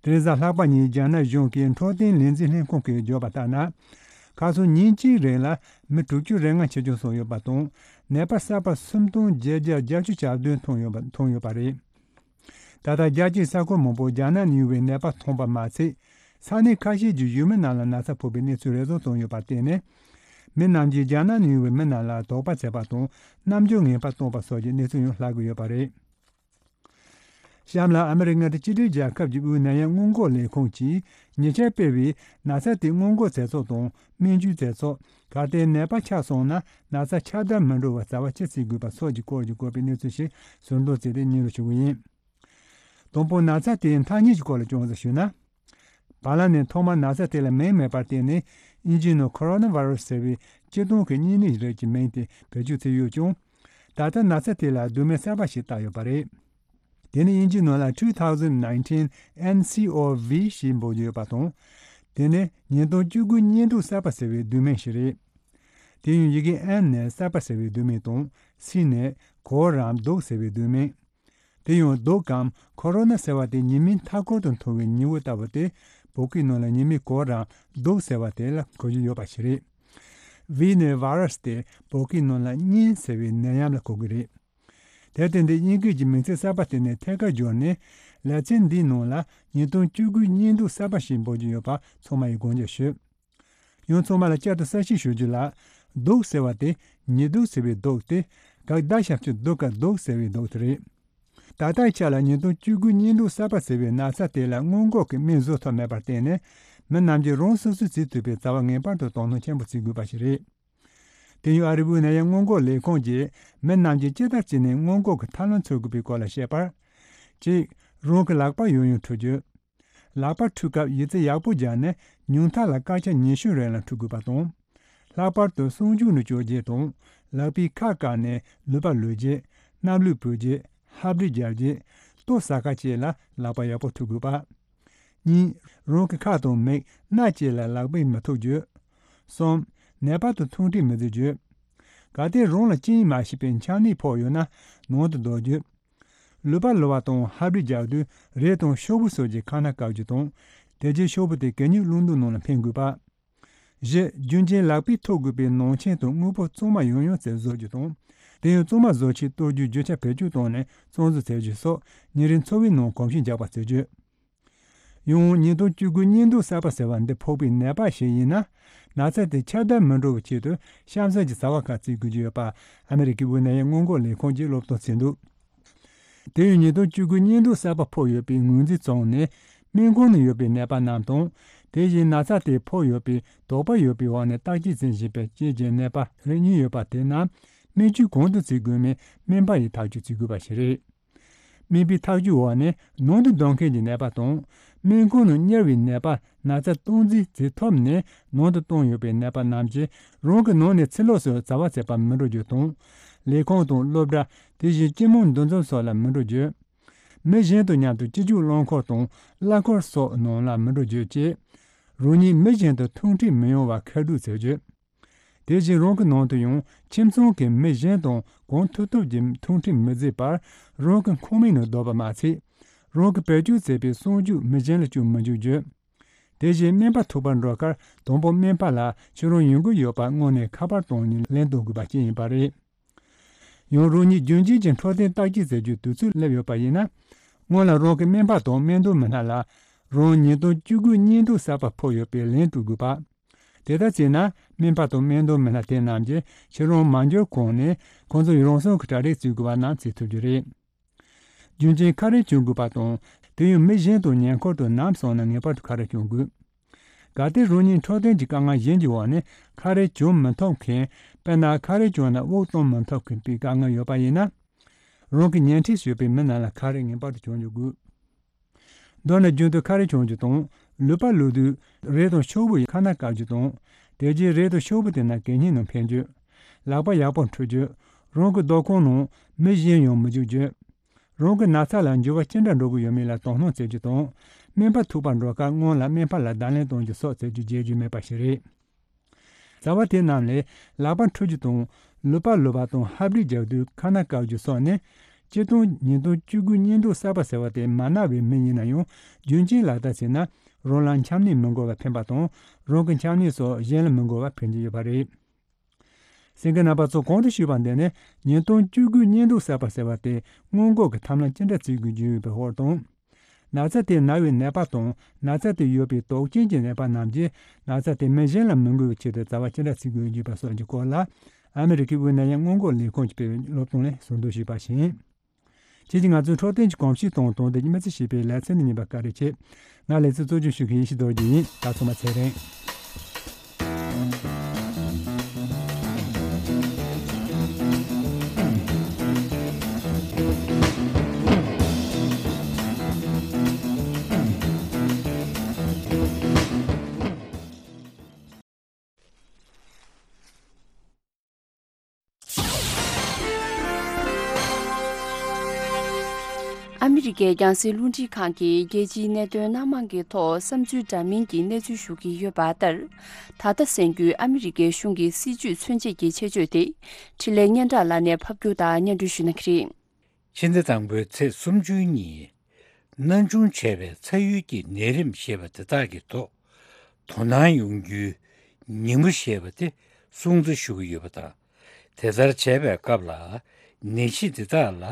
དེ་རིང་གཟའ་ལྷག་པ་ཉིན་རྒྱ་ནག་གཞུང་གི་འཕྲོད་བསྟེན་ལས་འཛིན་ལྷན་ཁང་གིས་བརྗོད་པ་ལྟར་ན། ཁ་སང་ཉིན་གཅིག་རིང་ལ་མི་དྲུག་ཅུ་རེ་ལྔ་ཆེ་ཆུང་སོང་ཡོད་པ་དང་། ནད་པ་གསར་པ་སུམ་སྟོང་བརྒྱད་བརྒྱ་བརྒྱད་ཅུ་གྱ་བདུན་ཐོན་ཡོད་པ་ཐོན་ཡོད་པ་རེད། ད་ལྟ་རྒྱལ་སྤྱིའི་ས་ཁུལ་མང་པོར་རྒྱ་ནག་ནས་ཡོང་བའི་ནད་པ་ཐོན་པ་མ་ཚད། ས་གནས་ཁ་ཤས་ཀྱི་ཡུལ་མི་རྣམས་ལ་ན་ཚ་ཕོག་པའི་གནས་ཚུལ་རེ་ཟུང་བྱུང་ཡོད་པར་བརྟེན་ནས། མི་རྣམས་ཀྱིས་རྒྱ་ནག་ནས་ཡོང་བའི་མི་རྣམས་ལ་དོགས་པ་བྱས་པ་དང་། རྣམ་འགྱུར་ངན་པ་བཏོན་པ་སོགས་ཀྱི་གནས་ཚུལ་ཡང་ལྷག་གི་ཡོད་པ་རེད། གཤམ་ལ་ཨ་མི་རི་ཀ་མངའ་སྡེ་གཅིག་སྒྲིལ་རྒྱལ་ཁབ་ཀྱི་དབུས་ནད་ཡམས་སྔོན་འགོག་ལས་ཁུངས་ཀྱིས་ཉེ་ཆར་སྤེལ་བའི་ན་ཚ་དེ་སྔོན་འགོག་རྩ་ཚོགས་དང་སྨན་བཅོས་རྩ་ཚོགས། གལ་ཏེ་ནད་པ་ཆགས་སོང་ན་ན་ཚ་ཁྱབ་གདལ་མི་འགྲོ་བར་བྱ་བ་ཅི་བྱེད་དགོས་པ་སོགས་ཀྱི་སྐོར་གྱི་བཀོད་པའི་གནས་ཚུལ་ཞིག་ཟུར་འདོན་བྱས་ཏེ་སྙན་སྒྲོན་ཞུ་གི་ཡིན། དང་པོ་ན་ཚ་དེའི་མཐའ་གཉིས་ཀྱི་སྐོར་ལ་ཅུང་ཟད་ཞུས་ན། བར་ལམ་ནས་ཐོག་མར་ན་ཚ་དེ་ལ་མིང་མེད་པར་བརྟེན་ནས་དབྱིན་ཇིའི་ནང་ཁོ་རོ་ན་ཝ་རོ་སི་ཟེར་བའི་སྤྱིར་བཏང་གི་གཉན་ནད་རིགས་ཀྱི་མིང་དེ་བེད་སྤྱོད་བྱས་ཡོད་ཀྱང་། ད་ལྟ་ན་ཚ་དེ་ལ་བསྡུས་མིང་གསར་པ་ཞིག་བཏགས་ཡོད་པ་རེད། དེ་ནི་དབྱིན་ཇིའི་ནང་ལ་two thousand nineteen N C O V ཞེས་འབོད་ཀྱི་ཡོད་པ་དང་། དེ་ནི་ཉིས་སྟོང་བཅུ་དགུ་གཉན་དུག་གསར་པ་ཟེར་བའི་བསྡུས་མིང་ཞིག་རེད། དེ་ཡང་ཡི་གེ་N ནི་གསར་པ་ཟེར་བའི་བསྡུས་མིང་དང་། C ནི་གོ་རམས་དུག་ཟེར་བའི་བསྡུས་མིང་། དེ་ཡང་དུག་གམ་ཁོ་རོ་ན་ཟེར་བ་དེ་ཉི་མའི་མཐའ་འཁོར་དུ་འཐོར་བའི་ཉི་འོད་ལྟ་བུ་སྟེ། བོད་སྐད་ནང་ལ་ཉི་མའི་གོ་རམས་དུག་ཟེར་བ་དེ་ལ་གོ་རྒྱུ་ཡོད་པ་ཞིག་རེད། V ནི་ཝ་ར་སི་སྟེ། བོད་སྐད་ནང་ལ་གཉན་ཟེར་བའི་ནད་ཡམས་ལ་གོ་གི་རེད། དེར་བརྟེན་ཏེ་དབྱིན་སྐད་ཀྱི་མིང་ཚིག་གསར་པ་དེ་ནི་ཐད་ཀར་བསྒྱུར་ནས། ལེ་ཚན་འདིའི་ནང་ལ་ཉིས་སྟོང་བཅུ་དགུའི་གཉན་དུག་གསར་པ་ཞེས་འབོད་ཀྱི་ཡོད་པ་ཚང་མ་ཡིས་དགོངས་འཇགས་ཞུ། ཡང་ཚང་མ་ལ་བསྐྱར་དུ་གསལ་བཤད་ཞུ་རྒྱུ་ལ། དུག་ཟེར་བ་དེ་ཉི་དུག་ཟེར་བའི་དུག་སྟེ། ག་ད་ཞབས་ཀྱུ་དུ་ག་དུག་ཟེར་བའི་དུག་དེ་རེད། ད་ལྟའི་ཆ་ལ་ཉིས་སྟོང་བཅུ་དགུ་གཉན་དུག་གསར་པ་ཟེར་བའི་ན་ཚ་དེ་ལ་སྔོན་འགོག་གི་སྨན་བཟོ་ཐུབ་མེད་པར་བརྟེན་ནས། མི་རྣམས་ཀྱིས་རང་སོ་སོས་བྱེད་ཐུབ་པའི་བྱ་བ་ངེས་པར་དུ་དོ་སྣང་ཆེན་པོ་བྱེད་དགོས་པ་ཞིག་རེད། དེ་ཡང་ཨ་རིའི་དབུས་ནད་ཡམས་སྔོན་འགོག་ལས་ཁུངས་ཀྱིས་མི་རྣམས་ཀྱིས་ཇི་ལྟར་བྱས་ནས་སྔོན་འགོག་གི་ཐབས་ལམ་འཚོལ་དགོས་པའི་སྐོར་ལ་བཤད་པར། གཅིག་རང་གི་ལག་པ་ཡང་ཡང་འཁྲུ་རྒྱུ། ལག་པ་འཁྲུ་སྐབས་ཡི་ཙི་ཡག་པོ་སྦྱར་ནས་ཉུང་མཐའ་ལ་སྐར་ཆ་ཉི་ཤུ་རིང་ལ་འཁྲུ་དགོས་པ་དང་། ལྷག་པར་དུ་གསང་རྒྱུག་ནས་བསྐྱོད་རྗེས་དང་། ལག་པའི་ཁ་བཀག་ནས་ལུད་པ་ལུད་རྗེས། སྣབས་ལུད་ཕུད་རྗེས། ཧབ་སྦྲིད་རྒྱག་རྗེས། ལྟོ་ཟ་ཁ་བཅས་ལ་ལག་པ་ཡག་པོ་འཁྲུ་དགོས་པ། གཉིས། རང་གི་ཁ་དང་མིག་སྣ་བཅས་ལ་ལག་པས་མི་ཐུག་རྒྱུ། གསུམ། ནད་པ་དང་ཐུག་འཕྲད་མི་བྱེད་རྒྱུ། གལ་ཏེ་རང་ལ་རྐྱེན་མ་བྱས་པའི་ཆམ་ནད་ཕོག་ཡོད་ན་ནང་དུ་བསྡད་རྒྱུ། ལུད་པ་ལུ་བ་དང་ཧབ་རིས་རྒྱག་དུས་རས་དང་ཤོག་བུ་སོགས་ཀྱི་ཁ་ན་བཀབ་རྒྱུ་དང་། དེ་རྗེས་ཤོག་བུ་དེ་གད་སྙིགས་བླུགས་འདུ་ནང་ལ་འཕེན་དགོས་པ། བཞི། རྒྱུན་གཅིག་ལག་པས་ཐུག་དགོས་པའི་ནང་ཆེན་དང་དངོས་པོ་གཙང་མ་ཡང་ཡང་བཙལ་བཟོ་རྒྱུ་དང་། དེ་ཡང་གཙང་མ་བཟོ་ཆེད་གཏོར་རྒྱུའི་རྒྱུ་ཆ་བེད་སྤྱོད་བཏང་ནས་གཙང་བཟོ་བྱེད་རྒྱུ་སོགས་ཉིན་རེའི་འཚོ་བའི་ནང་གོམས་གཤིས་འཇགས་པ་བྱེད་རྒྱུ། ཡང་ཉིས་སྟོང་བཅུ་དགུ་གཉན་འདུག་གསར་པ་ཟེར་བ་འདི་ཕོག་པའི་ནད་པ་ཞིག་ཡིན་ན། ན་ཚ་དེ་ཁྱབ་གདལ་མི་འགྲོ་བའི་ཆེད་དུ་གཤམ་གསལ་གྱི་བྱ་བ་ཁག་བརྩི་དགོས་ཀྱི་ཡོད་པ་ཨ་མི་རི་ཀའི་དབུས་ནད་ཡམས་སྔོན་འགོག་ལས་ཁུངས་ཀྱིས་སློབ་སྟོན་བྱས་འདུག་དེ་ཡང་ཉིས་སྟོང་བཅུ་དགུ་གཉན་འདུག་གསར་པ་ཕོག་ཡོད་པའི་ངོས་འཛིན་བྱུང་ནས་སྨན་ཁང་ནང་ཡོད་པའི་ནད་པ་རྣམས་དང་། དེ་བཞིན་ན་ཚ་དེ་ཕོག་ཡོད་པའི་དོགས་པ་ཡོད་པའི་འོག་ནས་བརྟག་དཔྱད་བྱེད་བཞིན་པའི་སྐྱེས་ཀྱི་ནད་པ་རེ་གཉིས་ཡོད་པ་དེ་རྣམས་སྨན་བཅོས་གང་དུ་བྱེད་དགོས་མིན་སྨན་པ་ཡིས་ཐག་གཅོད་བྱེད་དགོས་པ་ཞིག་རེད། སྨན་པའི་ཐག་གཅོད་འོག་ནས་ནང་དུ་སྡོད་མཁན་གྱི་ནད་པ་དང་། སྨན་ཁང་ནང་གཉེར་བའི་ནད་པ་ན་ཚ་སྟངས་འཛིན་བྱེད་ཐུབ་ནས་ནང་དུ་བཏང་ཡོད་པའི་ནད་པ་རྣམས་ཀྱིས་རང་གི་ནང་ནས་ཕྱི་ལོགས་སུ་བྱ་བ་བྱེད་པར་མི་འགྲོ་རྒྱུ་དང་། ལས་ཁུངས་དང་སློབ་གྲྭ། དེ་བཞིན་སྤྱི་དམངས་འདུ་འཛོམས་སོགས་ལ་མི་འགྲོ་རྒྱུ། མི་གཞན་དང་མཉམ་དུ་སྤྱི་སྤྱོད་རླངས་འཁོར་དང་གླ་འཁོར་སོགས་ནང་ལ་མི་འགྲོ་རྒྱུ་བཅས། རང་ཉིད་མི་གཞན་དང་ཐུག་འཕྲད་མི་ཡོང་བར་ཁ་སྒྲུབ་བྱེད་རྒྱུ། དེ་བཞིན་རང་གི་ནང་དུ་ཡང་ཁྱིམ་ཚང་གི་མི་གཞན་དང་གང་ཐུབ་ཐུབ་ཀྱིས་ཐུག་འཕྲད་མི་བྱེད་པར་རང་གི་ཁང་མིག་ནང་བསྡད་པ་མ་ཚད། རང་གིས་བེད་སྤྱོད་བྱས་པའི་གསང་སྤྱོད་མི་གཞན་ལ་སྤྱོད་མི་འཇུག་རྒྱུ། དེ་བཞིན་སྨན་པ་ཐུག་པར་འགྲོ་ཁར་དང་པོ་སྨན་པ་ལ་ཁྱེད་རང་ཡོང་གི་ཡོད་པ་དངོས་གནས་ཁ་པར་བཏང་ནས་ལན་འདེབས་དགོས་པ་བཅས་ཡིན་པ་རེད། ཡང་རང་ཉིད་རྒྱུན་གཅིག་གི་འཕྲོད་བསྟེན་བརྟག་དཔྱད་བྱེད་རྒྱུའི་དུས་ཚོད་སླེབས་ཡོད་པ་ཡིན་ན། སྔོན་ལ་རང་གི་སྨན་པ་དང་སྨན་གཏོང་མི་སྣ་ལ་རང་ཉིས་སྟོང་བཅུ་དགུ་གཉན་འདུག་གསར་པ་ཕོག་ཡོད་པའི་ལན་སྤྲོད་དགོས་པ། དེ་ལྟར་བྱས་ན་སྨན་པ་དང་སྨན་གཏོང་མི་སྣ་དེ་རྣམས་ཀྱིས་ཁྱེད་རང་མ་འབྱོར་གོང་ནས་ཁོང་ཚོས་རང་སྲུང་གི་གྲ་སྒྲིག་བྱེད་དགོས་པ་རྣམས་བྱེད་ཐུབ་རྒྱུ་རེད། རྒྱུན་གཅིག་ཁ་རས་གྱོན་དགོས་པ་དང་། དེ་ཡང་མི་གཞན་དང་ཉེ་འཁོར་དུ་ནམ་སོང་ན་ངེས་པར་དུ་ཁ་རས་གྱོན་དགོས། གལ་ཏེ་རང་ཉིད་འཕྲོད་བསྟེན་གྱི་དཀའ་ངལ་གཞན་གྱི་འོག་ནས་ཁ་རས་གྱོན་མི་ཐུབ་མཁན། དཔེར་ན་ཁ་རས་གྱོན་ན་དབུགས་གཏོང་མི་ཐུབ་མཁན་པའི་དཀའ་ངལ་ཡོད་པ་ཡིན་ན། རང་གི་ཉན་འཕྲི་ཞུས་པའི་མི་རྣམས་ལ་ཁ་རས་ངེས་པར་དུ་གྱོན་རྒྱུ་དགོས། མདོར་ན་རྒྱུན་དུ་ཁ་རས་གྱོན་རྒྱུ་དང་། ལུད་པ་ལུད་དུས་རས་དང་ཤོག་བུ་ཡི་ཁ་ན་བཀབ་རྒྱུ་དང་། དེ་རྗེས་རས་དང་ཤོག་བུ་དེ་རྣམས་གད་སྙིགས་ནང་འཕེན་རྒྱུ། ལག་པ་ཡག་པོ་འཁྲུད་རྒྱུ། རང་གི་སྡོད་ཁང་ནང་མི་གཞན་ཡང་མི་འཇུག་རྒྱུ། རང་གི་ན་ཚ་ལ་འགྱུར་བ་ཅི་འདྲ་འགྲོ་གི་ཡོད་མེད་ལ་དོ་སྣང་བྱེད་རྒྱུ་དང་། སྨན་པ་ཐུག་པར་འགྲོ་སྐབས་སྔོན་ལ་སྨན་པ་ལ་བརྡ་ལན་གཏོང་རྒྱུ་སོགས་བྱེད་རྒྱུ་བརྗེད་རྒྱུ་མེད་པ་ཞིག་རེད། བྱ་བ་དེ་རྣམས་ལས་ལག་པ་འཁྲུད་རྒྱུ་དང་། ལུད་པ་ལུད་པ་དང་ཧབ་རིས་རྒྱག་དུས་ཁ་ན་བཀབ་རྒྱུ་སོགས་ནི། སྤྱིར་བཏང་ཉིས་སྟོང་བཅུ་དགུ་གཉན་འདུག་གསར་པ་ཟེར་བ་དེ་མ་ན་བའི་མི་ཡིན་ན་ཡང་རྒྱུན་གཅིག་ལག་བསྟར་བྱས་ན་རང་ལ་ཆམ་ནད་མི་འགོ་བར་ཕན་པ་དང་། རང་གི་ཆམ་ནད་སོགས་གཞན་ལ་མི་འགོ་བར་ཕན་གྱི་ཡོད་པ་རེད། གསན་མཁན་རྣམ་པ་ཚོ་གོང་དུ་ཞུས་པ་འདི་ནི་ཉིས་སྟོང་བཅུ་དགུ་གཉན་འདུག་གསར་པ་ཟེར་བ་དེ་སྔོན་འགོག་གི་ཐབས་ལམ་ཅི་འདྲ་བརྩི་དགོས་ཀྱི་ཡོད་པའི་སྐོར་དང་། ན་ཚ་དེ་ན་བའི་ནད་པ་དང་ན་ཚ་དེ་ཡོད་པའི་དོགས་ཅན་གྱི་ནད་པ་རྣམས་ཀྱིས་ན་ཚ་དེ་མི་གཞན་ལ་མི་འགོ་བའི་ཆེད་དུ་བྱ་བ་ཅི་འདྲ་བརྩི་དགོས་ཀྱི་ཡོད་པ་སོགས་ཀྱི་སྐོར་ལ་ཨ་མི་རི་ཀའི་དབུས་ནད་ཡམས་སྔོན་འགོག་ལས་ཁུངས་ཀྱིས་སྤེལ་བའི་སློབ་སྟོན་ལས་ཟུར་འདོན་ཞུས་པ་ཞིག་ཡིན། ཁྱེད་ཀྱིས་ང་ཚོའི་འཕྲོད་བསྟེན་གྱི་གོམས་གཤིས་དང་དོན་དག་གི་མི་ཚེ་ཞེས་པའི་ལེ་ཚན་འདི་ཉན་པར་བཀའ་དྲིན་ཆེ། ང་ལེ་ཚན་གཙོ་སྐྱོང་ཞུ་མཁན་ཡེ་ཤེས་རྡོ་རྗེ་ཡིན། ད་ཚང་མ་ཚེ་རིང་། ཨ་མི་རི་ཀའི་རྒྱང་སྲིང་རླུང་འཕྲིན་ཁང་གིས་རྒྱལ་སྤྱིའི་གནད་དོན་སྣ་མང་གི་ཐོག་བསམ་ཚུལ་འདྲ་མིན་གྱི་གནས་ཚུལ་ཞུ་གི་ཡོད་པ་ལྟར། ད་ལྟ་གསན་རྒྱུའི་ཨ་མི་རི་ཀའི་གཞུང་གི་སྲིད་བྱུས་མཚོན་བྱེད་ཀྱི་ཆེད་བརྗོད་དེ། འཕྲིན་ལས་སྙན་གྲགས་ལགས་ནས་ཕབ་སྒྱུར་དང་སྙན་སྒྲོན་ཞུ་གནང་གི་རེད། ཕྱི་ཟླ་དང་པོའི་ཚེས་སུམ་ཅུ་ཉིན། སྣང་ཆུང་བྱས་པའི་ཚ་ཡུལ་གྱི་ནད་རིམས་ཞེས་པ་དེ་དག་གི་ཐོག་དོ་སྣང་ཡོང་རྒྱུའི་ཉིན་མོ་ཞེས་པ་དེ་སྲུང་བརྩི་ཞུ་གི་ཡོད་པ་དང་། དེ་ལྟར་བྱས་པའི་སྐབས་ལ་ནད་གཞི་འདི་དག་ལ་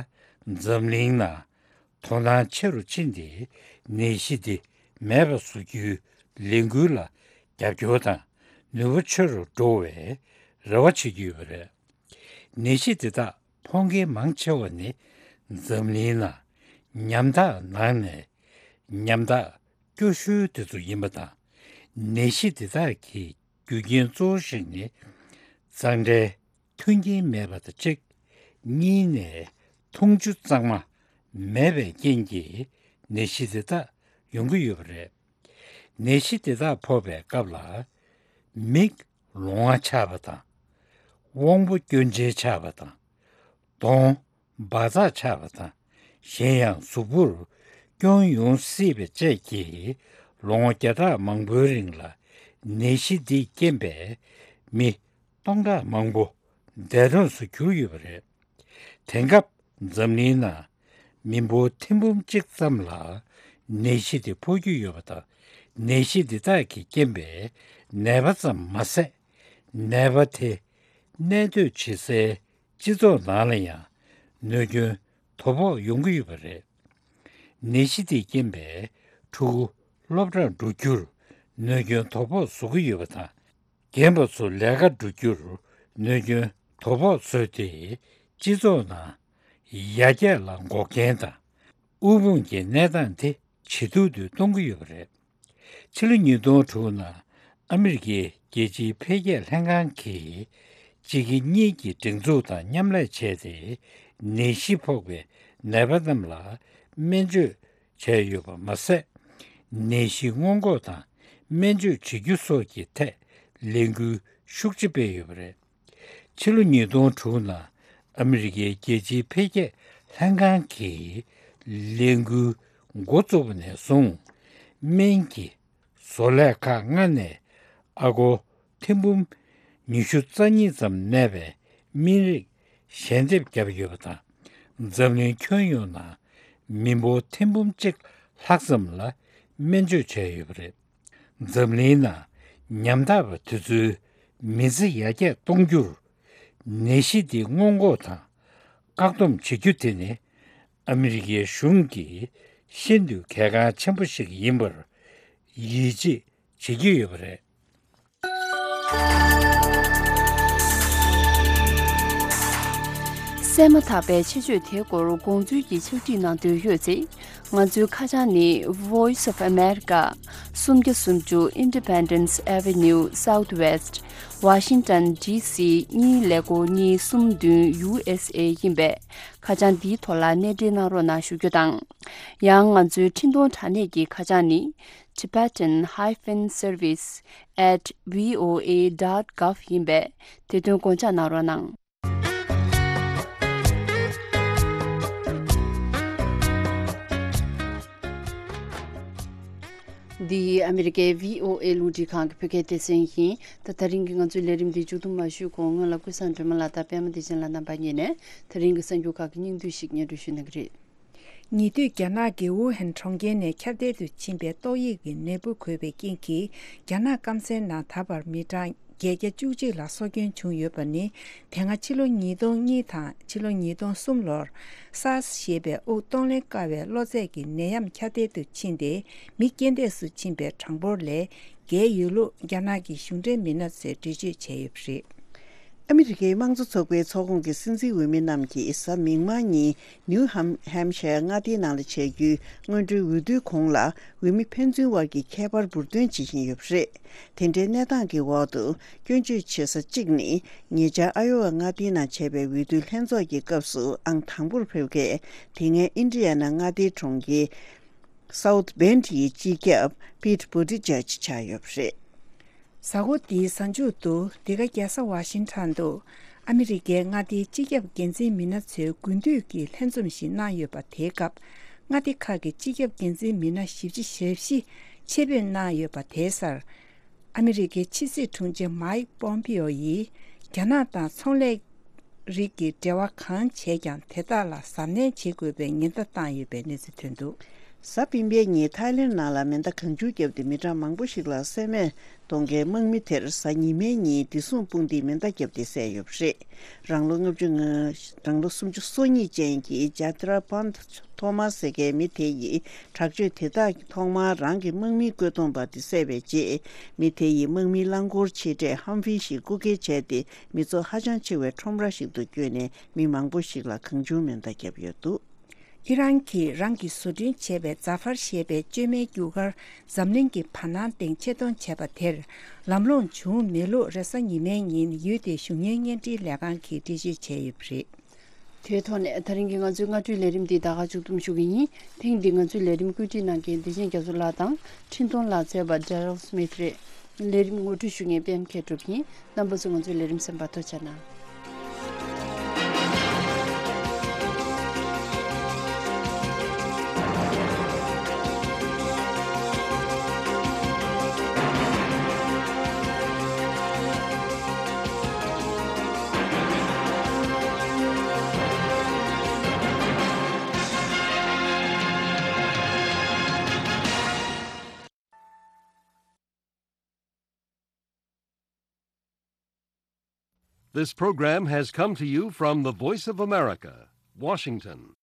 འཛམ་གླིང་ནང་དོ་སྣང་ཆེ་རུ་ཕྱིན་ཏེ་ནད་གཞི་འདི་མེད་པ་བཟོ་རྒྱུའི་ལས་འགུལ་ལ་རྒྱབ་སྐྱོར་དང་ནུས་པ་ཆེ་རུ་འགྲོ་བའི་རེ་བ་བྱེད་ཀྱི་ཡོད་པ་རེད། ནད་གཞི་འདི་དག་ཕོག་མཁན་མང་ཆེ་བ་ནི་འཛམ་གླིང་ནང་ཉམ་ཐག་ནང་ནས་ཉམ་ཐག་སྐྱོ་ཤོས་དེ་ཚོ་ཡིན་པ་དང་། ནད་གཞི་འདི་དག་གི་རྒྱུ་རྐྱེན་གཙོ་བོ་ཞིག་ནི་གཙང་སྦྲའི་མཐུན་རྐྱེན་མེད་པ་དང་གཅིག་གཉིས་ནས་འཐུང་ཆུ་གཙང་མ་མེད་པའི་རྐྱེན་གྱིས་ནད་གཞི་འདི་དག་ཡོང་གི་ཡོད་པ་རེད། ནད་གཞི་དེ་དག་ཕོག་པའི་སྐབས་ལ། མིག་ལོང་བ་ཆགས་པ་དང་། དབང་པོ་སྐྱོན་ཅན་ཆགས་པ་དང་། གདོང་འབར་འཛག་ཆགས་པ་དང་། གཞན་ཡང་གཟུགས་པོར་སྐྱོན་ཡོང་སྲིད་པ་བཅས་ཀྱིས་ལོ་ངོ་བརྒྱ་ཕྲག་མང་པོའི་རིང་ལ་ནད་གཞི་འདིས་རྐྱེན་པས་མི་སྟོང་ཕྲག་མང་པོ་ འདས་གྲོངས་སུ་གྱུར་ཡོད་པ་རེད། དེང་སྐབས་འཛམ་གླིང་ནང་མི་འབོར་ཐེར་འབུམ་གཅིག་ཙམ་ལ་ནད་གཞི་དེ་ཕོག་གི་ཡོད་པ་དང་། ནད་གཞི་འདི་དག་གི་རྐྱེན་པས་ནད་པ་ཙམ་མ་ཟད། ནད་པ་དེ་གནས་སྡོད་བྱེད་སའི་སྤྱི་ཚོགས་ནང་ལ་ཡང་གནོད་སྐྱོན་དོ་ཕོག་ཡོང་གི་ཡོད་པ་རེད། ནད་གཞི་དེའི་རྐྱེན་པས་ཕྲུ་གུ་སློབ་གྲྭར་འགྲོ་རྒྱུར་གནོད་སྐྱོན་དོ་ཕོག་བཟོ་གི་ཡོད་པ་དང་། རྒན་པ་ཚོ་ལས་ཀར་འགྲོ་རྒྱུར་གནོད་སྐྱོན་དོ་ཕོག་བཟོས་ཏེ། སྤྱི་ཚོགས་ནང་ཡར་རྒྱས་ལ་འགོག་རྐྱེན་དང་། དབུལ་ཕོངས་ཀྱི་གནས་སྟངས་དེ་ཇེ་སྡུག་ཏུ་གཏོང་གི་ཡོད་པ་རེད། ཕྱི་ལོ་ཉིས་སྟོང་དྲུག་ནང་ཨ་མི་རི་ཀའི་རྒྱལ་སྤྱིའི་འཕེལ་རྒྱས་ལྷན་ཁང་གིས་སྤྱི་སྒེར་གཉིས་ཀྱི་སྒྲིག་འཛུགས་དང་མཉམ་ལས་བྱས་ཏེ། ནད་གཞི་ཕོག་པའི་ནད་པ་རྣམས་ལ་སྨན་བཅོས་བྱས་ཡོད་པ་མ་ཟད། ནད་གཞི་སྔོན་འགོག་དང་སྨན་བཅོས་བྱེད་རྒྱུ་སོགས་ཀྱི་ཐད་ལས་འགུལ་ཤུགས་ཆེ་སྤེལ་ཡོད་པ་རེད། ཕྱི་ལོ་ཉིས་སྟོང་དྲུག་ནང་ཨ་མི་རི་ཀའི་རྒྱལ་སྤྱིའི་འཕེལ་རྒྱས་ལྷན་ཁང་གིས་ལས་འགུལ་འགོ་བཙུགས་པ་ནས་བཟུང་། སྨན་གྱི་བཟོ་ལས་ཁག་ལྔ་ནས་ཨ་སྒོར་ཐེར་འབུམ་ཉི་ཤུ་རྩ་གཉིས་ཙམ་གནས་པའི་སྨན་རིགས་ཞལ་འདེབས་བརྒྱབ་ཡོད་པ་དང་། འཛམ་གླིང་ཁྱོན་ཡོངས་ནང་མི་འབོར་ཐེར་འབུམ་གཅིག་ལྷག་ཙམ་ལ་སྨན་བཅོས་བྱས་ཡོད་པ་རེད། འཛམ་གླིང་ནང་ཉམ་ཐག་པ་དེ་ཚོའི་མི་ཚེ་ཡར་རྒྱས་གཏོང་རྒྱུར། ནད་གཞི་འདི་སྔོན་འགོག་དང་བཀག་སྡོམ་བྱེད་རྒྱུ་དེ་ནི་ཨ་མི་རི་ཀའི་གཞུང་གིས་ཤིན་ཏུ་གལ་འགངས་ཆེན་པོ་ཞིག་ཡིན་པར་ཡིད་ཆེས་བྱེད་ཀྱི་ཡོད་པ་རེད། གསན་མ་ཐག་པའི་ཆེད་བརྗོད་དེའི་སྐོར་དགོངས་ཚུལ་གྱི་ཕྱག་བྲིས་གནང་འདོད་ཡོད་ཚེ། ང་ཚོའི་ཁ་བྱང་ནི་Voice of America། སུམ་བརྒྱ་སུམ་ཅུ་Independence Avenue Southwest། Washington D C གཉིས་ཀླད་ཀོར་གཉིས་གསུམ་བདུན་U S A ཡིན་པས། ཁ་བྱང་འདིའི་ཐོག་ལ་གནས་འབྲེལ་གནང་རོགས་གནང་ཞུ་རྒྱུ་དང་། ཡང་ང་ཚོའི་འཕྲིན་གཏོང་དྲ་གནས་ཀྱི་ཁ་བྱང་ནི། Tibetan hyphen service at V O A dot gov ཡིན་པས། དེ་དོན་དགོངས་འཇགས་གནང་རོགས་གནང་། འདི་ཨ་མི་རི་ཀའི་V O A རླུང་འཕྲིན་ཁང་གི་བོད་སྐད་སྡེ་ཚན་ཡིན། ད་དེ་རིང་གི་ང་ཚོའི་ལས་རིམ་འདི་མཇུག་བསྡོམས་མ་ཞུས་གོང་སྔོན་ལ་ཀུན་བཟང་སྒྲོལ་མ་ལགས་དང་པད་མ་བདེ་ཆེན་ལགས་རྣམ་པ་གཉིས་ནས་དེ་རིང་གི་གསར་འགྱུར་ཁག་གི་སྙིང་བསྡུས་ཤིག་སྙན་སྒྲོན་ཞུ་གནང་གི་རེད། ཉེ་དུས་རྒྱ་ནག་གི་ཝུ་ཧན་གྲོང་ཁྱེར་ནས་ཁྱབ་གདལ་དུ་ཕྱིན་པའི་ཏོག་དབྱིབས་ཀྱི་ནད་འབུ་འགོས་པའི་རྐྱེན་གྱིས། རྒྱ་ནག་སྐམ་སའི་ནང་ད་བར་མི་གྲངས་བརྒྱད་བརྒྱ་བཅུ་གཅིག་ལ་སྲོག་སྐྱོན་བྱུང་ཡོད་པ་ནི། དེ་སྔ་ཕྱི་ལོ་ཉིས་སྟོང་གཉིས་དང་ཕྱི་ལོ་ཉིས་སྟོང་གསུམ་ལོར་SARS ཞེས་པའི་དབུགས་གཏོང་ལེན་དཀའ་བའི་གློ་ཚད་ཀྱི་ནད་ཡམས་ཁྱབ་གདལ་དུ་ཕྱིན་ཏེ། མི་རྐྱེན་འདས་སུ་ཕྱིན་པའི་གྲངས་འབོར་ལས་བརྒལ་ཡོད་ལུགས་རྒྱ་ནག་གི་གཞུང་འབྲེལ་མི་སྣ་ཚོས་འགྲེལ་བརྗོད་བྱས་ཡོད་པ་རེད། ཨ་མི་རི་ཀའི་དམངས་གཙོ་ཚོགས་པའི་ཚོགས་ཁོངས་ཀྱི་སྲིད་འཛིན་འོས་མི་རྣམས་ཀྱིས་གཟའ་མིག་དམར་ཉིན་ནིའུ་ཧམ་ཧམ་ཤར་མངའ་སྡེའི་ནང་ལ་བྱེད་རྒྱུའི་སྔོན་འགྲོའི་འོས་བསྡུའི་གོང་ལ། འོས་མི་ཕན་ཚུན་དབར་གྱི་ཁྱད་པར་འབུར་འདོན་བྱེད་བཞིན་ཡོད་པ་རེད། དེ་འདྲའི་གནས་སྟངས་ཀྱི་འོག་ཏུ། སྐྱོན་བརྗོད་བྱེད་ས་གཅིག་ནི། ཉེ་ཆར་ཨ་ཡོ་ཝ་མངའ་སྡེའི་ནང་བྱས་པའི་འོས་བསྡུའི་ལྷན་ཚོགས་ཀྱི་སྐབས་སུ་ཨང་དང་པོར་ཕེབས་མཁན། དེ་སྔའི་ཨིན་ཌི་ཡ་ན་མངའ་སྡེའི་གྲོང་ཁྱེར་South Bend ཡི་སྤྱི་ཁྱབ་Pete Buttigieg ཆགས་ཡོད་པ་རེད། གཟའ་འཁོར་འདིའི་གཟའ་མཇུག་ཏུ། འདི་ག་རྒྱལ་ས་ཝ་ཤིང་ཊོན་དུ། ཨ་མི་རི་ཀའི་མངའ་སྡེའི་སྤྱི་ཁྱབ་འགན་འཛིན་མི་སྣ་ཚོའི་དགུན་དུས་ཀྱི་ལྷན་འཛོམས་ཤིག་གནང་ཡོད་པ། དེའི་སྐབས། མངའ་སྡེ་ཁག་གི་སྤྱི་ཁྱབ་འགན་འཛིན་མི་སྣ་བཞི་བཅུ་ཞེ་བཞི་ཆེད་ཕེབས་གནང་ཡོད་པ། དེའི་སར། ཨ་མི་རི་ཀའི་ཕྱི་སྲིད་དྲུང་ཆེ་མའིག་པོམ་པིའོ་ཡིས། རྒྱ་ནག་དང་ཚོང་ལས་རིགས་ཀྱི་འབྲེལ་བ་གང་བྱས་ཀྱང་། དེ་དག་ལ་གཟབ་ནན་བྱེད་དགོས་པའི་ཉེན་བརྡ་བཏང་ཡོད་པའི་གནས་ཚུལ་ཐོན་འདུག་གཟའ་སྤེན་པའི་ཉིན་ཐའི་ལེན་ནང་ལ་མེ་མདའ་གང་བྱུང་བརྒྱབ་སྟེ། མི་གྲངས་མང་པོ་ཞིག་ལ་བསད་རྨས་གཏོང་མཁན་དམག་མི་དེར། གཟའ་ཉི་མའི་ཉིན་བདེ་སྲུང་དཔུང་སྡེས་མེ་མདའ་བརྒྱབ་སྟེ་བསད་ཡོད་པ་རེད། རང་ལོ་ལྔ་བཅུ་ང་། རང་ལོ་སུམ་ཅུ་སོ་གཉིས་ཅན་གྱི་ཇཱ་ཏི་ར་པཱན་ཐོ་མཱ་ཟེར་མཁན་མི་དེ་ཡིས། དྲག་སྤྱོད་དེ་དག་གིས་ཐོག་མར་རང་གི་དམག་མིའི་བཀོད་འདོམས་པ་དེ་བསད་པའི་རྗེས། མི་དེ་ཡིས་དམག་མིའི་རླངས་འཁོར་ཆེ་གྲས་ཧམ་ཕི་ཞིག་རྐུ་འཁྱེར་བྱས་ཏེ། མི་ཚོགས་ཧ་ཅང་ཆེ་བའི་ཁྲོམ་ར་ཞིག་ཏུ་བསྐྱོད་ནས། མི་མང་པོ་ཞིག་ལ་གང་བྱུང་མེ་མདའ་བརྒྱབ་ཡོད་འདུག་ཨི་རན་གྱིས་རང་གིས་བཟོ་སྐྲུན་བྱས་པའི་ཛ་ཧྥར་ཞེས་པའི་བཅོས་མའི་རྒྱུ་སྐར་འཛམ་གླིང་གི་བར་སྣང་སྟེང་ཆེད་གཏོང་བྱས་པ་དེར། ལམ་ལྷོང་བྱུང་མེད་ལུགས། རེས་གཟའ་ཉི་མའི་ཉིན་ཡུལ་དེའི་གཞུང་གཉེར་བརྙན་འཕྲིན་ལས་ཁང་གིས་འགྲེལ་བརྗོད་བྱས་ཡོད་པ་རེད། དེའི་ཐོག་ནས་ད་རིང་གི་ང་ཚོའི་སྔ་དྲོའི་ལས་རིམ་འདི་ད་ག་མཇུག་བསྡོམས་ཞུ་གི་ཡིན། ཐེངས་འདིའི་ང་ཚོའི་ལས་རིམ་བཀོད་སྒྲིག་གནང་མཁན་བདེ་ཆེན་རྒྱ་མཚོ་ལགས་དང་། འཕྲིན་གཏོང་ལག་རྩལ་བ་Daryl Smith རེད། ལས་རིམ་ངོ་སྤྲོད་ཞུ་མཁན་པད་མ་མཁས་གྲུབ་ཡིན། རྣམ་པ་ཚོ་ང་ཚོའི་ལས་རིམ་གསན་པར་ཐུགས་རྗེ་གནང་། This program has come to you from the Voice of America, Washington.